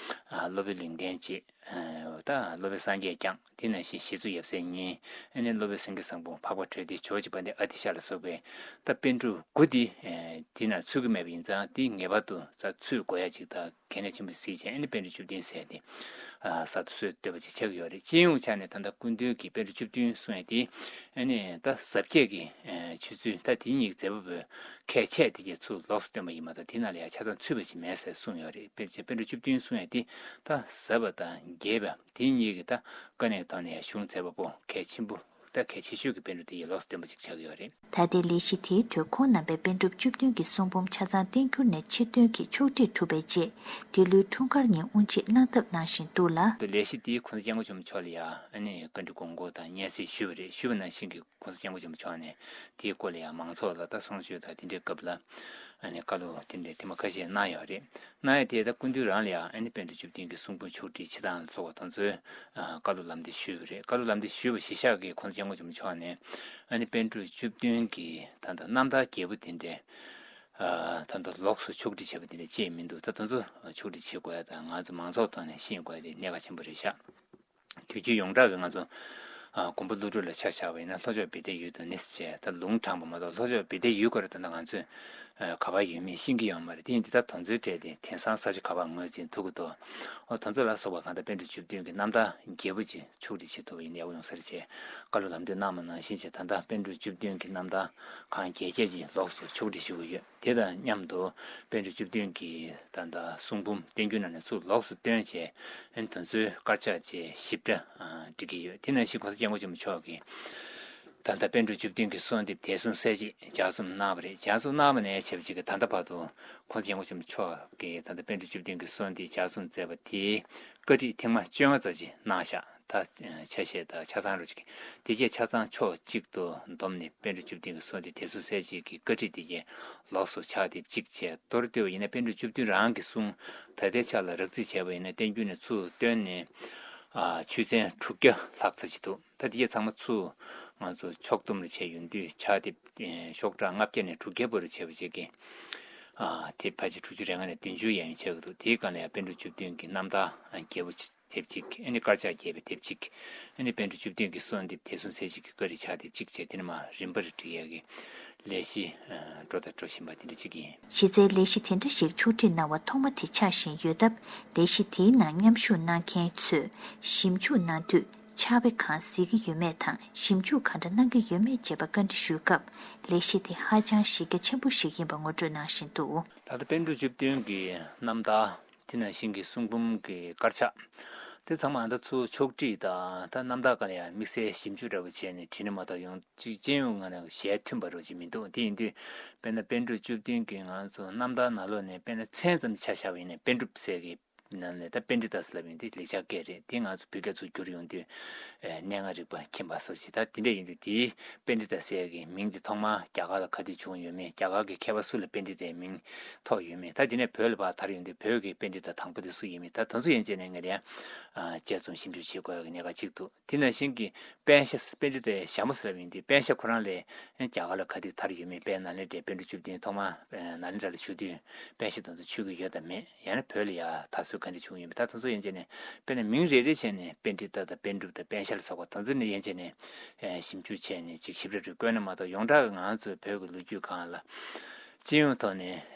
ཨ་སློབ་དཔོན་ལེགས་ལྡན་འབྱེད། ད་སློབ་དཔོན་སངས་རྒྱས་བསྐྱངས། དེ་ནང་བཞིན་ཞི་འཚོ་ཡབ་སྲས་གཉིས། ཨ་ནི་སློབ་དཔོན་སེང་གེ་བཟང་པོ། འཕགས་པ་གྲོལ་སྡེ་ཇོ་བོ་རྗེ་དཔལ་ལྡན་ཨ་ཏི་ཤ་ལ་སོགས་པའི་ད་པཎ་གྲུབ་དགུ་འདི་དེ་ནང་ཚུད་ཀྱི་མེད་པ་ཡིན་ཙང་དེ་ངེས་པར་དུ་ཚུད་དགོས་ཡ་ཅིག་ད་གལ་གནད་ཆེན་པོ་གཟིགས་བྱས། ཨ་ནི་པཎ་གྲུབ་བཅུ་བདུན་ཟེར་ཏེ་གསར་དུ་སྲོལ་བཏོད་པ་ཅིག་ཆགས་ཀྱི་ཡོད་རེད། སྤྱི་ཡོངས་ཆ་ནས་ད་ལྟ་སྐུ་མདུན་གྱིས་པཎ་གྲུབ་བཅུ་བདུན་གསུངས་ཡ་དེ་ཨ་ནི་ད་ཟབ་རྒྱས་ཀྱི་ཆོས་ཚུལ་ད་དེ་གཉིས་མཛད་པ་པོའི་ཁས་འཆེ་དེ་གས་ཚུར་ལོགས་སུ་བཏོན་པ་ཡིན་མ་གཏོགས་དེ་ནང་ལ་ཡ་ཆ་ཚང་ཚུད་པ་ཞིག་མེད་ཟེར་གསུངས་ཡོད་རེད། དཔེར་བྱས་པཎ་གྲུབ་བཅུ་བདུན་གསུངས་ཡ་དེ་ད་ཟབ་པ་དང་རྒྱས་པ་དེ་གཉིས་ཀྱི་ད་དཀའ་གནད་ཐོག་ནས་གཞུང་མཛད་པ་པོ་གལ་ཆེན་པོ་ད་གལ་ཆེ་ཤོས་ཀྱི་པཎ་གྲུབ་དེ་ཡི་ལོགས་སུ་བཏོན་པ་ཅིག་ཆགས་ཀྱི་ཡོད་རེད། ད་ལྟའི་ལས་གཞི་དེའི་ཁྲོད་ཁོང་རྣམ་པས་པཎ་གྲུབ་བཅུ་བདུན་གྱི་གསུང་འབུམ་ཆ་ཚང་བསྟན་འགྱུར་ནས་ཕྱིར་བཏོན་གྱིས་ཕྱོགས་སྒྲིག་གྲུབ་པའི་རྗེས། འདི་ལོའི་འཁྲུངས་སྐར་ཉིན་དབུ་འབྱེད་གནང་ཐབས་གནང་བཞིན་འདུག་ལ། ལས་གཞི་དེའི་གོང་ས་སྐྱབས་མགོན་ཆེན་པོ་མཆོག་ལ་ཡང་ཨ་ནི་བཀའ་འདྲི་དགོངས་སྐོར་དང་སྙན་སེང་ཞུས་པ་རེད། ཞུས་པ་ནང་བཞིན་གྱི་གོང་ས་སྐྱབས་མགོན་ཆེན་པོ་མཆོག་ནས་དེའི་སྐོར་ལ་ཡང་མང་ཚོགས་ལ་ད་གསུང་ཆོས་དང་དེ་འདྲའི་སྐབས་ལ་ཨ་ནི་བཀའ་སློབ་དེ་འདྲའི་ཐེངས་མ་ཁ་ཤས་གནང་ཡོད་རེད། གནང་ཡ་དེ་ད་སྐུ་མདུན་རང་ལ་ཡང་ཨ་ནི་པཎ་གྲུབ་བཅུ་བདུན་གྱི་གསུང་འབུམ་ཕྱོགས་སྒྲིག་བྱེད་སྟངས་ལ་སོགས་པ་དེ་ཚོའི་ཨ་བཀའ་སློབ་ལམ་སྟོན་ཞུས་པ་རེད། བཀའ་སློབ་ལམ་སྟོན་ཞུས་པ་གཞིར་བཞག་གིས་གོང་ས་སྐྱབས་མགོན་ཆེན་པོ་མཆོག་ནས་ཨ་ནི་པཎ་གྲུབ་བཅུ་བདུན་གྱི་ད་ལྟ་རྣམ་ཐར་རྒྱས་པོ་དེ་འདྲའི་ཨ་ད་ལྟ་ལོགས་སུ་ཕྱོགས་སྒྲིག་བྱས་པ་དེ་འདྲ་ཅིག་མི་འདུག་ད་དེ་ཚོ་ཕྱོགས་སྒྲིག་བྱེད་དགོས་ཡ་དང་ང་ཚོ་མང་ཚོགས་ཐོག་ནས་ཤེས་དགོས་ཡ་དེ་གནད་འགག་ཆེན་པོ་རེད་ཤག་དུས་རྒྱུན་ཡོངས་གྲགས་ཀྱི་ང་ཚོ་ཨ་མགོན་པོ་ཀླུ་སྒྲུབ་ལ་ཆ་བཞག་པ་ཡིན་ན་ལྷོ་ཕྱོགས་བེ་ཏའི་ཡུལ་དུ་ནི་ཟེར་བྱས་ད་ལུང་དྲངས་པ་མ་གཏོགས་ལྷོ་ཕྱོགས་བེ་ཏའི་ཡུལ་སྐོར་ད་ལྟ་ང་ཚོས་ཨ་ག་པར་ཡོད་མེད་ཤེས་ཀྱི་ཡོད་མ་རེད། དེ་ཡིན་དུས་ད་དེ་ཚོའི་གྲས་དེ་དེང་སང་ས་ཆ་ག་པར་ངོས་འཛིན་ཐུབ་ཀྱི་འདུག་འོ་དེ་ཚོ་ལ་སོགས་པ་གང་ལྟར་པཎ་གྲུབ་བཅུ་བདུན་གྱི་རྣམ་ཐར་རྒྱས་པོ་ཅིག་ཕྱོགས་སྒྲིག་བྱེད་ཐུབ་པ་ཡིན་ན་ཡག་པོ་ཡོང་ས་རེད་ཅེས་བཀའ་སློབ་ལམ་སྟོན་གནང་བ་ནང་བཞིན་བྱས། ད་ལྟ་པཎ་གྲུབ་བཅུ་བདུན་གྱི་རྣམ་ཐར་གང་རྒྱས་རྒྱས་ཀྱིས་ལོགས་སུ་ཕྱོགས་སྒྲིག་ཞུ་གི་ཡོད། དེ་དང་མཉམ་དུ་པཎ་གྲུབ་བཅུ་བདུན་གྱི་ད་ལྟ་གསུང་འབུམ་བསྟན་འགྱུར་ནང་ནས་ཚུར་ལོགས་སུ་བཏོན་བྱས། ཨ་ནི་དེ་ཚོའི་དཀར་ཆག་བཅས་ཞིབ་ཕྲ་ཨ་འབྲི་གི་ཡོད། དེ་ནང་བཞིན་གོང་ས་སྐྱབས་མགོན་ཆེན་པོ་མཆོག་གིས་ད་ལྟ་པཎ་གྲུབ་བཅུ་བདུན་གྱི་གསོལ་འདེབས་དད་གསུམ་གསལ་བྱེད་ལྗགས་རྩོམ་གནང་བ་རེད། ལྗགས་རྩོམ་གནང་བ་ནས་བྱས་པ་ཅིག་གིས་ད་ལྟ་བར་དུ་གོང་ས་སྐྱབས་མགོན་ཆེན་པོ་མཆོག་གིས་ད་ལྟ་པཎ་གྲུབ་བཅུ་བདུན་གྱི་གསོལ་འདེབས་ལྗགས་རྩོམ་མཛད་པ་དེའི་བཀའ་ཁྲིད་ཐེངས་མ་བཅོ་ལྔ་ཙམ་ཅིག་གནང་བཞག་ད་ཆ་ཤས་དང་ཆ་ཚང་རུ་ཅིག་དེ་གས་ཆ་ཚང་ཕྱོགས་གཅིག་ཏུ་བསྡོམས་ནས་པཎ་གྲུབ་བཅུ་བདུན་གྱི་གསོལ་འདེབས་དད་གསུམ་གསལ་བྱེད་ཀྱི་བཀའ་ཁྲིད་དེ་གས་ལོགས་སུ་ཕྱག་དེབ་གཅིག་བྱས། མདོར་བསྡུས་པ་ཡིན་ན་པཎ་གྲུབ་བཅུ་བདུན་རང་གི་གསུང་ད་ལྟའི་ཆ་ལ་རགས་རྩིས་བྱས་པ་ཡིན་ན་བསྟན་འགྱུར་ནས་ཚུར་བཏོན་ནས་ཨ་ཆོས་ཚན་དྲུག་བརྒྱ་ལྷག་ཙམ་ཅིག་འདུག་ད་དེ་གས་ཚང་མ་ཚུར་ང་ཚོ་ཕྱོགས་བསྡོམས་རུ་བྱས་ཡོང་དུས་ཕྱག་དེབ་ཤོག་གྲངས་ལྔ་བརྒྱ་ནས་དྲུག་བརྒྱ་བར་དུ་བྱས་པ་ཅིག་གིས་ཨ་དེབ་ཕལ་ཆེར་དྲུག་ཅུ་རེ་ལྔ་ནས་བདུན་ཅུ་ཡན་ཡོད་ཆགས་ཀྱི་འདུག་དེའི་སྒང་ལ་ཡང་པཎ་གྲུབ་བཅུ་བདུན་གྱི་རྣམ་ཐར་རྒྱས་པོ་ཅིག་དེབ་གཅིག་ཨ་ནི་དཀར་ཆག་རྒྱས་པའི་དེབ་གཅིག་ཨ་ནི་པཎ་གྲུབ་བཅུ་བདུན་གྱི་གསོལ་འདེབས་དད་གསུམ་གསལ་བྱེད་ཀྱི་བཀའ་ཁྲིད་ཕྱག་དེབ་གཅིག་བྱས། དེ་ནས་མར་རིམ་པར་བསྒྲིགས་ཡག་གི་ལས་གཞི་འགྲོ་དང་འགྲོ་བཞིན་པ་དེ་འདྲ་གཅིག་ཡིན། གཞི་རྩའི་ལས་གཞི་དེ་འདྲ་ཞིག་ཕྱོགས་སྒྲིག་གནང་བ་ཐོག་མ་དེ་ཆགས་བཞིན་ཡོད་སྟབས། ལས་གཞི་དེའི་ནང་མཉམ་ཞུགས་གནང་མཁན་ཚོས་ཞིབ་འཇུག་གནང་དུས་ཕྱག་དཔེ་གང་གཟིགས་ཀྱི་ཡོད་མེད་དང་། ཞིབ་འཇུག་ག་འདྲ་གནང་གི་ཡོད་མེད་བཅས་པ་བཀའ་འདྲི་ཞུས་སྐབས། ལས་གཞི་དེ་ཧ་ཅང་གཞི་རྒྱ་ཆེན་པོ་ཞིག་ཡིན་པ་ངོ་སྤྲོད་གནང་བཞིན་འདུག་ད་ལྟ་པཎ་གྲུབ་བཅུ་བདུན་གྱི་རྣམ་ཐར། དེ་ནང་བཞིན་གྱི་གསུང་འབུམ་གྱི་དཀར་ཆག་དེ་ཚང་མ་ད་ཚུར་ཕྱོགས་སྒྲིག་དང་ད་རྣམ་ཐར་སྒང་ལ་ཡང་དམིགས་བསལ་ཞིབ་འཇུག་འདྲ་བོ་བྱས་ནས་བྲིས་ན་མ་གཏོགས་ཡོང་གཅིག་སྤྱི་ཡོངས་ངོས་ནས་ཞལ་མཐུན་པ་རོ་ཅིག་མི་འདུག་དེ་ཡིན་དུས་དཔེར་ན་པཎ་གྲུབ་བཅུ་བདུན་གྱི་ང་ཚོ་རྣམ་ཐར་ནང་ལོགས་ནས་དཔེར་ན་མཚན་ཙམ་ཆ་བཞག་པ་ཡིན་ན་པཎ་གྲུབ་ཟེར་གི་ནང་ལས་ད་པཎྜི་ཏ་ཟེར་ལབ་ཡོང་དུས་ལེགས་སྦྱར་སྐད་རེད། དེ་ང་ཚོ་བོད་སྐད་ཚུར་བསྒྱུར་ཡོང་དུས་ཨེ་གནས་ལྔ་རིག་པ་མཁྱེན་པ་སོགས་ཞེས། ད་དེ་འདྲ་ཡིན་དུས་དེའི་པཎྜི་ཏ་ཟེར་གི་མིང་དེ་ཐོག་མར་རྒྱ་གར་ལ་ག་དུས་བྱུང་ཡོད་མེད། རྒྱ་གར་གྱི་མཁས་པ་སུ་ལ་པཎྜི་ཏའི་མིང་ཐོགས་ཡོད་མེད། ད་དེ་ནས་བོད་ལ་ཕར་དར་ཡོང་དུས་བོད་ཀྱི་པཎྜི་ཏ་དང་པོ་དེ་སུ་ཡིན་མིན་ད་དེ་ཚོ་ཡན་ཆད་ནས་ངས་ཡང་ཨ་དཔྱད་རྩོམ་ཞིབ་འཇུག་བྱེད་དགོས་ཡག་གི་གནད་འགག་གཅིག་འདུག་དེ་ནང་བཞིན་གྱི་པཎ་ཞྭ་པཎྜི་ཏའི་ཞྭ་མོ་ཟེར་བ་ཡིན་དུས་པཎ་ཞྭ་ཁོ་རང་ལས་རྒྱ་གར་ལ་ག་དུས་དར་ཡོད་མེད། དཔལ་ནཱ་ལེནྡྲའི་པཎ་གྲུབ་བཅུ་བདུན་ཐོག་མར་ནཱ་ལེནྡྲ་ལ་བཞུགས་དུས་པཎ་ཞྭ་དེ་ཚོ་མཆོད་ཀྱི་ཡོད་དམ་མེད། ཡང་ན་བོད་ལ་ཡར་དར་ཚུལ་ ད་འདི་བྱུང་ཡོད་པ་ད་དེ་ཚོ་ཡན་ཆད་ནས་དཔེར་ན་མིང་རེ་རེ་བྱས་ནས་པཎྜི་ཏ་དང་པཎ་གྲུབ་དང་པཎ་ཞྭ་ལ་སོགས་པ་དེ་ཚོ་ནི་ཡན་ཆད་ནས་ཞིབ་འཇུག་བྱས་ནས་ཅིག་ཞིབ་ཕྲ་རེ་བཀོད་ན་མ་གཏོགས་ཡོངས་གྲགས་ཀྱི་ང་ཚོའི་བོད་ཀྱི་ལོ་རྒྱུས་སྒང་ལ་སྤྱི་ཡོངས་ཐོག་ནས་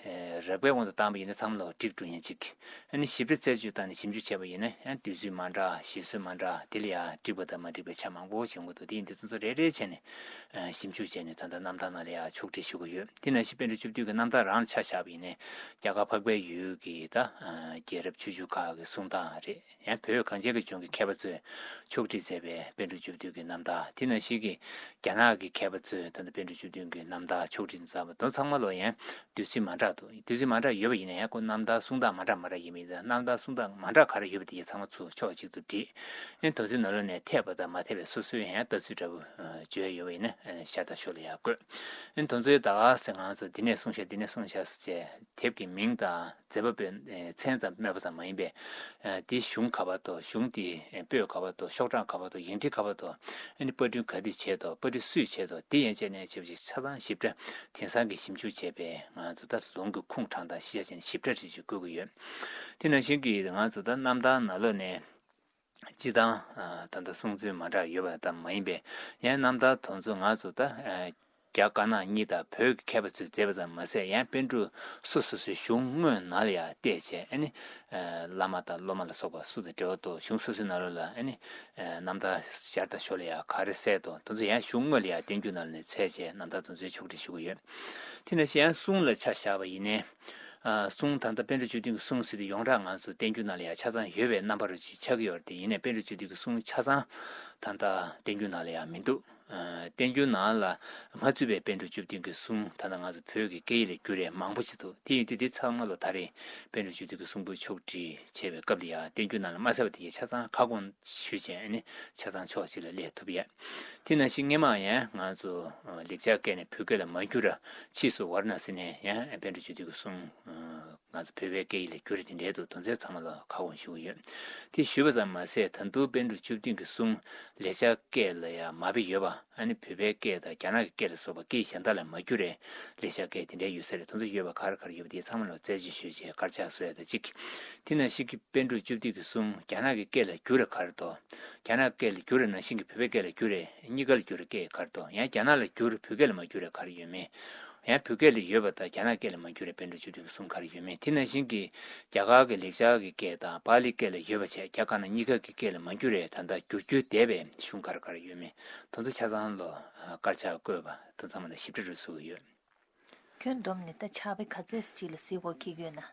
རགས་པའི་དབང་དུ་བཏང་པ་ཡིན་ན་ཚང་མ་ལོག་འགྲིག་འགྲོ་ཡིན་ཅིག་ཨ་ནི་ཞིབ་ཕྲ་རྩད་གཅོད་བཏང་ནས་ཞིབ་འཇུག་བྱས་པ་ཡིན་ན་ཡང་དུས་ཚོད་མ་འདྲ་གཞི་བཟོ་མ་འདྲ་དེ་ལ་ཡང་འགྲིག་པ་དང་མ་འགྲིག་པའི་ཆ་མང་པོ་བྱུང་གི་འདུག་དེ་ཡིན་དུས་དེ་ཚོ་རེ་རེ་བྱས་ནས་ཞིབ་འཇུག་བྱས་ནས་ད་ལྟ་རྣམ་ཐར་ནང་ལ་ཡང་ཕྱོགས་སྒྲིག་ཞུ་གི་ཡོད། དེ་ནང་བཞིན་པཎ་གྲུབ་བཅུ་བདུན་གྱི་རྣམ་ཐར་རང་ལ་ཆ་བཞག་པ་ཡིན་ན་རྒྱ་གར་འཕགས་པའི་ཡུལ་གྱི་ད་རྒྱལ་རབས་ཆོས་བརྒྱུད་ཁག་གི་གསུང་སྟངས་རེད། ཡང་བོད་གངས་ཅན་གྱི་ལྗོངས་ཀྱི་མཁས་པ་ཚོས་ཕྱོགས་སྒྲིག་མཛད་པའི་པཎ་གྲུབ་བཅུ་བདུན་གྱི་རྣམ་ཐར། དེ་ནང་བཞིན་གྱི་རྒྱ་ནག་གི་མཁས་པ་ཚོས་ད་ལྟ་པཎ་གྲུབ་བཅུ་བདུན་གྱི་རྣམ་ཐར་ཕྱོགས་སྒྲིག་མཛད་པ་དེ་ཚང་མ་ལོ་ཡང་དུས་ཚོད་མ་འདྲ་འདུག་དུས་ཚོད་མ་འདྲ་ཡོད་པ་ཡིན་ན་ཡང་ཁོ་རྣམ་ཐར་གསུང་སྟངས་མ་འདྲ་མ་འདྲ་ཡིན་མིན་དང་རྣམ་ཐར་གསུང་སྟངས་མ་འདྲ་ག་རེ་ཡོད་པ་དེ་ཡང་ཚང་མ་ཚུར་ཕྱོགས་གཅིག་ཏུ་བསྒྲིགས། ཨེ་དོན་ཚན་ནང་ལོགས་ནས་འཐད་པ་དང་མ་འཐད་པའི་སོ་སོའི་ཡང་ལྟ་ཚུལ་འདྲ་པོ་བརྗོད་ཡོད་པ་ཡིན་ན་ཤ་སྟག་ཤོག་ལ་ཡང་བཀོད། ཨེ་དོན་ཚན་ད་ག་སེ་ང་ཚོ་འདི་ནས་གསུངས་ཤག་འདི་ནས་གསུངས་ཤག་ཟེར་བྱས་དེབ་ཀྱི་མིང་དང་མཛད་པ་པོའི་མཚན་ཙམ་སྨོས་པ་ཙམ་མ་ཡིན་པས། དེ་གཞུང་ག་པར་འདུག་གཞུང་དེ་པོད་ག་པར་འདུག་ཤོག་གྲངས་ག་པར་འདུག་ཡིག་འབྲེལ་ག་པར་འདུག་ཨ་ནི་པར་སྐྲུན་ག་དུས་བྱས་འདུག་པར་སྐྲུན་སུས་བྱས་འདུག་དེ་ཡན་ཆད་ནས་བྱས་པ་ཞིག་ཆ་ཚང་ཞིབ་ཕྲ་དེང་སང་གི་ཞིབ་འཇུག་བྱས་པའི་ང་ཚོ་ད་ལུང་གི་ཁུངས་དྲངས་སྟངས་ཤེས་བྱ་བྱས་ནས་ཞིབ་ཕྲ་རེ་ཞིག་བཀོད་ཀྱི་ཡོད། དེ་ནང་བཞིན་གྱི་ང་ཚོ་ད་རྣམ་ཐར་ནང་ལོགས་ནས་སྤྱི་དང་ད་ལྟ་གསུང་ཚུལ་མ་འདྲ་ཡོད་པ་ཙམ་མ་ཡིན་པས་ཡང་རྣམ་ཐར་དེ་ཚོ་ང་ཚོ་ད། རྒྱ་དཀར་ནག་གཉིས་དང་བོད་ཀྱི་མཁས་པ་ཚོས་མཛད་པ་ཙམ་མ་ཟད་ཡང་པཎ་གྲུབ་སོ་སོ་སོའི་གཞུང་དངོས་ནང་ལ་ཡང་བལྟས་བྱས་ཨ་ནི། བླ་མ་དང་སློབ་མ་ལ་སོགས་པ་སུ་དང་འབྲེལ་བ་འདུག་གཞུང་སོ་སོའི་ནང་ལོགས་ལ་ཨ་ནི། རྣམ་ཐར་ཞར་དང་ཞོར་ལ་ཡང་ག་རེ་གསལ་འདུག་དེ་ཚོ་ཡང་གཞུང་དངོས་ལ་ཡང་བསྟན་འགྱུར་ནང་ལ་ནས་འཚོལ་བྱས་རྣམ་ཐར་དེ་ཚོའི་ཕྱོགས་སྒྲིག་ཞུ་གི་ཡོད། དེ་ནང་བཞིན་ཡང་གསུང་ལ་ཆ་བཞག་པ་ཡིན་ནའི། གསུང་ད་ལྟ་པཎ་གྲུབ་བཅུ་བདུན་གྱི་གསུང་ཟེར་དུས་ཡོངས་གྲགས་ང་ཚོ་བསྟན་འགྱུར་ནང་ལ་ཡང་ཆ་ཚང་ཡོད་པའི་རྣམ་པ་རུ་ཅིག་ཆགས་ཀྱི་ཡོད་རེད་དེ་ཡིན་ནའི་པཎ་གྲུབ་བཅུ་བདུན་གྱི་གསུང་ཆ་ཚང་ད་ལྟ་བསྟན་འགྱུར་ནང་ལ་ཡང་མི་འདུག་བསྟན་འགྱུར་ནང་ལ་མ་ཚུད་པའི་པཎ་གྲུབ་བཅུ་བདུན་གྱི་གསུང་ད་ལྟ་ང་ཚོ་བོད་ཀྱི་སྐད་ཡིག་ལ་བསྒྱུར་ཡས་མང་པོ་ཞིག་འདུག་དེ་ཡིན་དུས་འདི་ཚང་མ་ལ་ད་རེས་པཎ་གྲུབ་བཅུ་བདུན་གྱི་གསུང་འབུམ་ཕྱོགས་སྒྲིག་བྱེད་པའི་སྐབས་ལ་ཡང་བསྟན་འགྱུར་ནང་ལ་མ་གསལ་བ་དེ་ཡང་ཆ་ཚང་ཁ་སྐོང་ཞུས་བྱས་ནས་ཆ་ཚང་ཕྱོགས་གཅིག་ལ་སླེབས་ཐུབ་ཡས། དེ་ནང་བཞིན་སྔས་མ་ཡང་ང་ཚོ་ལེགས་སྦྱར་སྐད་ནས་བོད་སྐད་ལ་མ་བསྒྱུར་བ་ཕྱིས་སུ་ཝཱ་ར་ཎ་སི་ནས་ཡང་པཎ་གྲུབ་བཅུ་བདུན་གྱི་གསུང་ང་ཚོ་བོད་པའི་སྐད་ཡིག་ལ་བསྒྱུར་དེ་འདྲའི་འདུག་དོན་ཚན་ཚང་མ་ལ་ཁ་སྐོང་ཞུ་གི་ཡོད། དེ་ཞུས་པ་ཙམ་མ་ཟད་ད་དུང་པཎ་གྲུབ་བཅུ་བདུན་གྱི་གསུང་ལེགས་སྦྱར་སྐད་ལ་ཡང་མ་དཔེ་ཡོད་པ་ཨ་ནི་བོད་པའི་སྐད་དང་རྒྱ་ནག་གི་སྐད་ལ་སོགས་པ་སྐད་གཞན་དག་ལ་མ་བསྒྱུར་བའི་ལེགས་སྦྱར་སྐད་དེ་འདྲའི་ཡོད་ས་རེད། དེ་ཚོ་ཡོད་པ་ག་རེ་ག་རེ་ཡོད་པ་དེ་ཚང་མ་ལ་རྩད་གཅོད་ཞུས་བྱས་དཀར་ཆག་བཟོ་ཡ་དང་གཅིག་དེ་ནང་བཞིན་གྱི་པཎ་གྲུབ་བཅུ་བདུན་གྱི་གསུང་རྒྱ་ནག་གི་སྐད་ལ་བསྒྱུར་བ་ག་རེ་འདུག་རྒྱ་ནག་སྐད་ལ་བསྒྱུར་བ་ནང་བཞིན་གྱི་བོད་པའི་སྐད་ལ་བསྒྱུར་བ་གཉིས་ཀ་ལ་བསྒྱུར་བའི་སྐད་ག་རེ་འདུག་ཡང་རྒྱ་ནག་ལ་བསྒྱུར་བོད་སྐད་ལ་མ་བསྒྱུར་བ་ག་རེ་ཡོད་མེད། ཡང་བོད་སྐད་ལ་ཡོད་པ་དང་རྒྱ་ནག་སྐད་ལ་མ་བསྒྱུར་བའི་པཎ་གྲུབ་བཅུ་བདུན་གྱི་གསུང་ག་རེ་ཡོད་མེད། དེ་ནང་བཞིན་གྱི་རྒྱ་གར་གྱི་ལེགས་སྦྱར་གྱི་སྐད་དང་པཱ་ལི་སྐད་ལ་ཡོད་པ་བྱས་རྒྱ་དཀར་ནག་གཉིས་ཀ་གི་སྐད་ལ་མ་བསྒྱུར་བའི་ད་ལྟ་བསྒྱུར་རྒྱུ་བསྡད་པའི་གཞུང་ག་རེ་ག་རེ་ཡོད་མེད། དེ་ཚོ་ཆ་ཚང་ལོ་དཀར་ཆག་བཀོད་པ་དེ་ཚང་མ་ལ་ཞིབ་ཕྲ་རུ་བཟོ་གི་ཡོད། ཁྱོན་བསྡོམས་ནས་ད་ཕྱག་དཔེ་ག་ཚད་ཅིག་ལ་གཟིགས་དགོས་འཁེལ་གྱི་ཡོད་ན།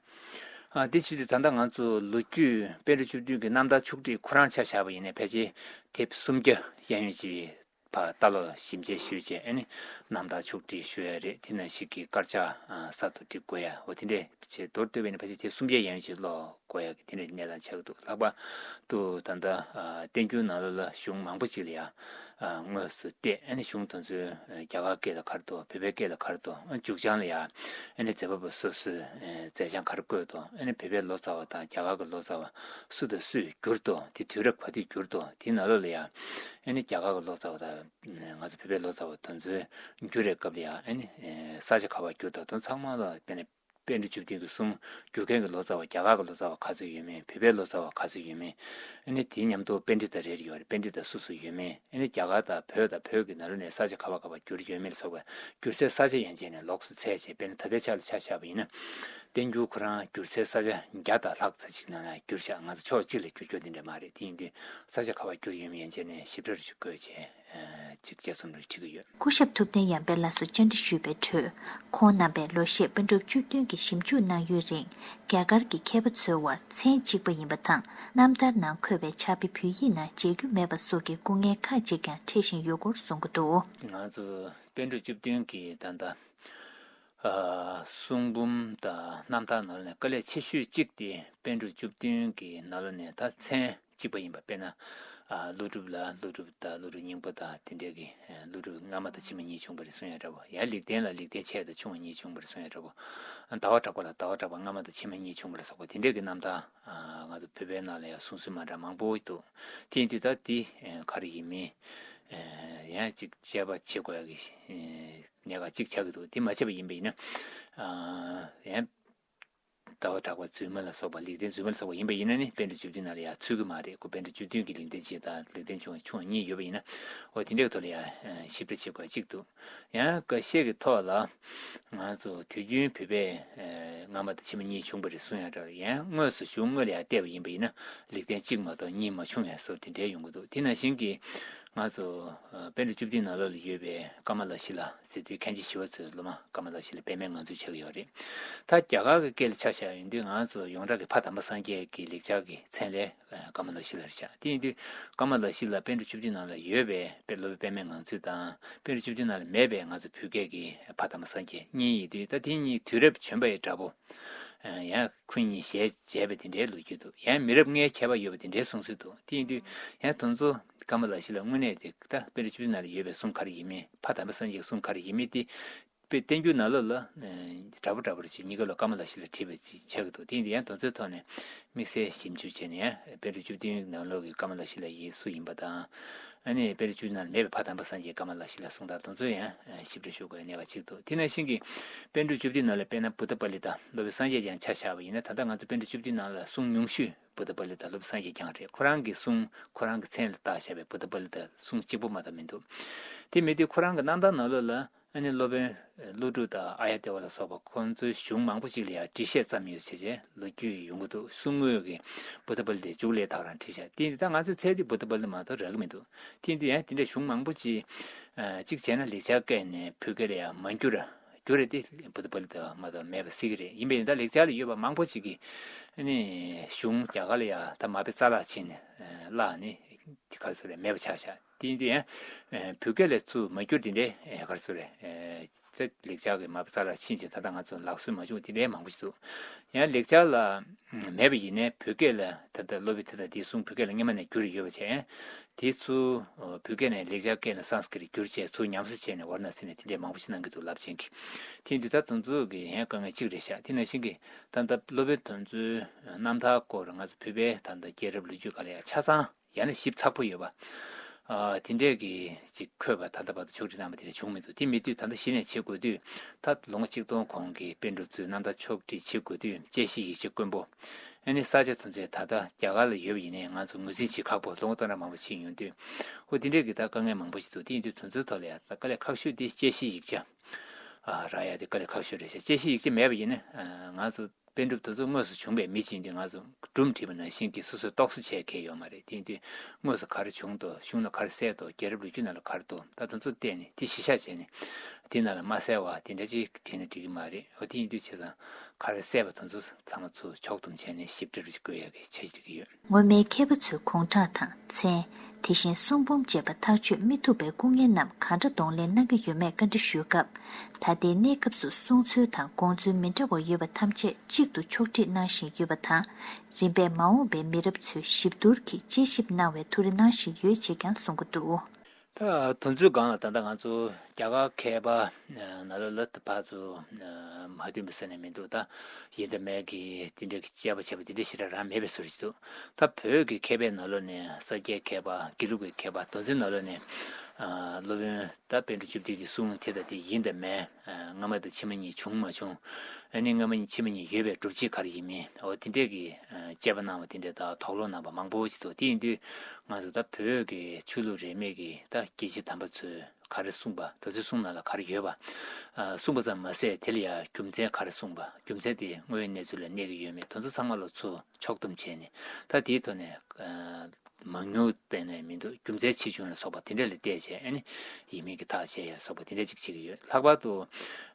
ཨ་དེ་བྱས་ཏེ་ད་ལྟ་ང་ཚོ་ལོ་རྒྱུས་པཎ་གྲུབ་བཅུ་བདུན་གྱི་རྣམ་ཐར་ཕྱོགས་སྒྲིག་ཁོ་རང་ཆ་བཞག་པ་ཡིན་ན་ཕལ་ཆེར་དེབ་སུམ་བརྒྱ་གཡས་གཡོན་ཅིག་ཕར་ལྟ་ཀློག་ཞིབ་དཔྱད་ཞུས་བྱས་ཨ་ནི་རྣམ་ཐར་ཕྱོགས་སྒྲིག་ཞུ་ཡ་རེད། དེ་ནང་བཞིན་གྱི་དཀར་ཆག་གསར་དུ་སྒྲིག་དགོས་ཡ་འོ་དེ་འདྲས་བྱས་མདོར་བསྡུས་པ་ཡིན་ན་ཕལ་ཆེར་དེབ་སུམ་བརྒྱ་གཡས་གཡོན་ཅིག་ཀློག་དགོས་ཡ་གི་དེ་འདྲས་གནས་སྟངས་ཆགས་ཀྱི་འདུག་ལྷག་པར་དུ་ད་ལྟ་བསྟན་འགྱུར་ནང་ལོགས་ལ་གཞུང་མང་པོ་ཅིག་ལ་ཡང་དངོས་སུ་བལྟས་ཨ་ནི་གཞུང་དེ་ཚོའི་རྒྱ་གར་སྐད་ལ་ག་རེ་འདུག་བོད་པའི་སྐད་ལ་ག་རེ་འདུག་མཇུག་བྱང་ལ་ཡང་ཨ་ནི་མཛད་པ་པོ་སོ་སོའི་མཛད་བྱང་ག་རེ་བཀོད་འདུག་ཨ་ནི་བོད་པའི་ལོ་ཙཱ་བ་དང་རྒྱ་གར་གྱི་ལོ་ཙཱ་བ་སུ་དང་སུས་བསྒྱུར་འདུག་དེ་དུས་རབས་ག་དུས་བསྒྱུར་འདུག་དེ་ནང་ལོགས་ལ་ཡང་ཨ་ནི་རྒྱ་གར་གྱི་ལོ་ཙཱ་བ་དང་ང་ཚོ་བོད་པའི་ལོ་ཙཱ་བ་དེ་ཚོའི་བསྒྱུར་བའི་སྐབས་ལ་ཡང་ཨ་ནི་ས་ཆ་ག་པར་བསྒྱུར་འདུག་དེ་ཚང་མ་ལ་དཔེར་ན། པཎ་གྲུབ་བཅུ་བདུན་གྱི་གསུང་བསྒྱུར་མཁན་གྱི་ལོ་ཙཱ་བ་རྒྱ་གར་གྱི་ལོ་ཙཱ་བ་ག་ཚོད་ཡོད་མེད། བོད་པའི་ལོ་ཙཱ་བ་ག་ཚོད་ཡོད་མེད། ཨ་ནི་དེའི་མཉམ་དུ་པཎྜི་ཏ་རེ་རེ་ཡོད་རེད། པཎྜི་ཏ་སུ་སུ་ཡོད་མེད། ཨ་ནི་རྒྱ་གར་དང་བོད་དང་བོད་ཀྱི་ནང་ལོགས་ནས་ས་ཆ་ག་བ་ག་བ་བསྒྱུར་ཡོད་མེད་ལ་སོགས་པའི་བསྒྱུར་སའི་ས་ཆ་ཡན་ཆད་ནས་ལོགས་སུ་འཚོལ་བྱས་དཔེར་ན་ད་ལྟའི་ཆ་ལ་ཆ་བཞག་པ་ཡིན་ན། བསྟན་འགྱུར་ཁོ་རང་བསྒྱུར་སའི་ས་ཆ་བརྒྱ་དང་ལྷག་ཙམ་ཞིག་ནང་ལ་བསྒྱུར་བཞག་ང་ཚོ་ཕྱོགས་གཅིག་ལ་བསྒྱུར་རྒྱུ་དེ་འདྲ་མ་རེད། དེ་ཡིན་དུས་ས་ཆ་ག་བ་བསྒྱུར་ཡོད་མེད་ཡན་ཆད་ནས་ཞིབ་ཕྲ་རུ་ཞིག་བཀོད་བྱས། གཅིག་དཔྱད་རྩོམ་རེ་བྲིས་ཀྱི་ཡོད། སྐུ་ཞབས་ཐུབ་བསྟན་ཡར་འཕེལ་ལགས་སུ་བཅར་འདྲི་ཞུས་པའི་ཁྲོད། ཁོང་རྣམ་པས་ལོ་ཤས་པཎ་གྲུབ་བཅུ་བདུན་གྱི་ཞིབ་འཇུག་གནང་ཡུན་རིང་། རྒྱ་གར་གྱི་མཁས་པ་ཚོའི་དབར་མཚན་གཅིག་པ་ཡིན་པ་དང་། རྣམ་ཐར་ནང་འཁོད་པའི་ཕྱག་དཔེ་བོད་ཡིག་ནང་མཇལ་རྒྱུ་མེད་པ་སོགས་ཀྱི་སྐུ་ངལ་ཁག་ཅིག་ཀྱང་འཕྲད་བཞིན་ཡོད་སྐོར་གསུང་གི་འདུག་ང་ཚོ་པཎ་གྲུབ་བཅུ་བདུན་གྱི་ད་ལྟ་གསུང་འབུམ་དང་རྣམ་ཐར་ནང་ནས་དཀའ་ལས་ཆེ་ཤོས་གཅིག་དེ་པཎ་གྲུབ་བཅུ་བདུན་གྱི་ནང་ལོགས་ནས་ད་མཚན་གཅིག་པ་ཡིན་པ། དཔེར་ན། ཨ་ཀླུ་སྒྲུབ་ལ་ཀླུ་སྒྲུབ་དང་ཀླུ་སྒྲུབ་སྙིང་པོ་དང་དེ་འདྲས་ཀྱི་ཀླུ་སྒྲུབ་སྔ་མ་དང་ཕྱི་མ་གཉིས་བྱུང་བ་རེད་གསུང་ཡ་འདྲ་བོ། ཡང་ལེགས་ལྡན་ལ་ལེགས་ལྡན་ཆེ་དང་ཆུང་བ་གཉིས་བྱུང་བ་རེད་གསུང་ཡ་འདྲ་བོ། ཟླ་བ་གྲགས་པ་ལ་ཟླ་བ་གྲགས་པ་སྔ་མ་དང་ཕྱི་མ་གཉིས་བྱུང་བ་རེད་སོགས་པ་དེ་འདྲས་ཀྱི་རྣམ་ཐར་ང་ཚོ་བོད་པའི་ནང་ལ་ཡང་གསུང་སྲོལ་མ་འདྲ་མང་པོ་འདུག་དེ་ཡིན་དུས་ད་དེ་ག་རེ་ཡིན་མིན་ཡང་ཅིག་དཔྱད་པ་བྱེད་དགོས་ཡ་གི་གནད་འགག་ཅིག་ཆགས་ཀྱི་འདུག་དེ་མ་བྱས་པ་ཡིན་པ་ཡིན་ན་ཡང་། ཟླ་བ་གྲགས་པ་རྫུན་མ་ལ་སོགས་པ་ལེགས་ལྡན་རྫུན་མ་ལ་སོགས་པ་ཡིན་པ་ཡིན་ན་ནི་པཎ་གྲུབ་བཅུ་བདུན་ནང་ལ་ཡང་ཚུད་ཀྱི་མ་རེད། ཁོ་པཎ་གྲུབ་བཅུ་བདུན་གྱི་ལེགས་ལྡན་འབྱེད་དང་ལེགས་ལྡན་འབྱུང་བ་ཆུང་བ་གཉིས་ཡོད་པ་ཡིན་ན། འོ་དེ་འདྲའི་ཐོག་ལ་ཡང་ཞིབ་ཕྲ་བྱེད་དགོས་གཅིག་འདུག། ཡང་འགའ་ཤས་ཀྱི་ཐོག་ལ་ང་ཚོ་དུས་རྒྱུན་བོད་པས་སྔ་མ་དང་ཕྱི་མ་གཉིས་བྱུང་བ་རེད་གསུང་ཡང་འདྲ་བ་རེད། ཡང་དངོས་སུ་གཞུང་དངོས་ལ་ཡང་བལྟས་པ་ཡིན་པ་ཡིན་ན་ལེགས་ལྡན་གཅིག་མ་གཏོགས་གཉིས་མ་བྱུང་ཡང་སོགས་དེ་འདྲའི་ཡོང་གི་འདུག། དེ་ནང་བཞིན་གྱི་ང་ཚོ་པཎ་གྲུབ་བཅུ་བདུན་ནང་ལོགས་ལ་ཡོད་པའི་ཀ་མ་ལ་ཤཱི་ལ་ཟེར་དུས་མཁན་ཆེན་ཞི་བ་འཚོའི་སློབ་མ་ཀ་མ་ལ་ཤཱི་ལ་པདྨའི་ངང་ཚུལ་ཆགས་ཀྱི་ཡོད་རེད། ད་རྒྱ་གར་གྱི་སྐད་ལ་ཆ་བཞག་ཡོང་དུས་ང་ཚོ་ཡོངས་གྲགས་ཀྱི་ཕ་དམ་པ་སངས་རྒྱས་ཀྱི་ལེགས་སྦྱར་གྱི་མཚན་ལས་ཀ་མ་ལ་ཤཱི་ལ་རེད་ཤག། དེ་ཡིན་དུས་ཀ་མ་ལ་ཤཱི་ལ་པཎ་གྲུབ་བཅུ་བདུན་ནང་ལ་ཡོད་པའི་དཔེ་སློབ་དཔོན་པདྨའི་ངང་ཚུལ་དང་པཎ་གྲུབ་བཅུ་བདུན་ནང་ལ་མེད་པའི་ང་ཚོ་བོད་སྐད་ཀྱི་ཕ་དམ་པ་སངས་རྒྱས་གཉིས་ཡིན་དུས། ད་དེ་གཉིས་དུས་རབས་བྱོན་པ་ཡི་འདྲ་པོ། ཡང་ཁོ་གཉིས་ཞལ་མཇལ་བའི་དེ་འདྲའི་ལོ་རྒྱུས་འདུག། ཡང་མི་རབས་ལྔའི་ཁྱད་པར་ཡོད་པ་དེ་འདྲའི་གསུང་སྲོལ་འདུག། དེ་ཡིན་དུས་ཡང་དེ་ཚོ་ཀ་མ་ལ་ཤཱི་ལ་དངོས་གནས་དེ་ད་པཎ་གྲུབ་བཅུ་བདུན་ནང་ལ་ཡོད་པའི་གསུང་ག་རེ་ཡིན་མིན། ཕ་དམ་པ་སངས་རྒྱས་ཀྱི་གསུང་ག་རེ་ཡིན་མིན་དེ། དཔེ་བསྟན་འགྱུར་ནང་ལོགས་ལ་འདྲ་པོ་འདྲ་པོ་རེ་བྱས་གཉིས་ཀ་ལ་ཀ་མ་ལ་ཤཱི་ལ་བྲིས་པ་ཅིག་ཆགས་ཀྱི་འདུག། དེ་ཡིན་དུས་ཡང་དེ་ཚོའི་ཐོག་ནས་དམིགས་བསལ་ཞིབ་འཇུག་བྱས་ནས་ཡང་པཎ་གྲུབ་བཅུ་བདུན་ནང་ལོགས་ཀྱི་ཀ་མ་ལ་ཤཱི་ལ་ཡིན་སུ་ཡིན་པ་དང་། ཨ་ནི་པཎ་གྲུབ་བཅུ་བདུན་ནང་ལ་མེད་པའི་ཕ་དམ་པ་སངས་རྒྱས་ཀ་མ་ལ་ཤཱི་ལ་གསུང་སྟངས་དེ་ཚོ་ཡང་ཞིབ་ཕྲ་ཞུ་དགོས་གནད་འགག་ཅིག་འདུག། དེ་ནང་བཞིན་གྱི་པཎ་གྲུབ་བཅུ་བདུན་ནང་ལ་དཔེར་ན་བུདྡྷ་པཱ་ལི་ཏ་སློབ་དཔོན་སངས་རྒྱས་བསྐྱངས་ཆ་བཞག་པ་ཡིན་ན། ད་ལྟ་ང་ཚོ་པཎ་གྲུབ་བཅུ་བདུན་ནང་ལ་གསུང་ཉུང་ཤོས་བུདྡྷ་པཱ་ལི་ཏ་སློབ་དཔོན་སངས་རྒྱས་བསྐྱངས་རེད། ཁོ་རང་གི་གསུང་ཁོ་རང་གི་མཚན་ལ་བཏགས་བཞག་པའི་བུདྡྷ་པཱ་ལི་ཏ་གསུང་གཅིག་པོ་མ་གཏོགས་མི་འདུག། དེ་མི་དུས་ཁོ་རང་གི་རྣམ་ཐར་ནང་ལོགས་ལ་ཨ་ནི་སློབ་དཔོན་ཀླུ་སྒྲུབ་དང་ཨཱརྱ་དེ་ཝ་ལ་སོགས་པ་ཁོང་ཚོའི་གཞུང་མང་པོ་ཅིག་ལ་ཡང་འགྲེལ་བཤད་ཙམ་ཡོད་བྱས་བྱས་ལོ་རྒྱུས་ཡོང་གི་འདུག། གསུང་དངོས་ཀྱི་བུདྡྷ་པཱ་ལི་ཏའི་མཇུག་ལས་ད་ག་རང་བྲིས་བཞག། དེ་ཡིན་དུས་ད་ང་ཚོས་ཚད་དེ་བུདྡྷ་པཱ་ལི་ཏ་མ་གཏོགས་རག་གི་མི་འདུག། དེ་ཡིན་དུས་ཡང་དེ་འདྲའི་གཞུང་མང་པོ་ཅིག་གཅིག་བྱས་ན་ལེགས་སྦྱར་སྐད་ནས་བོད་སྐད་ལ་ཡང་མ་བསྒྱུར་བསྒྱུར་རེད་དེ། བུདྡྷ་པཱ་ལི་ཏ་མ་གཏོགས་མེད་པ་སྲིད་ཀྱི་རེད། ཡིན་པས་ད་ལེགས་སྦྱར་ལ་ཡོད་པ་མང་པོ་ཅིག་གིས་ཨ་ནི་གཞུང་རྒྱ་གར་ལ་ཡང་ད་མ་དཔེ་རྩ་བརླག་ཕྱིན་ནས་བརླག་ནས་ག་རེ་ཟེར་རེད། མེད་པ་ཆགས་བཞག། དེ་ཡིན་དུས་ཡང་བོད་སྐད་ལ་ཚུར་མ་བསྒྱུར་དེ་འདྲའི་ག་རེ་ཟེར་རེད། ཚེ་ལེགས་སྦྱར་གྱི་མ་དཔེ་རྩ་བརླག་ཕྱིན་ཅིང་ད་ལྟ་ང་ཚོ་ལག་སོན་མ་བྱུང་དེ་འདྲའི་མང་པོ་ཞིག་འདུག། ཡང་ལེགས་སྦྱར་ལ་མེད་པ་ཡིན་ནའི་བོད་སྐད་ལ་ད་ལྟ་སློབ་དཔོན་དེ་དང་དེའི་གསུང་བོད་སྐད་ལ་སྔོན་མ་ནས་བསྒྱུར་ཡོད་པ་བྱས། དེ་ཚུར་བོད་སྐད་ནས་ལེགས་སྦྱར་སྐད་ནས་སཾ་སྐྲྀཏ་བསྒྱུར་བྱས་ཚུར་ཉམས་གསོ་བྱས་ནས་ཝཱ་ར་ཎ་སི་ནས་དེ་འདྲའི་མང་པོ་ཞིག་གནང་གི་འདུག་རླབས་ཆེན་གྱི། དེ་ཡིན་དུས་ད་དེ་ཚོ་གི་ཡང་དཀའ་ངལ་གཅིག་རེད་ཤག། དེ་ནང་བཞིན་གྱི་ད་ལྟ་སློབ་དཔོན་དེ་ཚོའི་རྣམ་ཐར་སྐོར་ང་ཚོ་བོད་པའི་ད་ལྟ་རྒྱལ་རབས་ལོ་རྒྱུས་སྒང་ལ་ཡང་ཆ་ཚང་ཡང་ན་ཞིབ་ཚགས་པོ་ཡོད་པ། ཨ་དེ་འདྲས་ཀྱི་ཅིག་འཁོད་པ་ད་ལྟ་བར་དུ་ཕྱོགས་སྒྲིག་གནང་བ་དེ་འདྲ་བྱུང་མི་འདུག། དེ་མེད་དུས་ད་ལྟ་གཞི་ནས་བྱེད་དགོས་དུས་ད་ལོ་ངོ་གཅིག་སྟོང་གོང་གི་པཎ་གྲུབ་ཚོའི་རྣམ་ཐར་ཕྱོགས་སྒྲིག་བྱེད་དགོས་དུས་དཔྱད་གཞིའི་ཡིག་ཆ་དཀོན་པོ། ཨ་ནི་ས་ཆ་དེ་ཚོའི་ད་ལྟ་རྒྱ་གར་ལ་ཡོད་པ་ཡིན་ནའི་ང་ཚོ་ངོས་འཛིན་བྱེད་ཁག་པོ་ལོ་ངོ་སྟོང་ཕྲག་མང་པོ་ཕྱིན་ཡོང་དུས། ཨོ་དེ་འདྲས་ཀྱི་ད་དཀའ་ངལ་མང་པོ་ཞིག་འདུག། དེ་ཡིན་དུས་དེ་ཚོའི་ཐོག་ལ་ཡང་ད་དཀའ་ལས་ཁག་ཤོས་དེ་དཔྱད་གཞིའི་ཡིག་ཆ་ཨ་རག་ཡ་དེ་དཀའ་ལས་ཁག་ཤོས་རེད་ཤག། དཔྱད་གཞིའི་ཡིག་ཆ་མེད་པ་ཡིན་ན་ཨ་ང་ཚོ་པཎ་གྲུབ་དེ་ཚོ་དངོས་སུ་བྱུང་བའི་མི་ཅིག་ཡིན་དུས་ང་ཚོ་སྒྲུང་བྲིས་པ་ནང་བཞིན་གྱི་སོ་སོས་རྟོག་བཟོ་བྱེད་མཁན་ཡོད་མ་རེད། དེ་ཡིན་དུས་དངོས་སུ་ག་རེ་བྱུང་འདུག། གཞུང་ལ་ག་རེ་གསལ་འདུག། རྒྱལ་རབས་ལོ་རྒྱུས་ནང་ལ་ག་རེ་འདུག། ད་དེ་ཚོ་བལྟས་ནས་དེ་གཞི་བཞག་བྱས་ནས་དེ་ནང་ལ་མ་གསལ་བ་དེ་འདྲ་ཅིག་བྲིས་ན་འགྲིག་གི་མ་རེད། འོ་དེ་ཡིན་དུས་བྱས་ཙང་ག་རེ་གསལ་བ་དེ་ཚོ་ཚང་མ་ཚུར་ཕྱོགས་བསྡོམས་བྱས་ནས་ཞིབ་ཕྲ་རུ་བཀོད་ཡག་གི་འཆར་གཞི་ཡོད། སྔོན་མའི་མཁས་པ་ཚོའི་དགུང་གྲངས་དང་མཚན། དེ་བཞིན་གསུང་འབུམ་བཅས་པ་ཐག་གཅོད་མི་ཐུབ་པའི་སྐུ་ངལ་རྣམས་གང་འདྲ་གདོང་ལེན་གནང་གི་ཡོད་མེད་བཀའ་འདྲི་ཞུས་སྐབས། ད་ལྟའི་གནས་སྐབས་སུ་གསུང་ཚུལ་དང་དགོངས་ཚུལ་མི་འདྲ་བ་ཡོད་པ་ཐམས་ཅད་གཅིག་ཏུ་ཕྱོགས་སྒྲིག་གནང་བཞིན་ཡོད་པ་དང་། རིམ་པས་མ་འོངས་པའི་མི་རབས་ཚོས་ཞིབ་བསྡུར་གྱིས་དཔྱད་ཞིབ་གནང་བའི་ཐུགས་རེ་གནང་བཞིན་ཡོད་ཅེས་ཀྱང་གསུང་གི་འདུག། ད་དེ་ཚོའི་སྒང་ལ་ད་ལྟ་ང་ཚོ་རྒྱ་གར་མཁས་པ་ནང་ལོགས་ལ་ད་ཕར་ཚུར་མ་མཐུན་པ་ཟེར་ནས་མི་འདུག། ད་ཡིན་དང་མིན་གྱི་དེ་འདྲའི་དཔྱད་པ་བྱས་པ་དེ་འདྲའི་ཞེ་དྲག་རང་མེད་པའི་བཟོ་འདྲ་ཞིག་འདུག། ད་བོད་ཀྱི་མཁས་པའི་ནང་ལོགས་ནས་ས་སྐྱའི་མཁས་པ་དགེ་ལུགས་ཀྱི་མཁས་པ་དེ་ཚོའི་ནང་ལོགས་ནས་ཨ་སློབ་དཔོན་ད་པཎ་གྲུབ་བཅུ་བདུན་གྱི་གསུང་དེ་དང་དེ་ཡིན་དང་མིན། སྔ་མ་དང་ཕྱི་མ་གཉིས་བྱུང་མ་བྱུང་། ཨ་ནི་སྔ་མ་གཉིས་ཕྱི་མ་གཉིས་ཡོད་པའི་སྒྲུབ་བྱེད་ག་རེ་ཡིན་མིན། འོ་དེ་འདྲས་ཀྱི་དཔྱད་པ་གནང་བ་དེ་འདྲས་དང་དོགས་སློང་གནང་བ་མང་པོ་ཞིག་འདུག། དེ་ཡིན་དུས་ང་ཚོ་ད་བོད་ཀྱི་ཆོས་ལུགས་རིས་མེད་ཀྱི་ད་དགེ་བཤེས་དམ་པ་ཚོས་ག་རེ་གསུངས་པ། དེ་ཚོའི་གསུང་ནང་ལ་ག་རེ་ཡོད་པ། གསུངས་པ་ཙམ་མ་ཟད་དེ་ལ་ཡང་རྒྱུ་མཚན་ག་རེ་གསུངས་པ། རྒྱུ་མཚན་དེ་དངོས་ཡོད་གནས་ཚུལ་ལ་གནས་ཀྱི་ཡོད་མེད་དེ་ཚོ་ཚང་མ་ལ་ཚུར་ཕྱོགས་བསྡོམས་བྱས་ནས་ད་དེའི་ཐོག་ནས་མང་ཉུང་བལྟས་ནས་མི་འདུག། རྒྱུ་མཚན་ཆེ་ཆུང་ལ་སོགས་པ་དེ་འདྲ་ལ་བལྟས་བྱས་ཨ་ནི་ཡིན་མིན་གྱི་ཐག་བཅད་ཡ་ལ་སོགས་པ་དེ་འདྲ་ཅིག་བྱེད་ཀྱི་ཡོད། ལྷག་པར་དུ་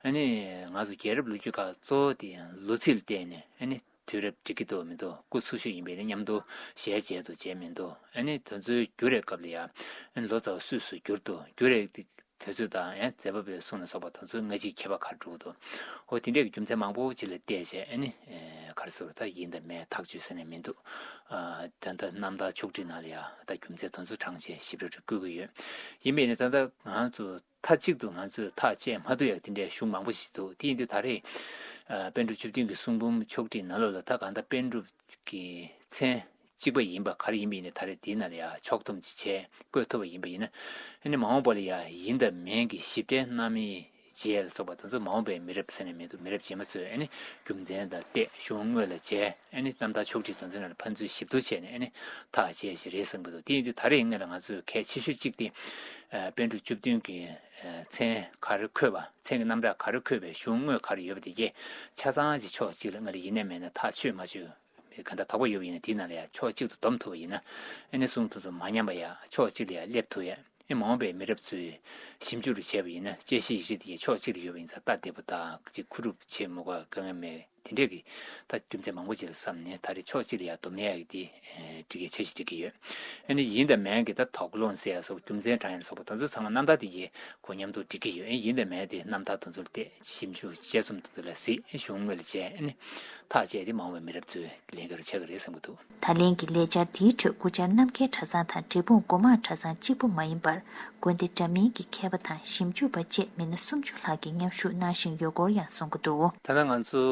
ཨ་ནི་ང་ཚོ་རྒྱལ་རབས་ལོ་རྒྱུས་ཁག་གཙོ་བོ་དེ་ཡང་ལོ་ཚིགས་ལ་བལྟས་ནས་ཨ་ནི་དུས་རབས་འགྲིག་གི་འདུག་མི་འདུག། སྐུ་འཚོ་བཞུགས་ཡིན་པས་ནི་མཉམ་དུ་ཞལ་མཇལ་འདུག་མཇལ་མི་འདུག། ཨ་ནི་དེ་ཚོའི་འགྱུར་བའི་སྐབས་ལ་ཡང་ཨ་ནི་ལོ་ཙཱ་བ་སུས་སུ་འགྱུར་འདུག། འགྱུར་བའི་དུས་ཚོད་དང་ཡང་མཛད་པ་པོའི་གསུང་ལ་སོགས་པ་དེ་ཚོའི་སྔ་ཕྱིའི་ཁྱད་པར་ག་རེ་འགྲོ་གི་འདུག། འོ་དེ་འདྲའི་རྒྱུ་མཚན་མང་པོ་ཅིག་ལ་བལྟས་བྱས་ཨ་ནི་ག་རེ་ཟེར་བ་ད་ཡིན་དང་མིན་ཐག་གཅོད་ཟེར་ནས་མི་འདུག། ད་ལྟ་རྣམ་ཐར་ཕྱོགས་སྒྲིག་ནང་ལ་ཡང་ད་རྒྱུ་མཚན་དེ་ཚོ་དྲངས་བྱས་ཞིབ་ཕྲ་རེ་བཀོད་ཀྱི་ཡོད། ཡིན་པས་ནི་ད་ལྟ་ང་ཚོ་མཐའ་གཅིག་ཏུ་ང་ཚོས་ཐག་བཅད་མ་ཐུབ་ཡག་དེ་འདྲའི་གཞུང་མང་པོ་ཞིག་འདུག། དེ་ཡིན་དུས་ད་རེས་པཎ་གྲུབ་བཅུ་བདུན་གྱི་གསུང་འབུམ་ཕྱོགས་སྒྲིག་ནང་ལོགས་ལ་ད་གང་ལྟར་པཎ་གྲུབ་ཀྱི་མཚན་གཅིག་པ་ཡིན་པ་ག་རེ་ཡིན་པ་ཡིན་ནའི་ད་རེས་དེའི་ནང་ལ་ཡང་ཕྱོགས་བསྡོམས་ཅིག་བྱས་བཀོད་ཐུབ་པ་ཡིན་པ་ཡིན་ན། ཨ་ནི་མ་འོངས་པ་ལ་ཡང་ཡིན་དང་མིན་གྱི་ཞིབ་ཕྲའི་རྣམ་དབྱེ་ བྱས་ལ་སོགས་པ་དེ་ཚོ་མ་འོངས་པའི་མི་རབས་ཟེར་ནས་མི་འདུག་མི་རབས་རྗེས་མ་ཚོས་ཨ་ནི་རྒྱུ་མཚན་དང་བལྟས་གཞུང་དངོས་ལ་མཇལ། ཨ་ནི་རྣམ་ཐར་ཕྱོགས་སྒྲིག་དེ་ཚོ་ནང་ལ་ཕན་ཚུན་ཞིབ་ཏུ་བྱས་ནས་ཨ་ནི་ཐག་བཅད་བྱས་རེད་བསམ་གྱི་འདུག་དེ་ཡིན་དུས་ད་རེས་ཡིན་ན་ལ་ང་ཚོས་གལ་ཆེ་ཤོས་གཅིག་དེ་པཎ་གྲུབ་བཅུ་བདུན་གྱི་མཚན་ག་རེ་འཁོད་པ། མཚན་གྱི་རྣམ་གྲངས་ག་རེ་འཁོད་པའི་གཞུང་དངོས་ག་རེ་ཡོད་པ་དེ་གས་ཆ་ཚང་ཅིག་ཕྱོགས་གཅིག་ལ་སྔར་ཡིན་ནའི་མེད་ན་ཐག་ཆོད་མ་ཆོད། གང་ལྟར་དོགས་པ་ཡོད་པ་ཡིན་ན་དེའི་ནང་ལ་ཡང་ཕྱོགས་གཅིག་ཏུ་བསྡོམས་ཐུབ་པ་ཡིན་ན། ཨ་ནི་གསུང་ཐུབ་ཚོ་མ་ཉམས་པ་ཡ་ཕྱོགས་གཅིག་ལ་ཡ་སླེབས་ཐུབ་ཡ། ཨ་མ་འོངས་པའི་མི་རབས་ཚོས་ཞིབ་འཇུག་རུ་བྱས་པ་ཡིན་ན་དཔྱད་གཞི་ཡིག་ཆ་དེ་ཡ་ཕྱོགས་གཅིག་ལ་ཡོད་པ་ཡིན་ཙང་ལྟ་བདེ་པོ་དང་གཅིག་མཁོ་སྒྲུབ་བྱེད་མི་དགོས་དཀའ་ངལ་མེད། དེ་འདྲས་ཀྱི་ད་རྒྱུ་མཚན་མང་པོ་ཅིག་ལ་བསམ་ནས་ད་རེས་ཕྱོགས་གཅིག་ལ་ཡ་བསྡོམས་ཡ་ཡི་དེ་འགྲིག་གི་ཆ་ཞིག་འགྲིག་གི་ཡོད། ཨ་ནི་ཡིན་དང་མིན་གྱི་ད་དོགས་སློང་ཟེར་ཡ་སོགས་རྒྱུ་མཚན་དྲངས་ཡ་སོགས་པ་དེ་ཚོ་ཚང་མ་རྣམ་ཐར་དེ་ཡི་གོ་མཉམ་དུ་འགྲིག་གི་ཡོད། ཨ་ཡིན་དང་མིན་དེ་རྣམ་ཐར་དེ་ཚོར་བལྟས་ཞིབ་འཇུག་དཔྱད་རྩོམ་དེ་ཚོ་ལ་གཟིགས་གཞུང་དངོས་ལ་མཇལ། ཨ་ནི་ཐག་བཅད་དེ་མ་འོངས་པའི་མི་རབས་ཚོའི་ལས་འགན་རུ་ཆགས་ཀྱི་རེད་བསམ་གྱི་འདུག་ད་ལན་གྱི་ལས་འཆར་འདིའི་ཁྲོད་སྐུ་བཅར་རྣམ་རྒྱལ་གྲྭ་ཚང་དང་འབྲས་སྤུངས་སྒོ་མང་གྲྭ་ཚང་གཅིག་པུ་མ་ཡིན་པར་དགོན་སྡེ་འདྲ་མིན་གྱི་མཁས་པ་དང་ཞིབ་འཇུག་པ་བཅས་མི་སྣ་སུམ་ཅུ་ལྷག་གིས་མཉམ་ཞུགས་གནང་བཞིན་ཡོད་སྐོར་ཡང་གསུང་གི་འདུག་ད་ལྟ་ང་ཚོ་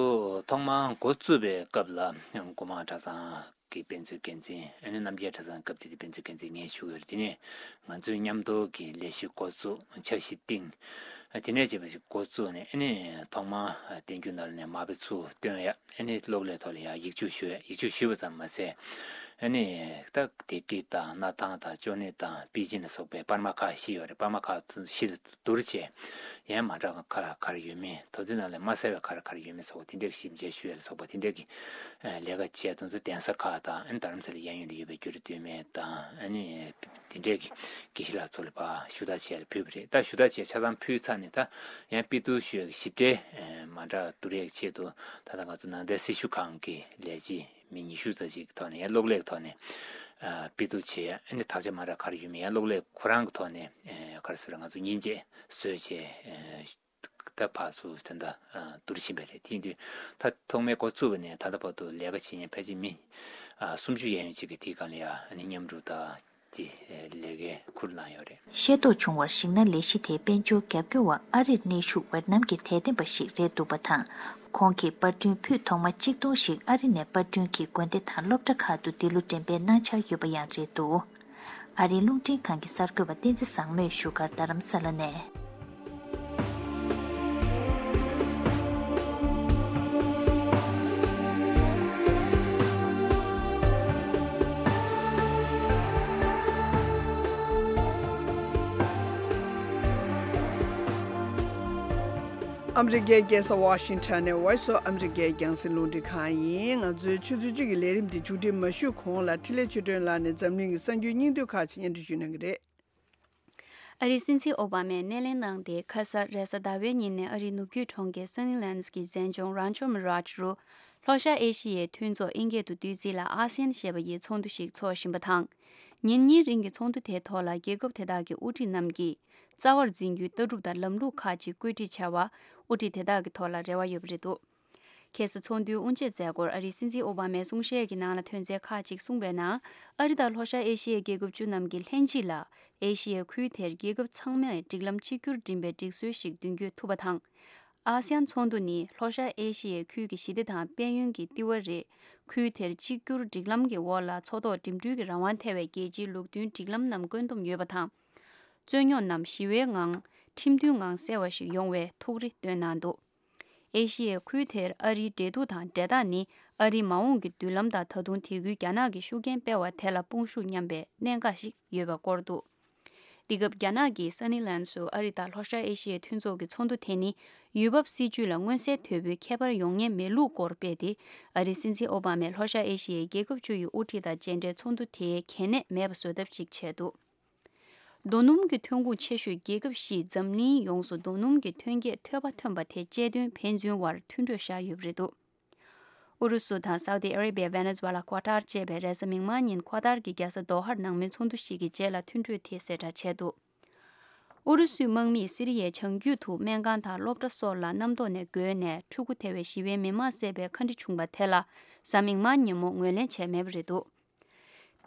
ཐོག་མར་འགོ་བཙུགས་པའི་སྐབས་ལ་སྒོ་མང་གྲྭ་ཚང་གི་དཔེ་མཛོད་འགན་འཛིན། ཨ་ནི་རྣམ་རྒྱལ་གྲྭ་ཚང་སྐབས་དེ་དུས་དཔེ་མཛོད་འགན་འཛིན་ངས་ཞུ་གི་ཡོད་རེད། དེ་ནས་ང་ཚོས་མཉམ་དུ་གི་ལས་གཞི་འགོ་བཙུགས། འཆར་གཞི་བཏིང་། དེ་ནས་བྱས་པ་ཞིག་འགོ་བཙུགས་ནས་ཨ་ནི་ཐོག་མར་བསྟན་འགྱུར་ནང་ལ་ནས་མར་པའི་ཚུལ་སྟོན་ཡ། ཨ་ནི་གློག་ཀླད་ཐོག་ལ་ཡང་ཡིག་ཆ་ཞུ་ཡ། ཡིག་ཆ་ཞུས་པ་ཙམ་མ་ཟད་ཨ་ནི་ད་བདེ་སྐྱིད་དང་མནའ་ཐང་དང་ཅོ་ནེ་དང་པེ་ཅིན་ལ་སོགས་པའི་པར་མ་ཁག་བཞི་ཡོད་རེད། པར་མ་ཁག་བཞི་ལ་བསྡུར་བྱས་ཡང་མ་འདྲ་བ་ག་རེ་ག་རེ་ཡོད་མེད། དོན་ཚན་ནང་ལ་མ་གསལ་བའི་ག་རེ་ག་རེ་ཡོད་མེད་སོགས་དེ་འདྲའི་ཞིབ་མཇལ་ཞུ་ཡ་ལ་སོགས་པ་དེ་འདྲའི་གི་ལས་ཀ་བྱས། དོན་ཚན་གདན་ས་ཁག་དང་ཨ་ནི་རྡ་རམ་ས་ལའི་གཡས་གཡོན་དུ་ཡོད་པའི་འགྱུར་རིགས་སྟོད་སྨད་དང་ཨ་ནི་དེ་འདྲས་ཀྱི་དགེ་བཤེས་ལགས་ཚོ་ལ་ཕར་ཞུ་དག་བྱས་ལ་ཕུལ་བ་རེད། ད་ཞུ་དག་བྱས་ཆ་ཚང་ཕུལ་ཚར་ནས་ད་ཡང་དཔེ་བསྡུར་ཞུ་ཡག་གི་ཞིབ་ཕྲའི་མ་འདྲ་བསྡུར་ཡག་ཆེད་དུ་ད་ལྟ་ང་ཚོ་ནང་བསྟན་སྲི་ཞུ་ཁང་གི་ལས་བྱེད་མི་ཉི་ཤུ་ཙམ་ཞིག་གི་ཐོག་ནས་ཡང་གློག་ཀླད་ཀྱི་ཐོག་ནས་དཔེ་བསྡུར་བྱས། ཨ་ནི་དག་ཆ་མ་འདྲ་ག་རེ་ཡོད་མེད་ཡང་གློག་ཀླད་ཁོ་རང་གི་ཐོག་ནས་ག་རེ་ཟེར་ང་ཚོ་མཉེན་ཆས་བཟོས་བྱས། ད་ཕར་ཚུར་ད་ལྟ་བསྡུར་བཞིན་པ་རེད། དེ་ཡིན་དུས་ད་ཐོག་མའི་འགོ་བཙུགས་པ་ནས་ད་ལྟ་བར་དུ་ལས་ཀ་བྱེད་མཁན་ཕལ་ཆེར་མི་སུམ་ཅུ་ཡན་ཡོད་ཅིག་གིས་དེའི་སྒང་ལ་ཡང་མཉམ་རུབ་དང་དེ་ལས་ཀའི་ཁུར་བླངས་ཡོད་རེད། ཤེས་རྟོགས་བྱུང་བར་གཞིགས་ན་ལས་གཞི་དེའི་དཔལ་འབྱོར་རྒྱབ་སྐྱོར་བ་ཨ་རིར་གནས་བཞུགས་ཝེ་ཏི་ནམ་གྱི་དད་ལྡན་པ་ཞིག་རེད་འདུག་པ་དང་། ཁོང་གིས་པར་སྐྲུན་ཕུད་ཐོག་མ་གཅིག་སྟོང་ཞིག་ཨ་རི་ནས་པར་སྐྲུན་གྱིས་དགོན་སྡེ་དང་སློབ་གྲྭ་ཁག་ཏུ་འདི་ལོ་འགྲེམས་སྤེལ་གནང་འཆར་ཡོད་པ་ཡང་རེད་འདུག་ཨ་རིའི་རླུང་འཕྲིན་ཁང་གི་གསར་འགོད་པ་བསྟན་འཛིན་བཟང་མོས་བཞུགས་སྒར་རྡ་རམ་ས་ལ་ནས། ཨ་མི་རི་ཀའི་རྒྱལ་ས་ཝ་ཤིང་ཊོན་ནས་Voice of America རྒྱང་སྲིང་རླུང་འཕྲིན་ཁང་ཡིན། ང་ཚོའི་ཆུ་ཚོད་གཅིག་གི་ལས་རིམ་འདི་མཇུག་སྒྲིལ་མ་ཞུས་གོང་ལ་འཕྲིན་ལས་ཆོས་སྒྲོན་ལགས་ནས་འཛམ་གླིང་གི་གསར་འགྱུར་སྙིང་བསྡུས་ཁག་ཅིག་སྙན་སྒྲོན་ཞུ་གནང་གི་རེད། ཨ་རིའི་སྲིད་འཛིན་ཨོ་བྷ་མས་སྣེ་ལེན་གནང་སྟེ་ཁ་སང་རེས་གཟའ་ཟླ་བའི་ཉིན་ནས་ཨ་རིའི་ནུབ་རྒྱུད་གྲོང་ཁྱེར་སན་ནི་ལན་སི་གི་མཛེས་ལྗོངས་རན་ཆོ་མི་རཱཇ་རུ་ལྷོ་ཤར་ཨེ་ཤི་ཡའི་མཐུན་ཚོགས་ཨིན་སྐད་དུ་བསྡུས་ཚིག་ལ་ཨ་སི་ཡན་ཞེས་པ་ཡི་ཚོགས་འདུ་ཞིག་འཚོགས་བཞིན་པ་དང་། ཉིན་གཉིས་རིང་གི་ཚོགས་འདུ་དེའི་ཐོག་ལ་རྒྱལ་ཁབ་དེ་དག་གི་དབུ་ཁྲིད་རྣམས་ཀྱིས་རྩ་བར་འཛིན་རྒྱུའི་ལྟ་གྲུབ་དང་ལམ་ལུགས་ཁག་ཅིག་བཀོད་སྒྲིག་བྱ་བར་དབུ་ཁྲིད་དེ་དག་གི་ཐོག་ལ་རེ་བ་ཡོད་པ་རེད་འདུག་ཁ་སང་ཚོགས་འདུའི་དབུ་འབྱེད་མཛད་སྒོར་ཨ་རིའི་སྲིད་འཛིན་ཨོ་བྷ་མས་གསུང་བཤད་ཀྱི་ནང་ལ་ཐོན་རྫས་ཁག་ཅིག་གསུངས་པའི་ནང་། ཨ་རི་དང་ལྷོ་ཤར་ཨེ་ཤི་ཡའི་རྒྱལ་ཁབ་བཅུ་རྣམས་ཀྱིས་ལྷན་གཅིག་ལ་ཨེ་ཤི་ཡའི་ཁུལ་དེར་རྒྱལ་ཁབ་ཚང་མས་སྒྲིག་ལམ་གཅིག་གྱུར་འགྲིམ་པའི་སྒྲིག་སྲོལ་ཞིག་མདུན་སྐྱོད་ཐུབ་པ་དང་། ཨ་སི་ཡན་ཚོགས་འདུ་ནི་ལྷོ་ཤར་ཨེ་ཤི་ཡའི་ཁུལ་གྱི་ཞི་བདེ་དང་དཔལ་ཡོན་གྱི་ལྟེ་བ་རེད། ཁུལ་དེར་གཅིག་གྱུར་སྒྲིག་ལམ་གྱི་འོག་ལ་མཚོ་ཐོག་འགྲིམ་འགྲུལ་གྱི་རང་དབང་ཐེ་བའི་རྒྱལ་སྤྱིའི་ལུགས་མཐུན་སྒྲིག་ལམ་རྣམས་བཀོད་འདོམས་ཡོད་པ་དང་། རྩོད་རྙོག་རྣམས་ཞི་བའི་ངང་ཁྲིམས་མཐུན་ངང་སེལ་བ་ཞིག་ཡོང་བའི་ཐུགས་རེ་བཏོན་གནང་འདུག་ཨེ་ཤི་ཡའི་ཁུལ་དེར་ཨ་རིའི་འབྲེལ་གཏུག་དང་འབྲེལ་ཐག་ནི་ཨ་རིའི་མ་འོངས་ཀྱི་མདུན་ལམ་དང་ད་དུང་དེ་ཁུལ་རྒྱ་ནག་གིས་ཤུགས་རྐྱེན་སྤེལ་བ་དེ་ལ་དཔུང་ཤུགས་མཉམ་པའི་གནད་འགག་ཞིག་ཡོད་པའི་སྐོར་འདུག་འདི་སྐབས་རྒྱ་ནག་གིས་སན་ནི་ལན་སུ་ཨ་རི་དང་ལྷོ་ཤར་ཨེ་ཤི་ཡའི་མཐུན་ཚོགས་ཀྱི་ཚོགས་འདུ་དེ་ནི་ཡུལ་བབ་སྲིད་ཇུས་ལ་མངོན་གསལ་དོད་པོའི་ཁྱད་པར་ཡོང་ཉེན་མེད་ལུགས་སྐོར་སྤེལ་ཏེ། ཨ་རིའི་སྲིད་འཛིན་ཨོ་བྷ་མས་ལྷོ་ཤར་ཨེ་ཤི་ཡའི་རྒྱལ་ཁབ་བཅུ་ཡི་དབུ་ཁྲིད་དང་མཇལ་འཕྲད་ཚོགས་འདུ་དེ་གལ་གནད་མེད་པ་བཟོ་ཐབས་ཤིག་བྱས་འདུག་རྡོ་སྣུམ་གྱི་ཐོན་ཁུངས་ཆེ་ཤོས་རྒྱལ་ཁབ་བཞིས་འཛམ་གླིང་ཡོངས་སུ་རྡོ་སྣུམ་གྱི་ཐོན་སྐྱེད་ཐོས་པ་ཐོན་པ་དེ་དཔྱད་དོན་ཕན་ཚུན་དབར་མཐུན་གྲོས་བཞག་ཡོད་པ་རེད་འདུག་ཨུ་རུ་སུ་དང་སའུ་ཏི་ཨ་རེ་བྷི་ཡ། ཝེ་ནེ་ཛུ་ཝེ་ལ། ཀོ་ཏར་བཅས་པས་རེས་གཟའ་མིག་དམར་ཉིན་ཀོ་ཏར་གྱི་རྒྱལ་ས་དོ་ཧར་ནང་མོལ་ཚོགས་འདུ་ཞིག་གི་རྗེས་ལ་མཐུན་གྲོས་དེ་གསལ་བསྒྲགས་བྱས་འདུག་ཨུ་རུ་སུའི་དམག་མིས་སི་རི་ཡའི་བྱང་རྒྱུད་དུ་སྨན་ཁང་དང་སློབ་གྲྭ་སོགས་ལ་གནམ་ཐོག་ནས་རྒོལ་ནས་ཕྲུ་གུ་ཐེ་བའི་ཞི་བའི་མི་མང་བསད་པའི་ཁ་འདྲི་བྱུང་བ་དེ་ལ་གཟའ་མིག་དམར་ཉིན་མོ་ངོས་ལེན་བྱས་མེད་པ་རེད་འདུག་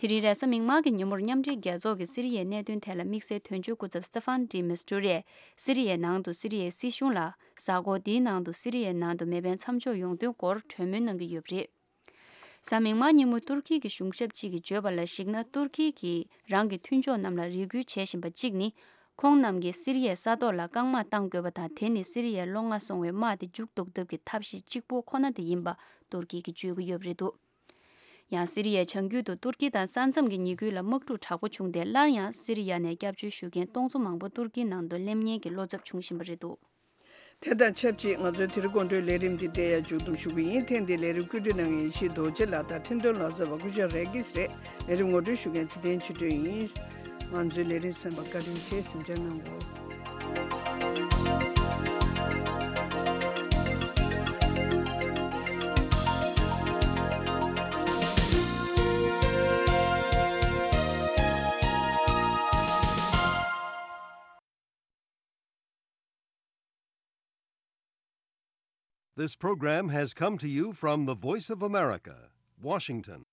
དེ་རིང་རེས་གཟའ་མིག་དམར་གྱི་ཉིན་མོར་མཉམ་འབྲེལ་རྒྱལ་ཚོགས་ཀྱི་སི་རི་ཡའི་གནད་དོན་ཐད་ལ་དམིགས་བསལ་དོན་གཅོད་སྐུ་ཚབ་སྟེ་ཧྥན་ཌི་མི་སི་ཏུ་རས་སི་རི་ཡའི་ནང་དུ་སི་རི་ཡའི་སྲིད་གཞུང་ལ་གཟའ་འཁོར་འདིའི་ནང་དུ་སི་རི་ཡའི་ནང་དུ་མེ་འཕེན་མཚམས་འཇོག་ཡོང་དོན་སྐོར་གྲོས་མོལ་གནང་གི་ཡོད་པ་རེད། གཟའ་མིག་དམར་ཉིན་མོ་ཏུར་ཁི་གི་གཞུང་ཞབས་གཅིག་གིས་བརྗོད་པ་ལ་གཞིགས་ན། ཏུར་ཁི་གིས་རང་གི་མཐུན་ཕྱོགས་རྣམས་ལ་རེ་སྐུལ་བྱེད་བཞིན་པ་གཅིག་ནི། ཁོང་རྣམས་ཀྱིས་སི་རི་ཡའི་ས་ཐོག་ལ་རྐང་དམག་བཏང་དགོས་པ་དང་། དེ་ནི་སི་རི་ཡའི་ལོང་བ་སོང་བའི་དམག་དེ་མཇུག་རྫོགས་ཐབས་ཀྱི་ཐབས་ཤེས་གཅིག་པོ་ཁོ་ན་དེ་ཡིན་པ་ཏུར་ཀི་གིས་བརྗོད་ཀྱི་ཡོད་པ་རེད་འདུག་ཡང་སི་རི་ཡའི་བྱང་རྒྱུད་དུ་ཏུར་ཀི་དང་ས་མཚམས་ཀྱི་ཉེ་ཁུལ་ལ་དམག་འཁྲུག་དྲག་པོ་བྱུང་སྟེ། སླར་ཡང་སི་རི་ཡ་ནས་སྐྱབས་བཅོལ་ཞུ་མཁན་སྟོང་ཚོ་མང་པོ་ཏུར་ཀིའི་ནང་དུ་སླེབས་ཉེན་གྱི་བློ་འཚབ་བྱུང་བཞིན་པ་རེད་འདུག་དེ་དང་ཆབས་ཅིག་ང་ཚོའི་དེ་རིང་དགོང་དྲོའི་ལས་རིམ་འདི་འདིར་ཡང་མཇུག་བསྡོམས་ཞུ་གི་ཡིན། ཐེངས་འདིའི་ལས་རིམ་བཀོད་སྒྲིག་གནང་མཁན་ཡེ་ཤེས་རྡོ་རྗེ་ལགས་དང་འཕྲིན་གཏོང་ལག་རྩལ་བ་སྐུ་ཞབས་རེ་གིས་རེད། ལས་རིམ་ངོ་སྤྲོད་ཞུ་མཁན་ཚེ་བརྟན་ཆོས་སྒྲོན་ཡིན། ང་ཚོའི་ལས་རིམ་གསན་པར་བཀའ་དྲིན་ཆེ། གཟིམ་འཇགས་གནང་གོ། This program has come to you from the Voice of America, Washington.